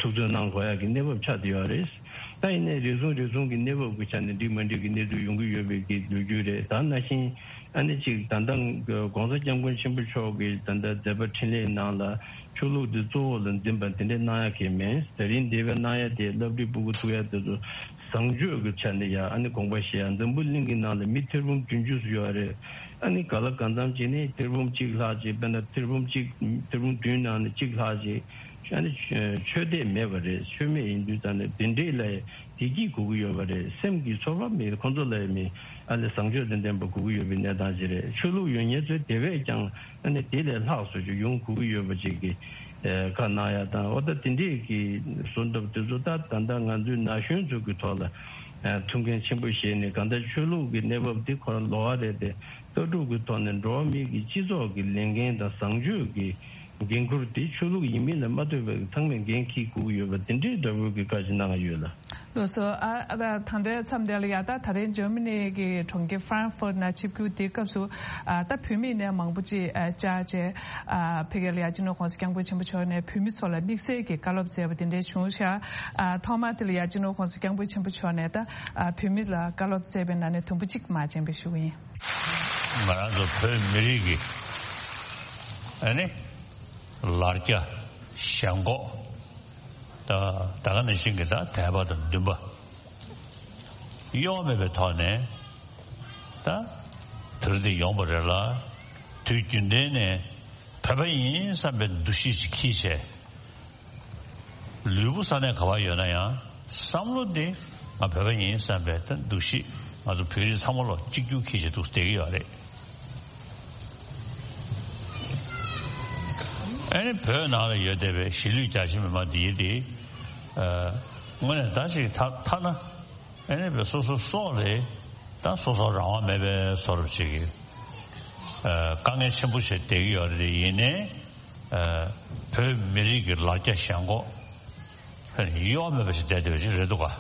ཐུགས་འཚོལ་གནང་དགོས་ཡ་གི་གནས་བབ་ཆགས་བསྡད་ཡོད་རེད། ད་ཡིན་ནའི་རེ་ཟུང་རེ་ཟུང་གི་གནས་བབ་ཀྱི་ཆ་ནས་འགྲིག་མ་འགྲིག་གི་གནས་ཚུལ་ཡོང་གི་ཡོད་པའི་གི་ལོ་རྒྱུས་རེད། ད་ནང་བཞིན་ཨ་ནི་ཅིག་ད་ལྟ་༸གོང་ས་༸སྐྱབས་མགོན་ཆེན་པོ་མཆོག་གི་ད་ལྟ་མཛད་པ་འཕྲིན་ལས་ནང་ལ་ཆོས་ལུགས་འདི་གཙོ་བོ་ལ་འཛིན་པ་དེ་འདྲའི་གནང་ཡ་གི་མེད། དེ་རིང་འདས་པའི་གནང་ཡ་དེ་སློབ་གྲྭའི་སྤུ་གུ་ཐུག་ཡ་དེ་ཚོ་བཟང་སྤྱོད་ཀྱི་ཆ་ནས་ཡ་ཨ་ནི་དགོངས་པ་བཞེས་ཡ། འཛམ་བུ་གླིང་གི་ནང་ལ་མི་ཐེར་འབུམ་བདུན་ཅུ་ཙམ་ཡོད་རེད། ཨ་ནི་ག་ལ་གང་འཚམ་ཅིག་ནི་ཐེར་འབུམ་གཅིག་ལྷག་ཅིག་དཔེར་ན་ཐེར་འབུམ་གཅིག་ཐེར་འབུམ་བདུན་ནང་ནས་གཅིག་ལྷག་ཅིག་ཨ་ནི་ཆོས་དད་མེད་པ་རེད། ཆོས་མེད་ཡིན་དུས་ཙང་ནས་དེ་འདྲས་ལ་བདེ་སྐྱིད་དགོས་ཀྱི་ཡོད་པ་རེད། སེམས་ཀྱི་ཚོར་བ་མེད། ཁོང་ཚོ་ལ་ཡང་མི་ཨ་ནི་བཟང་སྤྱོད་དང་ལྡན་པ་དགོས་ཀྱི་ཡོད་པའི་གནས་སྟངས་ཅིག་རེད། ཆོས་ལུགས་ཡོད་མཁན་ཚོས་དེ་བས་ཀྱང་ཨ་ནི་དེ་ལས་ལྷག་བཟོ་རྒྱུ་ཡོང་དགོས་ཀྱི་ཡོད་པ་ཅིག་གི་ཨེ་བཀའ་གནང་ཡ་དང་། འོ་ད་དེ་འདྲས་ཀྱི་བཟོ་འདྲ་དེ་ཚོ་ད་ད་ལྟ་ང་ཚོའི་ན་གཞོན་ཚོ་གི་ཐོག་ལ་ཨ་ཐུགས་འགན་ཆེན་པོ་བཞེས་ནས། གང་ལྟར་ཆོས་ལུགས་ཀྱི་གནས་བབ་འདི་ཁོ་རང་ལོགས་ཀ་རེད་དེ། ལྟ་གྲུབ་ཀྱི་ཐོག་ནས་འགྲོ་བ་མི་གི་སྤྱི་ཚོགས་ཀྱི་ལས་འགན་དང་བཟང་སྤྱོད་ཀྱི་འགན་ཁུར་དེ་ཆོས་ལུགས་ཡིན་མིན་ལ་མ་ལྟོས་པའི་ཚང་མས་འགན་འཁྱེར་དགོས་ཀྱི་ཡོད་པ་དེ་འདྲའི་འདྲ་བོའི་གི་བཀའ་ཞིག་གནང་ཡོད་ལ། ལགས་སོ། ཨ་ཨ་ད་ལྟའི་མཚམས་དེ་ལ་ཡ་ད་ད་རིང་འཇར་མ་ནི་གི་གྲོང་ཁྱེར་ཧྥ་རན་ཧྥོར་ནང་ཆིབས་བསྒྱུར་དེའི་སྐབས་སུ་ཨ་ད་བུད་མེད་ནས་མང་པོ་ཅིག་ཨ་བཅར་བྱས་ཨ་ཕ་གི་ལ་ཡ་སྤྱི་ནོར་༸གོང་ས་༸སྐྱབས་མགོན་ཆེན་པོ་མཆོག་ནས་བུད་མེད་ཚོ་ལ་དམིགས་བསལ་གྱི་བཀའ་སློབ་སྩལ་བ་དེ་འདྲ་བྱུང་ཤག་ཨ་ཐོག་མར་དེ་ལ་ཡ་སྤྱི་ནོར་༸གོང་ས་༸སྐྱབས་མགོན་ཆེན་པོ་མཆོག་ནས་ད་ཨ་བུད་མེད་ལ་བཀའ་སློབ་སྩལ་བའི་ནང་ནས་དུམ་བུ་གཅིག་མར་སྤྱན་འབུལ་ཞུ་གི་ཡིན། ང་རང་ཚོ་བོད་མི་རིགས་ཀྱི་ ཨ་ནི་ལར་རྒྱ་ཞེན་ཁོག་ད་ད་ག་ནང་བཞིན་གྱི་ད་དད་པ་དང་འདུན་པ་གཡོ་མེད་པའི་ཐོག་ནས། ད་དེ་རིང་འདི་ཡོང་བ་རེད་ལ། དུས་རྒྱུན་ལྡན་ནས་བོད་པ་ཡིན་བསམ་པའི་འདུ་ཤེས་ཅིག་འཁྱེར་བྱས། ལུས་པོ་ས་གནས་ག་པར་ཡོད་ན་ཡང་བསམ་བློ་འདི་ང་བོད་པ་ཡིན་བསམ་པའི་ད་འདུ་ཤེས། ང་ཚོ་བོད་རིགས་ཚང་མ་ལོ་གཅིག་གྱུར་འཁྱེར་བྱས་འདུག་བསྡད་ཀྱི་ཡོད་རེད། ཨ་ནི་བོད་ནང་ལ་ཡོད་བསྡད་པའི་གཞིས་ལུས་རྒྱ་ཆེ་མི་མང་འདིའི་དེ་དངོས་གནས་ད་ཅིག་ཐ་ཐ་ན། ཨ་ནི་བོད་སོ་སོ་སོགས་ལས་ད་སོ་སོ་རང་དབང་མེད་པའི་བཟོ་འདྲ་ཅིག་གི་དཀའ་ངལ་ཆེན་པོ་ཞིག་བསྡད་ཀྱི་ཡོད་རེད། ཡིན་ནའི་བོད་མི་རིགས་ཀྱི་ལར་རྒྱ་ཞེན་ཁོག་གཡོ་མེད་པ་ཞིག་བསྡད་བསྡད་པ་ཞིག་རེད་འདུག་ག་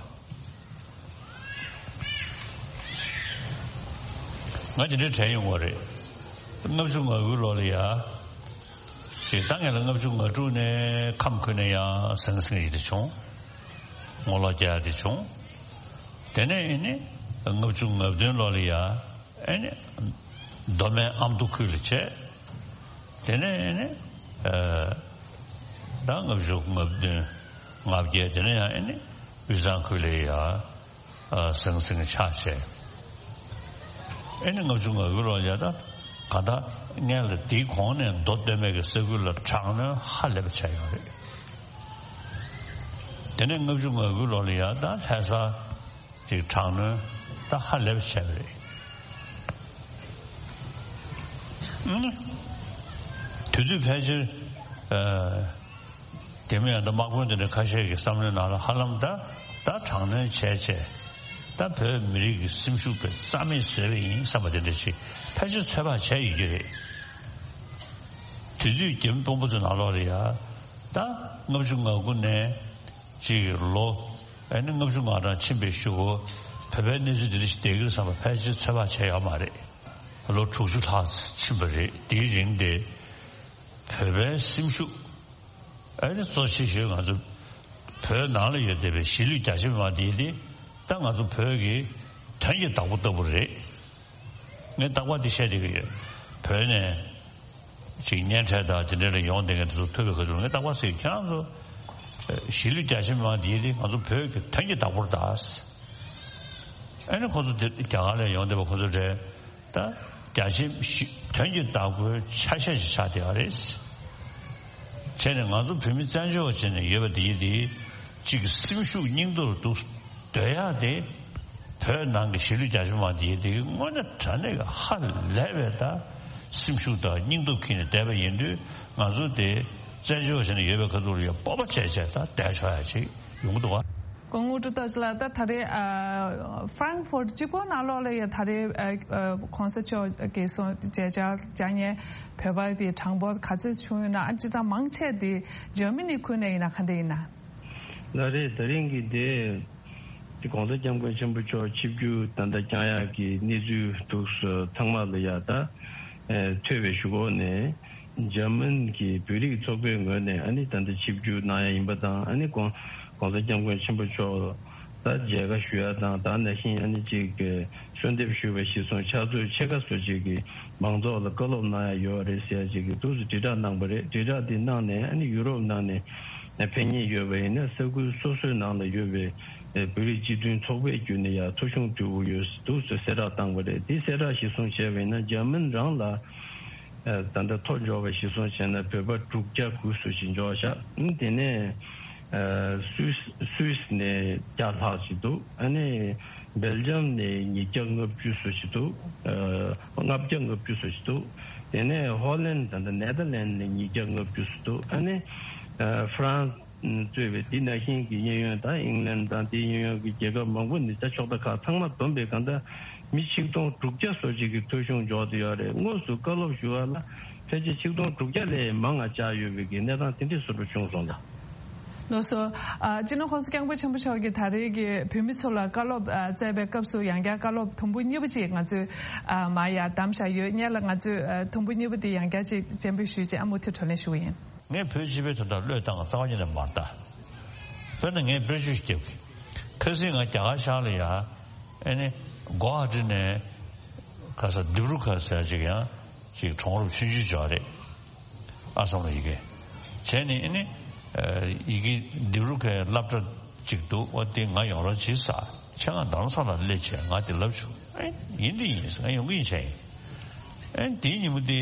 ང་དེ་འདྲའི་དྲན་ཡོང་བ་རེད། ལྔ་བཅུ་ང་དགུའི་ལོ་ལ་ཡ། ཅིག་ད་ངེད་ལ་ལྔ་བཅུ་ང་དྲུག་ནས་ཁམས་ཁུལ་ནས་ཡང་ཟང་ཟིང་ཡིན་དེ་བྱུང་། ངོ་ལོག་རྒྱག་ཡ་དེ་བྱུང་། དེ་ནས་ཨེ་ནི་ལྔ་བཅུ་ང་བདུན་ལོ་ལ་ཡ། ཨེ་ནི་མདོ་སྨད་ཨ་མདོ་ཁུལ་ལ་བྱས། དེ་ནས་ཨེ་ནི་ཨ་ད་ལྔ་བཅུ་ང་བདུན་ང་བརྒྱད། དེ་ནས་ཡང་ཨེ་ནི་དབུས་གཙང་ཁུལ་ལ་ཡ། ཨ་ཟང་ཟིང་ཆགས་བྱས། ཨེ་ནི་ལྔ་བཅུ་ང་དགུ་ལོ་ཡ། ད་ག་ད་ངས་ལ་དེའི་གོང་ནས་མདོ་སྟོད་སྨད་ཀྱི་ས་ཁུལ་ལ་དྲག་གནོན་ཧ་ལས་པ་བྱས་ཡོད་རེད། དེ་ནས་ལྔ་བཅུ་ང་དགུ་ལོ་ལ་ཡ། ད་ལྷ་ས་ཅིག་དྲག་གནོན་ད་ཧ་ལས་པ་བྱས་པ་རེད། ཨ་ནི་དེ་དུས་ཕལ་ཆེར་ཨ། དེ་མིན་ཡང་ད་དམག་དཔོན་དེ་འདྲ་ཁ་ཤས་ཀྱི་བསམ་བློའི་ནང་ལ་ཧ་ལམ་ད་ད་དྲག་གནོན་བྱས་བྱས། ད་བོད་མི་རིགས་ཀྱི་སེམས་ཤུགས་དཔེ་རྩ་མེད་བཟོས་པ་ཡིན་བསམ་པ་དེ་འདྲ་ཞིག་ཕལ་ཆེར་ཚོད་དཔག་བྱས་ཡོད་ཀྱི་རེད། དེ་དུས་རྒྱ་མི་དཔོན་པོ་ཚོའི་ནང་ལོགས་ལ་ཡ། ད་ལྔ་བཅུ་ང་དགུ་ནས་ཅིག་ལོ་ཨ་ནི་ལྔ་བཅུ་ང་གྲངས་ཕྱིན་པའི་གཞུག་གུ་བོད་པའི་གནས་ཚུལ་དེ་འདྲ་ཞིག་བསྡད་ཀྱི་རེད་བསམ་པ་ཕལ་ཆེར་ཚོད་དཔག་བྱས་ཡོད་མ་རེད། ལོ་དྲུག་ཅུ་ལྷག་ཕྱིན་པ་རེད། དེའི་རིང་དེ་བོད་པའི་སེམས་ཤུགས། ཨ་ནི་གཙོ་ཆེ་ཤོས་ང་ཚོ་བོད་ནང་ལ་ཡོད་བསྡད་པའི་གཞིས་ལུས་རྒྱ་ཆེ་མི་མང་དེ་དེ་ད་ང་ཚོ་བོད་ཀྱི་དོན་གྱི་བདག་པོ་ལྟ་བུ་རེད། ངས་རྟག་པར་དེ་བཤད་བསྡད་ཀྱི་ཡོད། བོད་ནས་ཅིག་གཉེན་འཕྲད་དང་དེ་འདྲ་ལ་ཡོང་བསྡད་མཁན་དེ་ཚོ་ཐུག་པའི་ཁ་ཐུག་ངས་རྟག་པར་ཟེར། ཁྱེད་རང་ཚོ་གཞིས་ལུས་རྒྱ་ཆེ་མི་མང་དེ་དེ་ང་ཚོ་བོད་ཀྱི་དོན་གྱི་བདག་པོ་རེད་ད། ཨ་ནི་ཁོ་ཚོ་དེ་རྒྱ་གར་ལ་ཡོང་བསྡད་པ་ཁོ་ཚོ་རེད། ད་རྒྱ་ཆེ་གཞི་དོན་གྱི་བདག་པོའི་ཆ་ཤས་ཤིག་ཆགས་བསྡད་པ་རེད། བྱས་ནས་ང་ཚོ་བོད་མི་བཙན་བྱོལ་བ་བྱས་ནས་ཡོད་པ་འདི་འདི་གཅིག་སེམས་ཤུགས་སྙིང་སྟོབས་འདུག་སྡོད་ཡག་དེ། བོད་ནང་གི་གཞིས་ལུས་རྒྱ་ཆེ་མང་འདི་འདི་དངོས་གནས་དྲང་གནས་ཀྱི་ཧ་ལས་པའི་ད་སེམས་ཤུགས་དང་སྙིང་སྟོབས་ཁྱེར་ནས་བསྡད་པ་ཡིན་དུས། ང་ཚོ་དེ་བཙན་བྱོལ་བ་བྱས་ནས་ཡོད་པའི་ཁ་ཐུག་ལ་ཡང་སྤོབས་པ་བྱས་བྱས་ད་བསྡད་ཆོག་ཡ་ཅིག་ཡོང་གི་འདུག་ག་སྐུ་ངོ་ཀྲུའུ་ཏོག་ལགས། ད་ད་རེས་ཨ་ཧྥ་རན་ཧྥུར་གཅིག་པོ་ནང་ལོགས་ལ་ཡ། ད་རེས་ཨ་ཨ་གོང་ས་མཆོག་གིས་གསུངས་མཇལ་བཅར་བཅར་མཁན་བོད་པ་དེ་གྲངས་འབོར་ག་ཚོད་བྱུང་ཡོད་ན། ཨ་སྤྱིར་བཏང་མང་ཆེ་དེ་འཇར་མ་ནི་ཁུལ་ནས་ཡིན་ན་ག་འདྲ་ཡིན་ན། ད་རེས་ད་རིང་གི་དེ་གོང་ས་སྐྱབས་མགོན་ཆེན་པོ་མཆོག་ཆིབས་བསྒྱུར་ད་ལྟ་བསྐྱངས་ཡག་གི་གནས་ཚུལ་འདུག་སེ་ཚང་མ་ལ་ཡ་ད་ཨ་ཐོས་པའི་གཞུག་གུ་ནས། འཇར་མན་གྱི་བོད་རིགས་ཚོགས་པའི་ངོས་ནས་ཨ་ནི་ད་ལྟ་ཆིབས་བསྒྱུར་གནང་ཡ་ཡིན་པ་དང་། ཨ་ནི་གོང་གོང་ས་སྐྱབས་མགོན་ཆེན་པོ་མཆོག་ད་མཇལ་ཁ་ཞུ་ཡ་དང་། ད་ནང་བཞིན་ཨ་ནི་ཅིག་གསོལ་འདེབས་ཞུས་པ་གཞིར་བཟུང་ཕྱག་ཚོད་ཕྱེད་ཀ་བཟོ་ཅིག་གི་མང་ཚོགས་ལ་བཀའ་སློབ་གནང་ཡ་ཡོད་རེད་ཟེར་ཡ་ཅིག་གི་འདུག་སེ་དྲིལ་བསྒྲགས་གནང་པ་རེད། དྲིལ་བསྒྲགས་འདི་གནང་ནས་ཨ་ནི་ཡུ་རོབ་ནང་ནས་ཕེབས་མཁན་ཡོད་པ་ཡིན་ན་ས་ཁུལ་སོ་སོའི་ནང་ལ་ཡོད་པའི་བོད་རིགས་སྤྱི་མཐུན་ཚོགས་པའི་བརྒྱུད་ནས་ཡ་ཐོ་གཞུང་དུ་ཡོད་འདུག་སེ་གསལ་བསྒྲགས་བཏང་པ་རེད། འདི་གསལ་བསྒྲགས་གཞིར་བཟུང་བྱས་པ་ཡིན་ན་འཇར་མན་རང་ལ། ཨ་ད་ལྟ་ཐོ་འབྱོར་བ་གཞིར་བཟུང་བྱས་ན་བོད་པ་དྲུག་བརྒྱ་དགུ་བཟོ་ཞིག་འབྱོར་བཞག་ཨ་དེ་ནས་ཨ་སུད་སུད་སི་ནས་བརྒྱ་ལྷག་ཅིག་འདུག་ཨ་ནི་སྦེལ་ཇམ་ནས་ཉིས་བརྒྱ་ལྔ་བཅུ་བཟོ་ཞིག་འདུག་ཨ་ལྔ་བརྒྱ་ལྔ་བཅུ་བཟོ་ཞིག་འདུག་དེ་ནས་ཧོ་ལན། ད་ལྟ་ནེ་དར་ལན་ནས་ཉིས་བརྒྱ་ལྔ་བཅུ་བཟོ་འདུག་ཨ་ནི་ཨ་ཧྥ་རན་སི་གཙོས་པའི་འདི་ནང་བཞིན་གྱི་གཡས་གཡོན་དང་ཨིང་ལན་དང་དེའི་གཡས་གཡོན་གྱི་རྒྱལ་ཁབ་མང་པོ་ནས་ད་ཕྱོགས་མཐའ་ཁག་ཚང་མ་བསྡོམས་པའི་གང་ལྟར་མི་ཆིག་སྟོང་དྲུག་བརྒྱ་སོ་གཅིག་གི་ཐོ་གཞུང་འབྱོར་ཏེ་ཡོད་རེད། དངོས་སུ་བཀའ་སློབ་ཞུ་བ་ལ་ཕལ་ཆེར་ཆིག་སྟོང་དྲུག་བརྒྱ་ལས་མང་ང་བཅར་ཡོད་པའི་གི་གནས་སྟངས་དེ་འདྲས་བཟོ་འདྲ་བྱུང་སོང་ལ། ལགས་སོ། ཨ་སྤྱི་ནོར་༸གོང་ས་༸སྐྱབས་མགོན་ཆེན་པོ་མཆོག་གིས་ད་རེས་ཀྱི་བོད་མི་ཚོ་ལ་བཀའ་སློབ་ཨ་སྩལ་བའི་སྐབས་སུ་ཡང་བསྐྱར་བཀའ་སློབ་དུམ་བུ་གཉིས་པ་ཅིག་ང་ཚོས་ཨ་མར་ཡར་བདམས་བཞག་ཡོད། སྔོན་ལ་ང་ཚོས་ཨ་དུམ་བུ་གཉིས་པ་དེ་ཡང་བསྐྱར་ཅིག་སྤྱན་འབུལ་ཞུས་རྗེས་ཨ་མུ་མཐུད་བགྲོ་གླེང་ཞུ་གི་ཡིན། ངས་བོད་སྤྱི་པའི་དོན་དག་བློས་བཏང་བ་རྩ་བ་ཉིད་ནས་མ་རེད་ད། དཔེར་ན་ངས་དཔེར་བརྗོད་ཞིག་རྒྱབ་ཀྱི། ཁ་སང་ང་རྒྱ་གར་ཤར་ལ་ཡ། ཨེ་ནི་གོ་ཧ་ཊི་ནས་ག་ས་དིབ་རུ་གྷར་ཟེར་ཅིག་ཡང་ཅིག་གྲོང་རབ་ཆུང་ཆུང་ཅིག་ཡོད་རེད། ཨ་སམ་ལ་ཡི་གེ་བྱས་ནས། ཨ་ནི་ཡི་གེ་འདི་རུ་ཁའི་སློབ་གྲྭ་གཅིག་འདུག། ཨོ་དེ་ང་ཡོང་རོགས་བྱེད་ས། ཁྱེད་ང་རྡ་རམ་ས་ལ་སླེབས་བྱས་ང་དེ་ལབ་བྱུང་། ཨེ་ཡིན་འདི་ཡིན་ཟེར། ང་ཡོང་གི་ཡིན་བྱས་ཡིན། ཨེ་དེའི་ཉིན་མོ་དེ་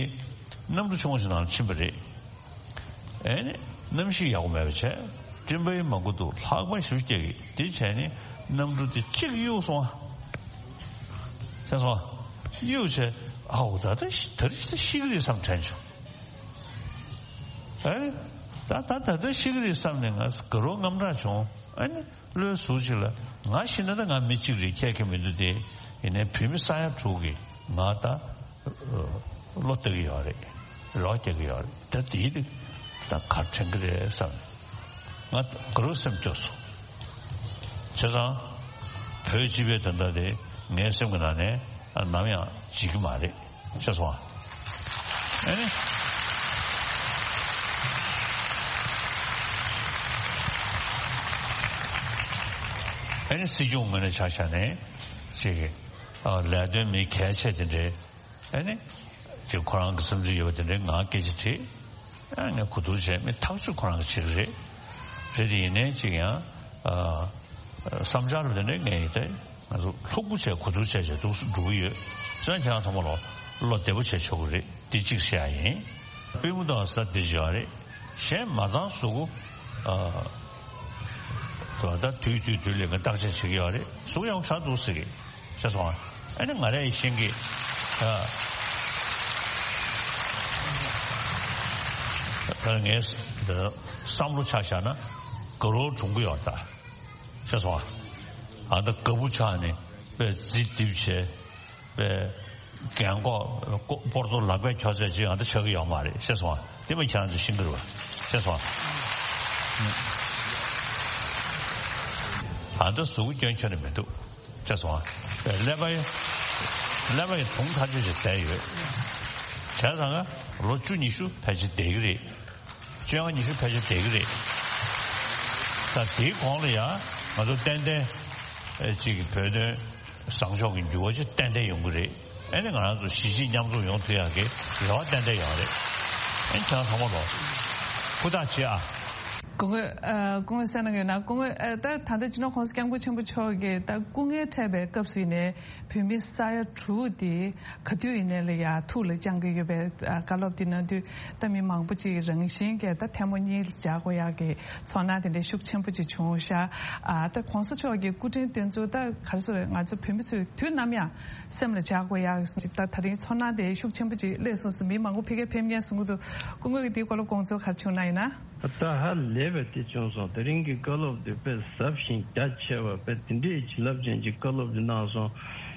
གནམ་གྲུ་ཆུང་ཞིག་ནང་ཕྱིན་པ་རེད། ཨེ་ནི་གནམ་གཤིས་ཡག་པོ་མེད་པ་བྱས། སྤྲིན་པ་ཡང་མང་པོ་འདུག། ལྷགས་པ་ཞེ་པོ་སྐྱེ་གི། དེ་བྱས་ནས་གནམ་གྲུ་དེ་གཅིག་གཡུག་སོང་བ། ཤེས་སོང་བ། གཡུག་བྱས། ཨའོ་ད་ལྟ་ཤི་ད་རེས་ད་ཤི་གི་རེད་བསམ་དྲན་བྱུང་། ཨེ་ནི་ད་ད་ད་ལྟ་ཤི་གི་རེད་བསམ་ནས་ང་དགའ་རབ་དངངས་སྐྲག་བྱུང་། ཨེ་ནི་བློའི་ཟུར་ཅིག་ལ་ང་ཤི་ན་ད་ང་མི་གཅིག་རེད། ཁྱད་ཁྱད་མི་འདུག་སྟེ། ཡིན་ནའི་བོད་མི་ས་ཡ་དྲུག་གིས་ང་ད་བློ་གཏད་ཀྱི་ཡོད་རེད། རོགས་རྒྱག་གི་ཡོད་རེད། ད་དེའི་རིགས་ད་ག་དྲན་གི་རེད་བསམ་ནས་ང་དགའ་རབ་སེམས་སྐྱོ་སོང་། བྱས་ཙང་བོད་སྤྱི་པའི་དོན་དག་དེ་ངའི་སེམས་ཀྱི་ནང་ནས་ནམ་ཡང་བརྗེད་ཀྱི་མ་རེད། ཤེས་སོང་ཨ། ཨ་ནི། ཨ་ནི་སྲིད་སྐྱོང་ངོས་ནས་ཆ་བཞག་ནས་ཅིག་ལས་དོན་མི་གལ་ཆེ་དེ་འདྲའི། ཨ་ནི་ཅིག་ཁོ་རང་གི་བསམ་ཚུལ་ཡོད་པ་དེ་འདྲའི་ང་སྐད་ཆ་དྲིས། ཨ་ངས་གོ་བསྡུར་བྱས། མི་ཐག་གཅོད་ཁོ་རང་གིས་བྱེད་ཀྱི་རེད། རེད་དེ་ཡིན་ནའི་ཅིག་ཡང་ཨ་བསམ་འཆར་དེ་འདྲའི་ངས་ཡིན་ཏེ། ང་ཚོ་ལྷུག་པོ་བྱས་གོ་བསྡུར་བྱས་བྱས་འདུག་འགྲོ་གི་ཡོད། བྱས་ཙང་ཁྱེད་རང་ཚང་མ་ལོ་བློ་བདེ་པོ་བྱས་ཆོག་གི་རེད། འདི་གཅིག་བཤད་ཡ་ཡིན། པུས་མོ་དང་ས་འདི་བྱས་ཡོད་རེད། གཞན་མ་ཚང་གཟུགས་པོ་ཨ་ད་དུས་དུས་དུས་ལས་ཀ་བརྟག་དཔྱད་བྱེད་ཀྱི་ཡོད་རེད། གཟུགས་ཡང་དྲག་འདུག་ཟེར་གི། ཤེས་སོང་ཨ། ཨ་ནི་ང་རས་ཤེས་ཀྱི། ཨ་ངས་བསམ་བློ་ཆ་བཞག་ན་དགའ་རབ་གྲུང་གི་ཡོད་ད། ཤེས་སོང་ཨ། ཨ་ད་དགའ་པོ་ཆགས་ནས་དཔེ་རྫི་རྡིབ་བྱས། དཔེ་རྒན་གོག་སྤོ་སྤོར་ཏོ་ལག་པས་ཁྱོག་ཚད་ཅིག་ཨ་ད་ཆགས་ཀྱི་ཡོད་མ་རེད། ཤེས་སོང་ཨ། དེ་མ་ཁྱེད་རང་ཚོས་ཤེས་ཀྱི་རེད་པ། ཤེས་སོང་ཨ། ཨ་ད་གཟུགས་པོ་སྐྱོན་ཁྱོན་ནས་མི་འདུག། ཤེས་སོང་ཨ། ཀླད་པ་ཡང་ཀླད་པ་ཡང་གྲུང་ཐག་ཆོད་ཅིག་བསྡད་ཡོད། བྱས་ཙང་ལོ་བཅུ་ཉི་ཤུ་ཕལ་ཆེར་བསྡད་ཀྱི་རེད། བཅོ་ལྔ་ཉི་ཤུ་ཕལ་ཆེར་བསྡད་ཀྱི་རེད། ད་དེའི་གོང་ལ་ཡང་ང་ཚོ་ཏན་ཏན་ཨེ་ཅིག་བོད་དོན་བཟང་ཕྱོགས་ཀྱི་འགྱུར་བ་ཅིག་ཏན་ཏན་ཡོང་གི་རེད། ཨེ་ནི་ང་རང་ཚོ་གཞིས་བྱེས་མཉམ་འཛོམས་ཡོང་ཐུབ་ཡག་གི་རེ་བ་ཏན་ཏན་ཡོད་རེད། ཨེ་ནི་ཁྱེད་རང་ཚང་མ་ལོ་ཧུར་ཐག་བྱེད་ཨ། སྐུ་ངོ་ཨ་སྐུ་ངོ་གསན་གནང་ཡོད་ན། སྐུ་ངོ་ཨ་ད་ད་ལྟ་སྤྱི་ནོར་༸གོང་ས་༸སྐྱབས་མགོན་ཆེན་པོ་མཆོག་གིས་ད་སྐུ་ངལ་འཕྲད་པའི་སྐབས་སུ་ཡིན་ནའི་བོད་མི་ས་ཡ་དྲུག་དེ་ག་དུས་ཡིན་ནའི་ལ་ཡ་ཐུགས་ལ་བཅངས་ཀྱི་ཡོད་པའི་ཨ་བཀའ་སློབ་དེ་གནང་དུས། ད་མི་མང་པོ་ཅིག་རང་བཞིན་གྱིས་ད་ཐལ་མོ་གཉིས་ལ་སྦྱར་དགོས་ཡག་གི་ཚོར་སྣང་དེ་འདྲའི་ཤུགས་ཆེན་པོ་ཅིག་བྱུང་ཤག། ཨ་ད་༸གོང་ས་མཆོག་གི་སྐུ་དྲིན་དེ་ཚོ་ད་ག་རེ་ཟེར། ང་ཚོ་བོད་མི་ཚོས་དུས་ནམ་ཡང་སེམས་ལ་འཇགས་དགོས་ཡག་ཅིག་ད་ད་རིང་ཚོར་སྣང་དེ་ཤུགས་ཆེན་པོ་ཅིག་སླེབས་སོང་ཟེར། མི་མང་པོ་ཕ་གིར་ཕེབས་མཁན་གསུང་གི་འདུག། སྐུ་ངོ་གིས་དེའི་སྐོར་ལ་དགོངས་ཚུལ་ག་རེ་བྱུང་ན་ཡིན་ན། ད་ཧ་ལས་པའི་དེ་བྱུང་སོང་། དེ་རིང་གི་བཀའ་སློབ་དེ་དཔེ་ཟབ་ཞིང་རྒྱ་ཆེ་བ། དཔེ་དེ་འདྲའི་བྱིན་རླབས་ཅན་གྱི་བཀའ་སློབ་དེ་གནང་སོང་།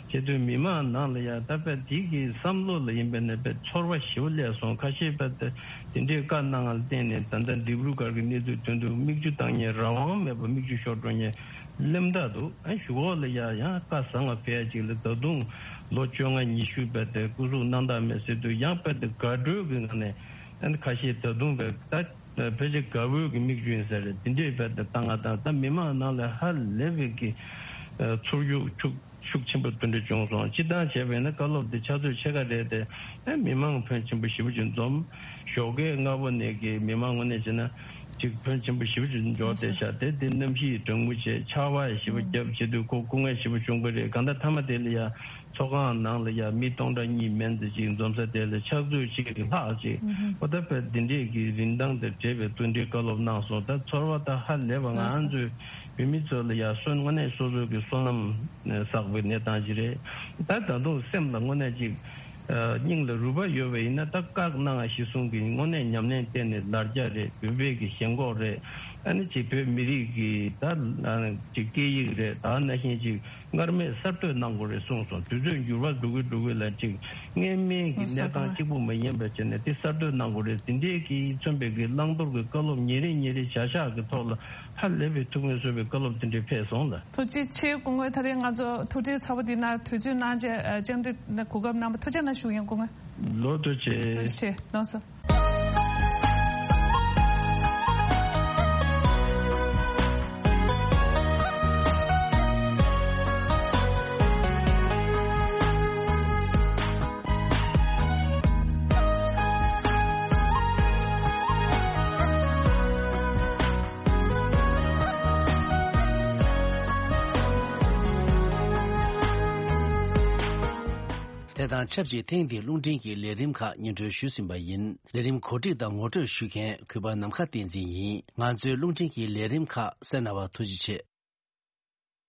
བྱས་དུས་མི་མང་ནང་ལ་ཡང་ད་དཔེ་དེ་གི་བསམ་བློ་ལ་ཡིན་པས་ན་དཔེ་ཚོར་བ་ཞེ་པོ་སླེབས་སོང་། ཁ་ཤས་དཔེ་དེ་དེ་འདྲའི་བཀའ་གནང་བ་ལ་བརྟེན་ནས་ད་ལྟ་ཌི་བྷྲུ་གར་གྱི་གནས་ཚུལ་དོན་དུ་མིག་ཆུ་བཏང་མཁན་རང་དབང་མེད་པར་མིག་ཆུ་ཤོར་འགྲོ་མཁན་སླེབས་བསྡད་འདུག། ཨ་གཞུག་གུ་ལ་ཡ་ཡང་བཀའ་བཟང་བ་ཕེབས་ཡ་ཅིག་ལ་ད་དུང་ལོ་བཅོ་ལྔ་ཉི་ཤུ་དཔེ་དེ་སྐུ་གཟུགས་སྣང་དག་མེད་ཟེར་དུས་ཡང་དཔེ་དེ་དགའ་སྤྲོའི་གི་ངང་ནས། ཨ་ནི་ཁ་ཤས་ད་དུང་བས་ད་ཕལ་ཆེར་དགའ་བོའི་གི་མིག་ཆུ་ཡིན་ས་རེད། དེ་འདྲའི་བས་ད་བཏང་ང་དང་ད་མི་མང་ནང་ལ་ཧ་ལས་པའི་གི་ཚོར་ཤུགས་ཤུགས་ཤུགས་ཆེན་པོ་དེ་འདྲ་བྱུང་སོང་། སྤྱིར་བཏང་བྱས་པས་ན་བཀའ་སློབ་དེ་ཕྱག་ཚོད་ཕྱེད་ཀ་རེད་དེ། ཨ་མི་མང་ཕོན་ཆེན་པོ་ཞེ་པོ་ཅིག་འཛོམས། ཞོགས་ཀས་སྔ་པོ་ནས་གི་མི་མང་ངོས་ནས་བྱས་ན་ཅིག་ཕོན་ཆེན་པོ་ཞེ་པོ་ཅིག་འབྱོར་བསྡད་ཤག། དེ་དེ་གནམ་གཤིས་གྲང་མོ་བྱས། ཆར་པ་ཞེ་པོ་བརྒྱབ་བྱས་དུས་ཁོ་སྐུ་ངལ་ཞེ་པོ་བྱུང་གི་རེད། གང་ལྟར་མཐའ་མ་དེ་ལ་ཡ། ཚོགས་ཁང་ནང་ལ་ཡ་མི་སྟོང་ཕྲག་གཉིས་མན་ཙམ་ཅིག་འཛོམས་ས་དེ་ལ་ཕྱག་ཚོད་གཅིག་གི་ལྷག་ཅིག། ཨོ་ད་དཔེ་འདི་འདྲས་ཀྱི་རིན་ཐང་དང་འབྲེལ་བའི་བསྟུན་གྲོས་བཀའ་སློབ་གནང་སོང་། ད་ཚོར་བ་ད་ཧ་ལས་པ། ང་ཚོའི་བོད་མི་ཚོ་ལ་ཡ་སོ་དངོས་གནས་སོ་སོ་གི་བསོད་ནམས་བསགས་པའི་གནས་སྟངས་ཅིག་རེད། ད་ད་དུང་སེམས་ལ་དངོས་གནས་ཅིག་སྙིང་ལ་རུས་པ་ཡོད་པ་ཡིན་ན། ད་བཀའ་གནང་བ་གཞིར་བཟུང་གི་དངོས་གནས་ཉམས་ལེན་བསྟན་ནས་ལར་རྒྱ་རེད། བོད་པའི་གི་ཞེན་ཁོག་རེད། ཨ་ནི་ཅིག་བོད་མི་རིགས་ཀྱི་ད་ཅིག་སྐད་ཡིག་རེད། ད་ནང་བཞིན་ཅིག་སྔར་མེད་གསར་གཏོད་གནང་དགོས་རེད་གསུངས་སོང་། དུས་ཚོད་འགྱུར་བ་འགྲོ་གི་འགྲོ་གི་ལ་ཅིག་སྔོན་མའི་གི་གནས་སྟངས་གཅིག་པུ་མ་ཡིན་པ་བྱས་ནས་དེ་གསར་གཏོད་གནང་དགོས་རེད། དེ་འདྲའི་གི་མཚོན་པའི་གི་བླང་དོར་གི་བཀའ་སློབ་ཉིན་རེ་ཉིན་རེ་བྱ་གཞག་གི་ཐོག་ལ་ཧ་ལས་པའི་ཐུགས་ཕན་གསོས་པའི་བཀའ་སློབ་དེ་འདྲ་ཕེབས་སོང་ལ། ཐུགས་རྗེ་ཆེ། སྐུ་ངོ་ད་རེས་ང་ཚོ་ཐུགས་བྲེལ་ཚ་པོ་འདི་ན་དུས་ཚོད་གནང་བྱས་བཅར་འདྲི་གོ་སྐབས་གནང་བ་ཐུགས་རྗེ་གནང་ཞུ་ཡིན། སྐུ་ངོ་ལོ་ཐུགས་རྗེ་ཆེ། ཐུགས་རྗེ་ཆེ། ལགས་སོ། དེ་དང་ཆབས་ཅིག་ཐེངས་འདིའི་རླུང་འཕྲིན་གྱི་ལས་རིམ་ཁག་སྙན་སྒྲོན་ཞུས་ཟིན་པ་ཡིན། ལས་རིམ་གོ་སྒྲིག་དང་ངོ་སྤྲོད་ཞུ་མཁན་གུས་པ་ནམ་མཁའ་བསྟན་འཛིན་ཡིན། ང་ཚོའི་རླུང་འཕྲིན་གྱི་ལས་རིམ་ཁག་གསན་གནང་བར་ཐུགས་རྗེ་ཆེ།